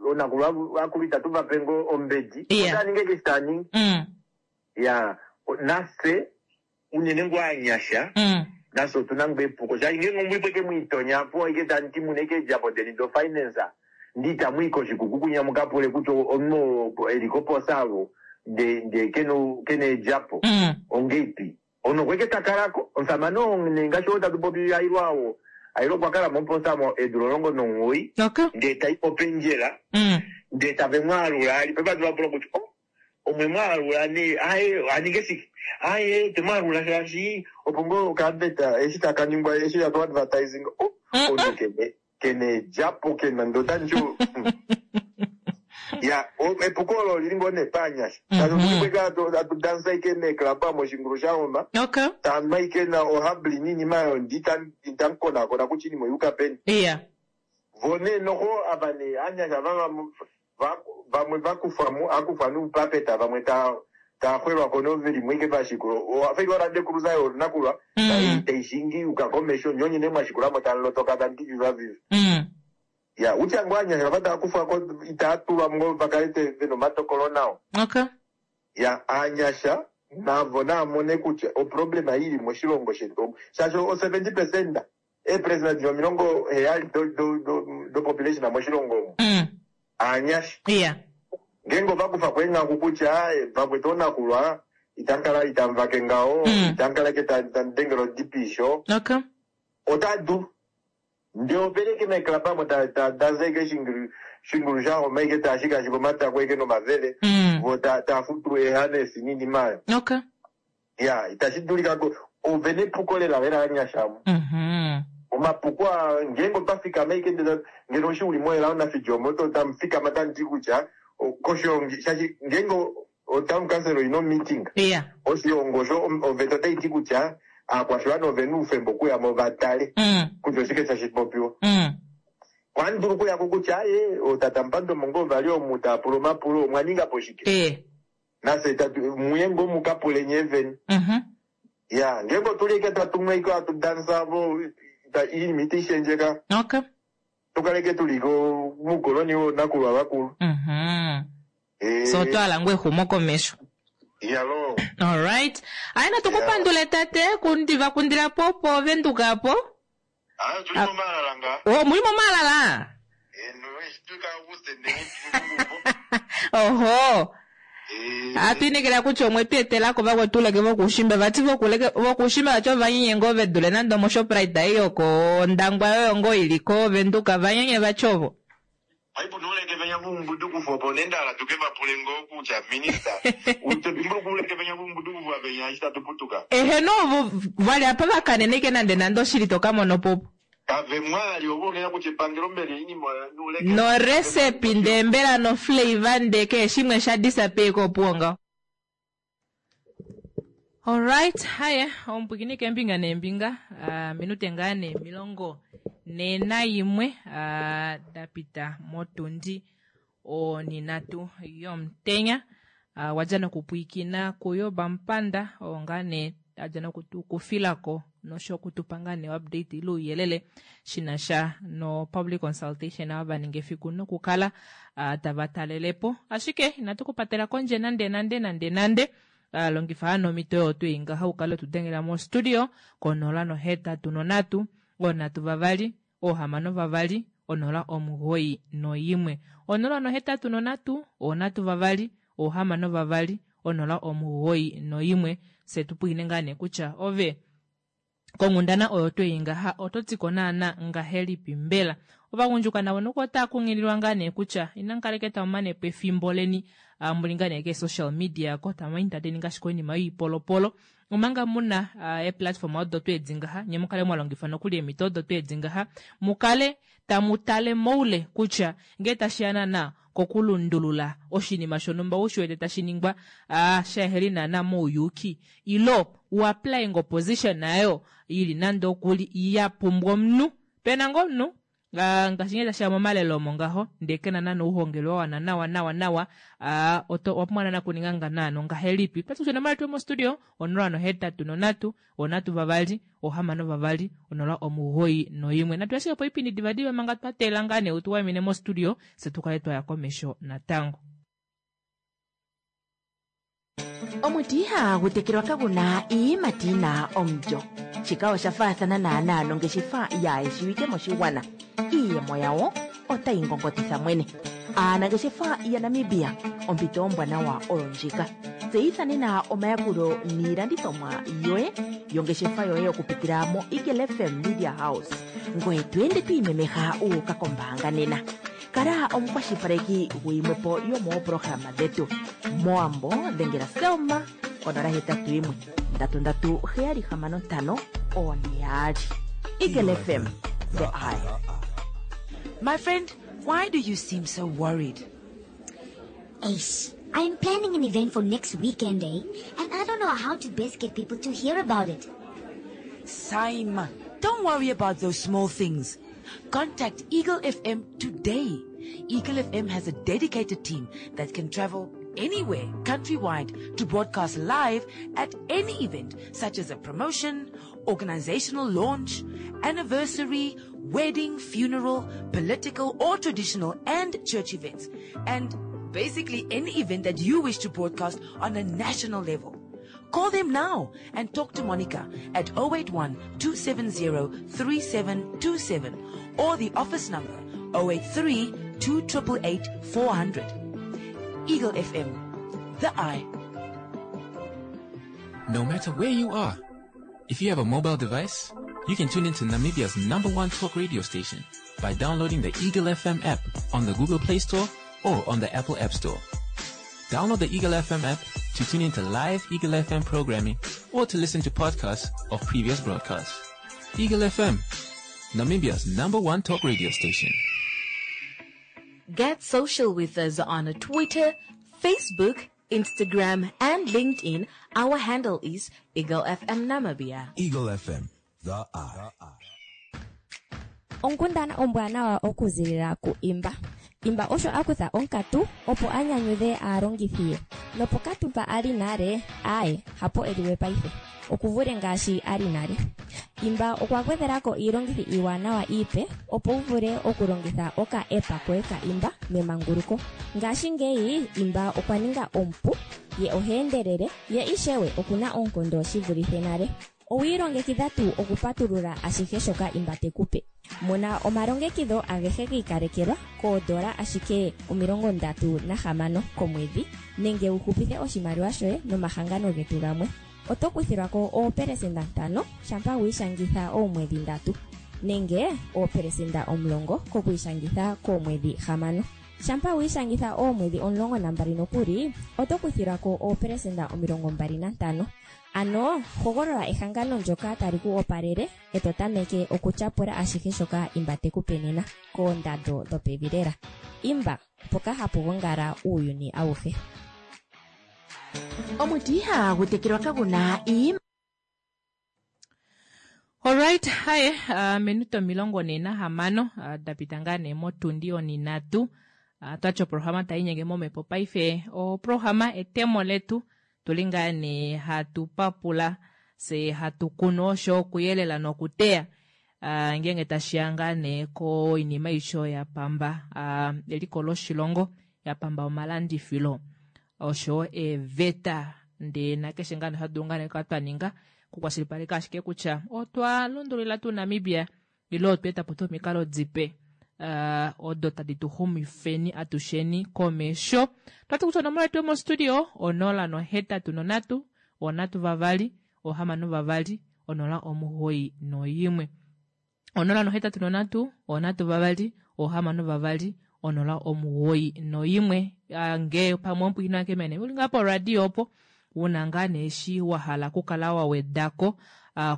oonakulwa akulu itatu va pe ngoo ombedi. Yeah. Otava ningi eshi tava ningi. Ya, nafye unene ngoo anyasha, nafye otuna ngoo epuko. Shaashi ngeenge omwipo eke mwiitonya apo ike tamu ti muna ike eedjapo deni do finance, ndi itamu i koshikuku kunya mukapule kutya omunhu oo eli koposa avo ndee kena eedjapo ongeipi. Omunhu okwa ike ta kalako, omusamane oo nee ngaashi oo tatu popi Hailwa oo, Hailwa okwa kala moposa mo eedula 19, Okay. ndee tai popendjela, ndee tave mu alula ali. Paife hatu vapula kutya, oh, omwe mu alula nee, aye, aninge shike? Aye, twe mu alula shaashi opo ngoo okaadvert eshi taka ningwa, eshi tatu advertising, oh, omunhu kena eedjapo, kena ndee otandi ti, Ya, epuko olo olili ngoo nee paanyasha. Shaashi otuli po ike hatu dansa ike meeclub omo oshingulu sha homa. Okay. Tanwa ike na ohubbly niinima oyo ndi itamu konaakona kutya iinima oya uka peni. Yeah. Vo nee noho ava nee aanyasha ava vamwe va kufwa mo, a kufwa nuupapeta, vamwe taa xwelwa ko noveli mo ike va shikula. Owa fa ike oLand Cruiser yoonakulwa tai shingi yuka komesho, nye onye nee mwa shikula mo tamu lotoka tamu ti viva viva. Ya, utya ngoo aanyasha ava tava kufwa ko itava tulwa ngoo va kale vena omatokolo nao. Okay. Ya, aanyasha navo nava mone kutya oproblema ei ili moshilongo shetu omu. Shaashi o 70%, eepresenda dili 70 do population moshilongo omu, aanyasha. Yeah. Ngeenge ova kufa ko eenghaku kutya, vakwetu oonakulwa, itamu kala itamu vake ngaho, itamu kala ike tamu dengele odipisho. Okay. Otava dulu. Ndee opeleke meeclub amo ta dansa ike shingulu sha homa ike taa shikaashika omatako ike nomavele, vo taa futu eehanesi niinima oyo. Okay. Ya, itashi dulika ko. Ove nepuko lela lela anyasha amo. Omapuko aa ngeenge otwa fikama ashike ndele ngeno eshi uli moElao naFijomo oto tamu fikama tamu ti kutya koshiongi shaashi ngeenge otown council oina omeeting oshiongo osho oveta otai ti kutya aakwashiwana ovena oufemba okuya mo va tale kutya oshike tashi popiwa. Ohandi dulu okuyako kutya aaye ootata Mupandomo ngoo vali omu tava pula omapulo omwa ninga po shike? Nafye tatu muye ngoo muka pule nyee vene. Ya, ngeenge otuli eke tatu nu eke hatu dansa vo iinima itayi shendjeka. Okay. Tukaleke tuli ko muukoloni woonakulwa vakulu. So otwa hala ngoo exumokomesho. Yalo. Alright. Aye natu ku pandule tate kundiva kundila po po Venduka po. Ah, tuli momaalala nga. Oh, muli momaalala? Oho. Hatu inekela kutya omwe tu etela ko vakwetu uleke vokuushimba vati vokuushimba vati ovanyenye ngoo ve dule nande omoShoprite ei yokOndangwa yoyo ngoo ili koVenduka vanyenye vati ovo. Paife nuuleke venya vuumbudukufu opo nee nda hala tuke va pule ngoo kutya minister to dimbuluka uuleke venya vuumbudukufu va venya eshi tatu putuka. Eheno ovo vali apa va kaneneke nande nande oshili to ka mona opo opo. Kave mwali ovo unene kutya epangelo mbela oinima oyo nuuleke. No recipe ndee mbela no flavour ndee kehe shimwe sha disappear ko opuwo ngaho. Alright, haye omupwikini keembinga neembinga uh, minute ngaa nee 41 uh, da pita motundi oninatu yomutenya uh, wadja nokupwikina kuyo bampanda oo ngaa nee adja nokutukufilako nosho okutupa ngaa nee update ile ouyelele shina sha no public consultation ava va ninga efiku nokukala uh, tava talelepo ashike inatu kupatela kondje nande nande nande nande uh, longifa hano omhito oyo tuu ngaha u kale tudengela mo studio ko 083 3 6 2 091 083 3 6 2 091 fye tupwiine ngaa nee kutya ove konghundana oyo twei ngaha oto ti ko naana ngahelipi mbela ovagundjuka navo noko otava kunghililwa ngaa nee kutya inamu kaleke tamu mane po efimbo leni ah, muli ngaa nee keesocial media ko tamu entertain ngaashi koinima yoipolopolo omanga muna ah, eeplatform odo tweedi ngaha nye mukale mwa longifa nokuli eemhito odo tweedi ngaha mukale tamu tale moule kutya ngee tashi ya naana kokulundulula oshinima shonhumba u shi wete tashi ningwa ah, sheheli naana mouyuuki ilo u apply ngo position nayo ili nande okuli ya pumbwa omunhu pena ngo omunhu Ah, ngaashi ngee tashi ya momalelo omo ngaho ndee kena naana ouhongelwe wa wana nawa nawa nawa ah, oto owa pumbwa naana okuninga nga naana ongahelipi pati kutya onomola yetu yomostudio 083 3 6 2 091 natu ashike po oipindi divadiva manga twa teelela ngaa nee utu waimine mostudio fye tu kale twa ya komesho natango. Omuti ihaagu tekelwa kagu na iiyimati yi na omulyo. Shika osha faathana naanaa nongeshefa yaayeshiwike moshigwana. Iiyemo yawo otayi ngongotitha mwene. Aanangeshefa yaNamibia, ompito ombwanawa oyo ndjika. Tseyitha nena omayakulo niilandithomwa yoye yongeshefa yoye okupitila moEagle FM Media House. Ngoye to ende to imemeha wu uka kombaanga nena. Kala omukwashilipaleki guyimwe po yomooprograma dhetu. Mowambo dhengela Selma konola hetatu yimwe ndatu ndatu heyali hamano ntano one yaali. Eagle FM, the eye. My friend, why do you seem so worried? Ace, I'm planning an event for next weekend, eh? And I don't know how to best get people to hear about it. Simon, don't worry about those small things. Contact Eagle FM today. Eagle FM has a dedicated team that can travel anywhere countrywide to broadcast live at any event such as a promotion, organizational launch, anniversary, wedding, funeral, political or traditional and church events. And basically any event that you wish to broadcast on a national level. Call them now and talk to Monica at 081 270 3727 or the office number 083 288 400. Eagle FM, the eye. No matter where you are, if you have a mobile device, you can tune into Namibia's number one talk radio station by downloading the Eagle FM app on the Google Play Store or on the Apple App Store. Download the Eagle FM app to tune into live Eagle FM programming or to listen to podcasts of previous broadcasts. Eagle FM, Namibia's number one talk radio station. Get social with us on Twitter, Facebook, Instagram, and LinkedIn. Our handle is Eagle FM Namibia. Eagle FM, the eye. Onkundana ombwanawa okuzilila ku Imba. Imba osho a kutha onkatu opo a nyanyudhe aalongithi ye. Nopokatu mpa a li nale, aaye, hapo e li we paife. Oku vule ngaashi a li nale. Imba okwa gwedhela ko iilongithi iiwanawa iipe opo wu vule okulongitha oka app koye ka Imba memanguluko. Ngashingeyi Imba okwa ninga omupu, ye oha endelele, ye ishewe oku na oonkondo shi vulithe nale. Owi ilongekidha tuu okupatulula ashihe shoka Imba te ku pe? Mona omalongekidho agehe gi ikalekelwa koodola ashike 36 komwedhi nenge wu hupithe oshimaliwa shoye nomahangano getu gamwe. Oto kuthilwa ko oopelesenda ntano shampa wi ishangitha oomwedhi ndatu nenge oopelesenda 10 kokwiishangitha koomwedhi hamano. Shampa wi ishangitha oomwedhi 12 nokuli, oto kuthilwa ko oopelesenda 25. Ano hogolola ehangano ndyoka tali ku opalele e to tameke okutyapula ashihe shoka Imba te ku pe nena, koondando dhopevi lela. Imba, mpoka hapu gongala uuyuni awuhe. Omuti ihaagu tekelwa kagu na iiyimati. Alright, haye uh, minute 46 uh, da pita ngaa nee motundi oninatu uh, twati oprograma tai inyenge momhepo paife oprograma etemo letu tuli ngaa nee hatu papula se hatu kunu osho okuyelela nokuteya uh, ngeenge tashiya ngaa nee koinima aishe ya pamba uh, eliko loshilongo ya pamba omalandifilo oshowo eeveta ndee nakeshe ngaa nee ohatu dulu ngaa nee okukala twa ninga okukwashilipaleka ashike kutya otwa lundululila tuu Namibia ile otwa eta po tuu omikalo dipe uh, odo tadi tu xumifeni atusheni komesho. Twati kutya onomola yetu yomostudio 083 3 6 2 0 91. 083 3 6 2 091 nge pamwe omupwiikini wange mene uli ngaa poradio opo wuna ngaa nee eshi wa hala okukala wa wedako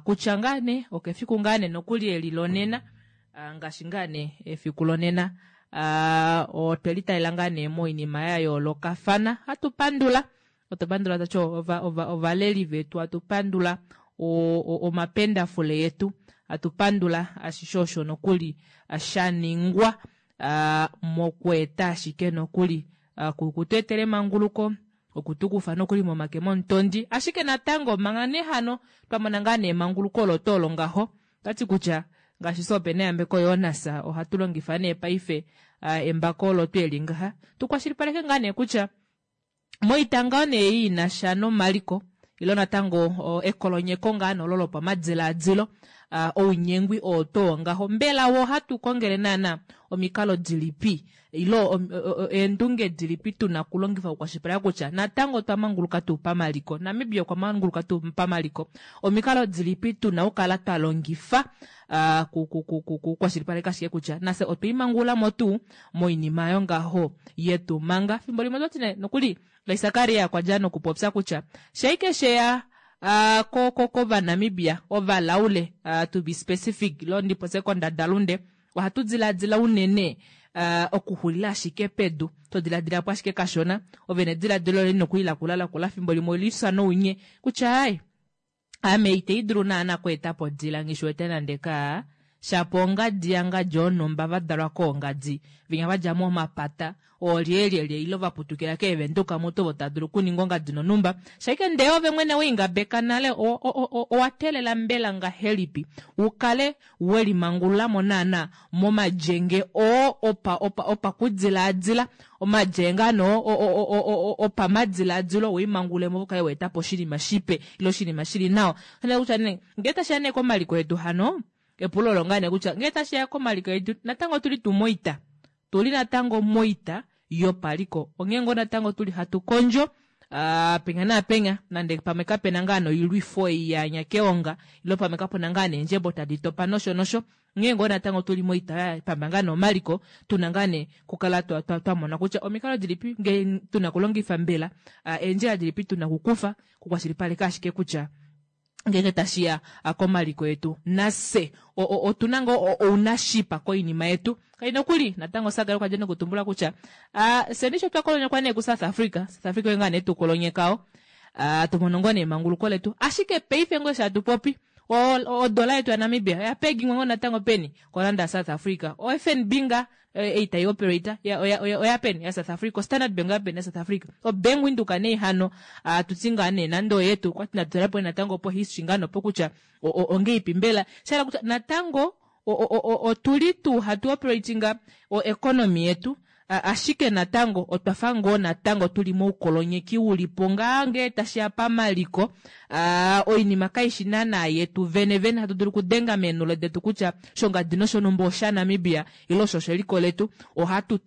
kutya ngaa nee okefiku ngaa nee nokuli eli lonena ngaashi ngaa nee efiku lonena otwe litalela ngaa nee moinima ya yoolokafana hatu pandula Otwa pandula tachi ovaleli vetu, atu pandula omapendafule yetu, atu pandula ashishe osho nokuli sha ningwa mokweeta ashike nokuli kutu etela emanguluko, okutu kufa nokuli momake momutondi. Ashike natango manga nee hano twa mona ngaa nee emanguluko olo tuu olo ngaho, otati kutya ngaashi fye ope na eyambeko yoNAS ohatu longifa nee paife embako olo tuu eli ngaha, tu kwashilipaleke ngaa nee kutya Moita ngaho nee ei ina sha nomaliko ilo natango ekolonyeko ngaa nolo lopamadilaadilo, ounyengwi oo too ngaho, mbela wo ohatu kongele naana omikalo dilipi ilo eendunge dilipi tu na okulongifa okukwashilipaleka kutya natango otwa manguluka tuu pamaliko, Namibia okwa manguluka tuu pamaliko, omikalo dilipi tu na okukala twa longifa kukwashilipaleka ashike kutya nafye otwe imangulula mo tuu moinima yongaho yetu manga fimbo limwe otwati nee nokuli Sakaria kwa dja nokupopya kutya shaike sheya uh, ko ko kovanamibia ovalaule uh, to be specific lo ndipopye kondadalunde ohatu diladila unene uh, okuxulila ashike pedu to diladila po ashike kashona ove nediladilo leni nokuli lakula lakula fimbo limwe olifya nounye kutya ai Ame itei dulu naana kweeta po odila nghi shi wete nande kaa, shapo ongadi yangadi onhumba va dalwa koongadi, vinya va dja momapata, oolyelyelye ile va putukila keevenduka mutu ovo tava dulu okuninga ongadi nonhumba. Shaike ndee ove mwene we i ngabeka nale, o, o, o, owa teelela mbela ngahelipi u kale we limangulula mo naana momalyenge oo opa, opa, opakudilaadila, omalyenge ano o, o, o, o, opamadilaadilo, we imangulule mo u kale wa eta po oshinima shipe ile oshinima shi li nawa. Osha kutya nee, ngee tashi ya nee komaliko etu hano, epulo olo ngaa nee kutya ngee tashi ya komaliko etu, natango otu li tuu moita? Tu li natango moita yopaliko. Onghee ngoo natango tu li hatu kondjo uh, penya naapenya, nande pamwe kapena ngaa noilwifo ei ya anya keonga, ile pamwe kapuna ngaa neendjebo tadi topa nosho nosho. Onghee ngoo natango tuli moita ya pamba ngaa nee omaliko, tuna ngaa nee kukala twa, twa, twa mona kutya omikalo dilipi ngee tuna kulongifa mbela, eendjila dilipi tuna kukufa kukwashilipaleka ashike kutya ngeenge tashi ya komaliko etu nafye otuna ngoo ounashipa koinima yetu. Kai nokuli natango Sakaria okwa dja nokutumbula kutya fyeni sho twa kolonyekwa nee kuSouth Africa, South Africa oye ngaa nee tu kolonyekao, tu mono ngoo nee emanguluko letu, ashike paife ngoo eshi hatu popi odola yetu yaNamibia oya pegingwa ngoo natango peni koranda yaSouth Africa. OFNB nga ei tai operate oya peni ya South Africa, oStandard Bank oya peni ya South Africa, oBank Windhoek nee hano atu ti ngaa nee nande oyetu okwati natu tale po natango po history ngaa nopo kutya ongeipi mbela, sha hala kutya natango otuli tuu hatu operatinga o economy yetu ashike natango otwa fa ngoo natango tuli moukolonyeki uli po ngaa ngee tashi ya pamaliko. Oinima kaishi naana yetu vene vene hatu dulu okudenga meenhulo detu kutya shongadi noshonhumba oshaNamibia ile osho osheliko letu. Ohatu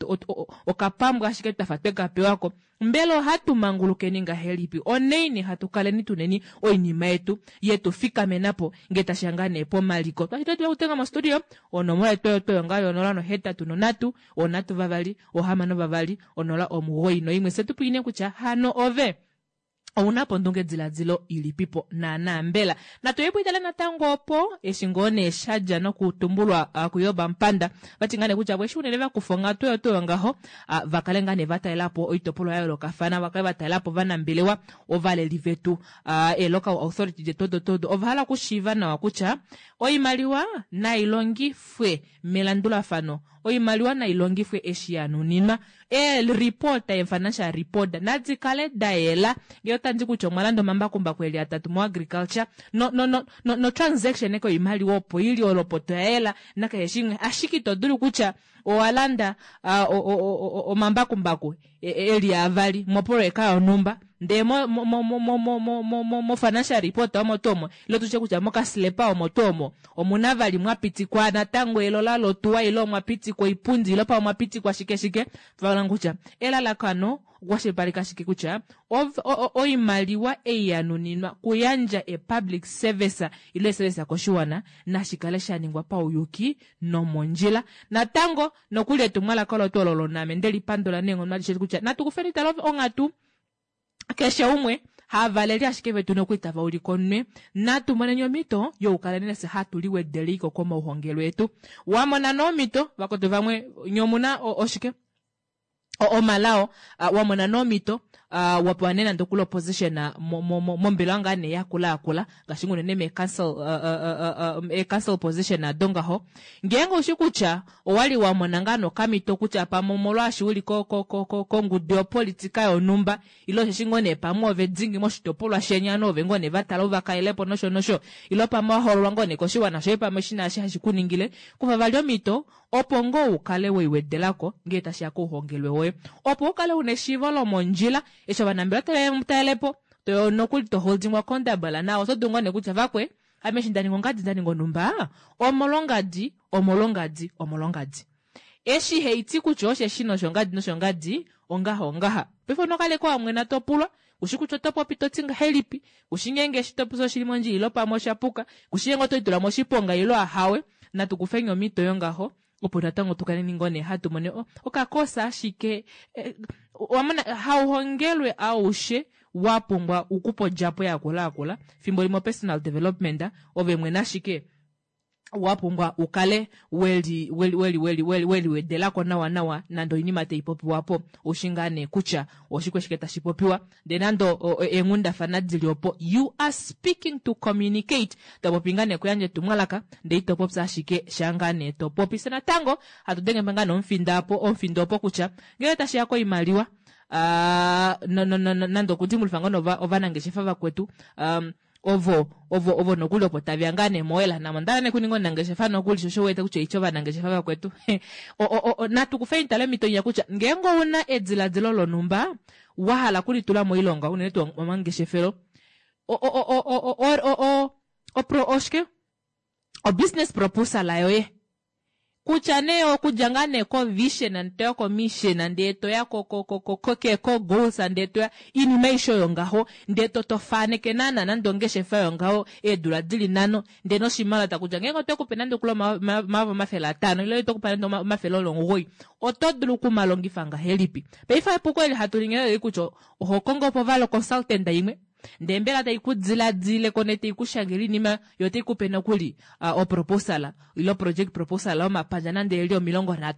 okapambwa ashike twafa twe ka pewa ko. Mbela ohatu mangulukeni ngahelipi onaini hatu kaleni tuneni oinima yetu yetu fikamena po ngee tashi ya ngaa nee pomaliko? Twati twa kutenga mostudio onomola yetu oyo oyo ngaa yonola nohetatu nonhatu onhatu vavali ohamano vavali onola omugoyi noimwe. Fye tu pwiine kutya hano ove ouna po ondungediladilo ilipipo naanaa mbela? Natu ye pwiitale natango opo eshi ngoo nee sha dja nokutumbulwa kuJob Amupanda, vati ngaa nee kutya vo eshi unene va kufa onghatu oyo tuu oyo ngaho, va kale ngaa nee va talela po oitopolwa ya yoolokafana, va kale va talela po ovanambelewa, ovaleli vetu, ee-local authority detu odo tuu odo, ova hala okushiiva nawa kutya oimaliwa nai longifwe melandulafano, oimaliwa nai longifwe eshi ya nuninwa. Eelipota, eefinancial report nadi kale da yela. Ngee otandi kutya omwa landa omambakumbaku eli atatu moagriculture, no, no, no, no, no transaction eke oimaliwa opo ili olopota oya yela nakeshe shimwe. Ashike ito dulu kutya owa landa omambakumbaku eli avali mopoloyeka yonhumba, ndee mo, mo, mo, mo, mo, mo, mo, mo, mo, mo financial report omo tuu omo, ile tutye kutya mokaslepa omo tuu omo, omuna vali mwa pitikwa natango elola lotuwa ile omwa pitikwa oipundi ile pamwe omwa pitikwa shike shike. Vaona kutya elalakano okukwashilipaleka ashike kutya oimaliwa ei ya nuninwa kuyandja e public service ile service koshiwana nashi kale sha ningwa pauyuki nomondjila. Natango nokuli etumwalaka olo tuu olo loname nde lipandula neenghono adishe kutya natu kufeni tala onghatu keshe umwe havaleli ashike vetu nokuli tava ulike omunwe. Natu moneni omhito yokukaleni nafye hatu liwedeliko komauhongelwe etu. Wa mona nee omhito vakwetu vamwe nye omuna oshike omalao, wa mona nee omhito, wa pewa nee nande okuli opposition mombelewa ngaa nee yakula yakula ngaashi unene mee council, ee council position ado ngaho. Ngeenge oushi kutya owali wa mona ngaa nokamhito kutya pamwe omolwaashi uli kongudu yopolitika yonhumba ile osheshi ngoo nee pamwe ove dingi moshitopolwa sheni ano ove ngoo nee va tala uva kalelepo nosho nosho ile pamwe wa hoololwa ngoo nee koshiwana shoye pamwe shi na eshi hashi ku ningile, kufa vali omhito opo ngoo u kale we iwedelako ngee tashi ya kouhongelwe woye opo u kale una eshiivo lomondjila eshi ovanambelewa tave mu talelepo to nokuli to holdingwa accountable nawa oto dulu ngoo nee kutya vakwe ame eshi nda ninga ongadi nda ninga onhumba omolwongadi omolwongadi omolwongadi eshi haiti kutya osheshi noshongadi noshongadi ongaha ongaha paife onokaleko wa mwena to pulwa kushi kutya oto popi to ti ngahelipi kushi ngeenge eshi to popi oshili mondjila ile pamwe osha puka kushi ngeenge oto litula moshiponga ile ahawe natu kufeni omhito yongaho opo natango tu kaleni ngoo nee hatu mone okakosa ashike wamona hauhongelwe aushe wa pumbwa ukupa odjapo yakula yakula fimbo limwe personal development ove mwene ashike wa pumbwa ukale weli weli weli weli weli weli wedelako nawa nawa nande oinima tai popiwa po ushi ngaa nee kutya oshike shike tashi popiwa ndee nande eenghundafana dili opo you are speaking to communicate to popi ngaa nee kuyandja etumwalaka ndee ito popya ashike sha ngaa nee to popi. Fye natango hatu denge ngaa nee omufinda opo omufindo opo kutya ngele tashi ya koimaliwa no, no, no, no, nande okudimbulufa ngoo nee ovanangeshefa vakwetu ovo ovo ovo nokuli opo tave ya ngaa nee mowela namo onda hala nee kuninga omunangeshefa nokuli sho osho wete kutya oitya ovanangeshefa vakwetu natu kufeni tale omhito inya kutya ngeenge ouna ediladilo lonhumba wa hala okulitula moilonga unene tuu omangeshefelo oshike obusiness proposal yoye. Kutya nee okudja ngaa nee kovision ndee toya komission ndee toya kogoals ndee toya inima aishe oyo ngaho ndee to tofaneke naana nande ongeshefa yongaho eedula dili nhano ndee noshimaliwa takutya ngeenge otwe kupe nande okuli 500,000 ile otwe kupe nande 900 oto dulu okumalongifa ngahelipi. Paife epuko eli hatu lingi oleli kutya oho kongo po vali oconsultant imwe ndee mbela tai ku diladile ko nee tai ku shangele oinima yo otai kupe nokuli oproposal ile oproject proposal yomapandja nande eli 30.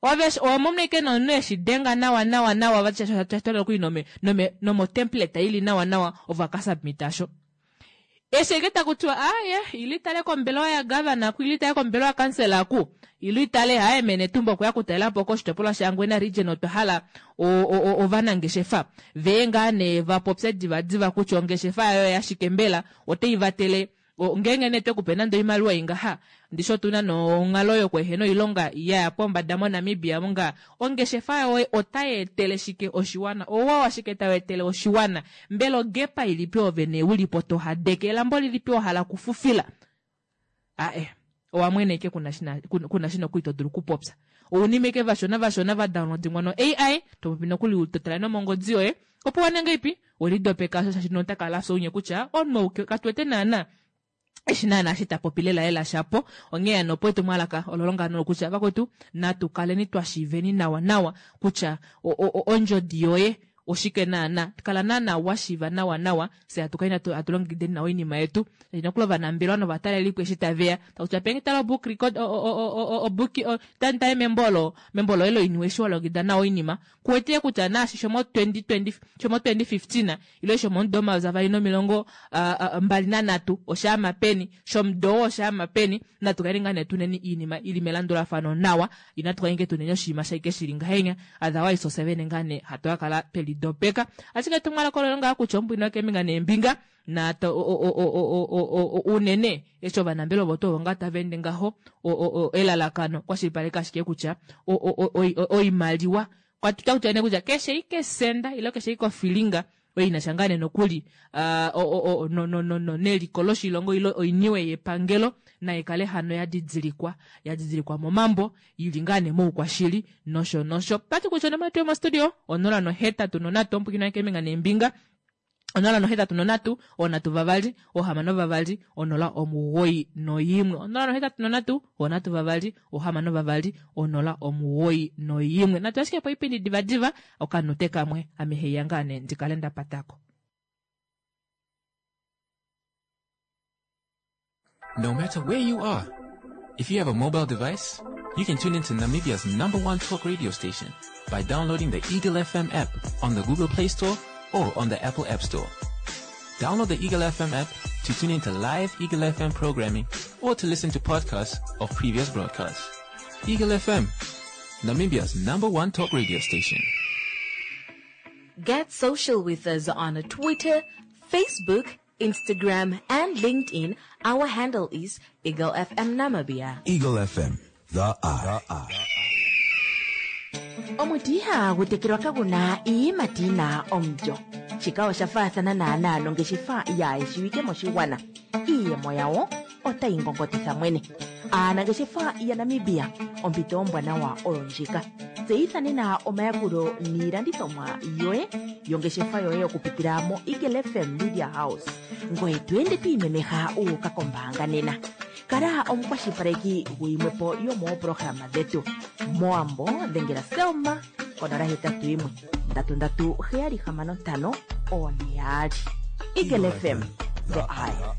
Ove owa mono ashike nomunhu eshi denga nawa nawa nawa vati shaashi osha twala nokuli nome nome nomotemplate ili nawa nawa ovo aka submit asho. Eshi ashike taku tiwa aaye ila itale kombelewa ya governor ku ila itale kombelewa ya councillor ku ila itale aaye mee Netumbo okweya okutalelapo koshitopolwa sha Hangwena region otwa hala ovanangeshefa veye ngaa nee va popye diva diva kutya ongeshefa yaye oya shike mbela otai vatele ngeenge nee twe kupe nande oimaliwa ingaha ndishi otuna nonghalo yokuehena oilonga yaya pombada mo Namibia munga ongeshefa yoye otai etele shike oshiwana ouwa washike tau etele oshiwana mbela ogepa ilipi ove nee ulipo to hadeke elambo lilipi wa hala okufufila ae owa mwene ike kuna shina kuna shina oku ito dulu okupopya ounima ike vashona vashona va downloadingwa no AI to popi nokuli to tala nomongodi yoye opo wa ninga ipi welidopeka shaashi nota kala afya ounye kutya omunhu ou katu wete naana eshi naana eshi ta popi lela lela shapo. Onghee hano opo etumwalaka olo longano olo kutya vakwetu natu kaleni twa shiiveni nawa nawa kutya ondjodi yoye oshike naana. Kala naana wa shiiva nawa nawa fye hatu kaleni hatu longekideni nawa oinima yetu. Shaashi nokuli ovanambelewa novatalelipo eshi tave ya taku tiwa penge tala obook record obook tale membo olo membo loye loiniwe eshi wa longekida nawa oinima Kuwete kutya naashi shomo 2020, shomo 2015 ile shomomudo 2023 oshaama peni, shomudo oo oshaama peni, natu kale ngaa nee tuneni iinima ili melandulafano nawa, inatu kale nge tuneni oshinima shaike shili ngahenya, otherwise ofye vene ngaa nee hatu ka kala twe lidopeka. Ashike etumwalaka olo ngaa kutya ombwina yokeembinga neembinga, na unene eshi ovanambelewa ovo tuu ngaa tava ende ngaho elalakano kwashilipaleka ashike kutya oimaliwa kwatuta kutya ne kutya keshe ike senda ile keshe ike ofilinga oyo ina sha ngaa nee nokuli neliko loshilongo ile oiniwe yepangelo nai kale hano ya didilikwa ya didilikwa momambo yili ngaa nee moukwashili nosho nosho. Pati kutya onomola yetu yomostudio 083 ombwikina keembinga neembinga 083 3 6 2 091 083 3 6 2 091 natu ashike po oipindi divadiva okanute kamwe ame heiya ngaa nee ndi kale nda patako. No matter where you are, if you have a mobile device, you can tune into Namibia's number one talk radio station by downloading the Eagle FM app on the Google Play Store or on the Apple App Store. Download the Eagle FM app to tune into live Eagle FM programming or to listen to podcasts of previous broadcasts. Eagle FM, Namibia's number one talk radio station. Get social with us on Twitter, Facebook, Instagram, and LinkedIn. Our handle is Eagle FM Namibia. Eagle FM, the eye. Omuti ihagu tekelwa kagu na iiyimati yi na omulyo. Shika osha faathana naanaa nongeshefa yaa shiwike moshigwana. Iiyemo yawo otayi ngongotitha mwene. Aanangeshefa yaNamibia, ompito ombwanawa oyo ndjika. Tseyitha nena omayakulo niilandithomwa yoye yongeshefa yoye okupitila moEagle FM Media House. Ngoye to ende to imemeha wu uka kombaanga nena. Kala omukwashilipaleki guyimwepo yomoopolohalama dhetu. Mowambo dhengela Selma ko 081 337 6542. Eagle FM, the eye.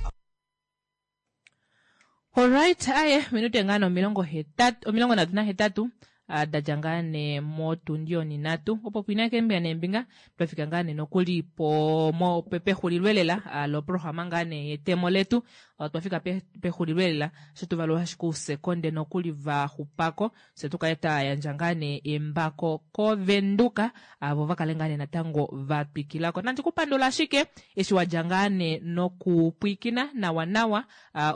Alright, aye, minute ngaa nee 83 38 ah, da dja ngaa nee motundi oninhatu opo pwina keembinga neembinga twa fika ngaa nee nokuli po mo pe- pexulilo elela ah, loprograma ngaa nee yetemo letu Otwa fika pexulilo elela sho tu valula ashike ousekonde nokuli va xupako fye tu kale twa yandja ngaa nee embako koVenduka avo va kale ngaa nee natango va twikilako. Nandi ku pandula ashike eshi wa dja ngaa nee nokupwiikina nawa nawa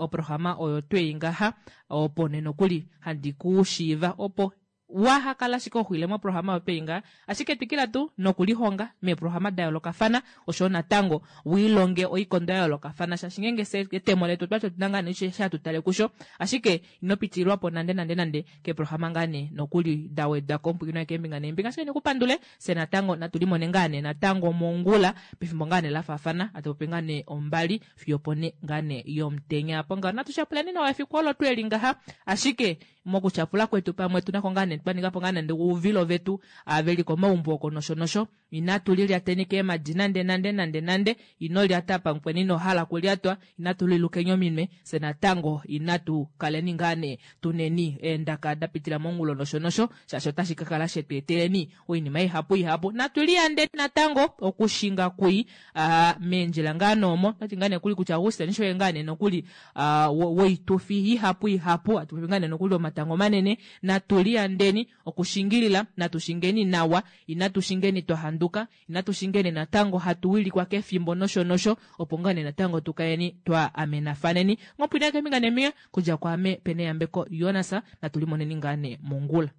oprograma oyo twei ngaha opo nee nokuli handi ku shiiva opo. Waha kala ashike ho xwile moprograma yopeinga, ashike twikila tuu nokulihonga meeprograma da yoolokafana, oshoyo natango wiilonge oikondo ya yoolokafana, shaashi ngeenge fye etemo letu otwati otuna ngaa nee eshi hatu tale kusho, ashike ino pitililwapo nande nande nande keeprograma ngaa nee nokuli da wedwako omupwilikini wange keembinga neembinga. Ashike nikupandule, fye natango natu limone ngaa nee natango mongula pefimbo ngaa nee lafaafana, hatu popi ngaa nee ombali fiyo opo ne ngaa nee yomutenya. Apo ngaho natu tyapuleni nawa efiku olo tweli ngaha, ashike mokutyapula kwetu pamwe otuna ko ngaa nee twa ninga po ngaa nande ouvilo vetu ava veli komaumbo oko nosho nosho. Inatu lilyateni keemadi nande nande nande nande, ino lyata pamukweni ino hala okulyatwa, inatu lilukeni ominwe, fye natango inatu kaleni ngaa nee tuneni eendaka da pitila mongulo nosho nosho, shaashi otashi ka kala shetu eteleni oinima ihapu ihapu. Natu liyandeni natango okushinga kui aa meendjila ngaa noomo, otati ngaa nee kuli kutya Auguste shoye ngaa nee nokuli aa woitufi ihapu ihapu, atu popi ngaa nee nokuli omatango manene, natu liyandeni okushingilila, natu shingeni nawa, inatu shingeni twa handuka, inatu shingeni natango hatu wilikwa kefimbo nosho nosho, opo ngaa nee natango tu kaleni twa amenafaneni. Ngopwina keembinga neembinga, kudja kwaame Peneyambeko Jonas, natu limoneni ngaa nee mongula.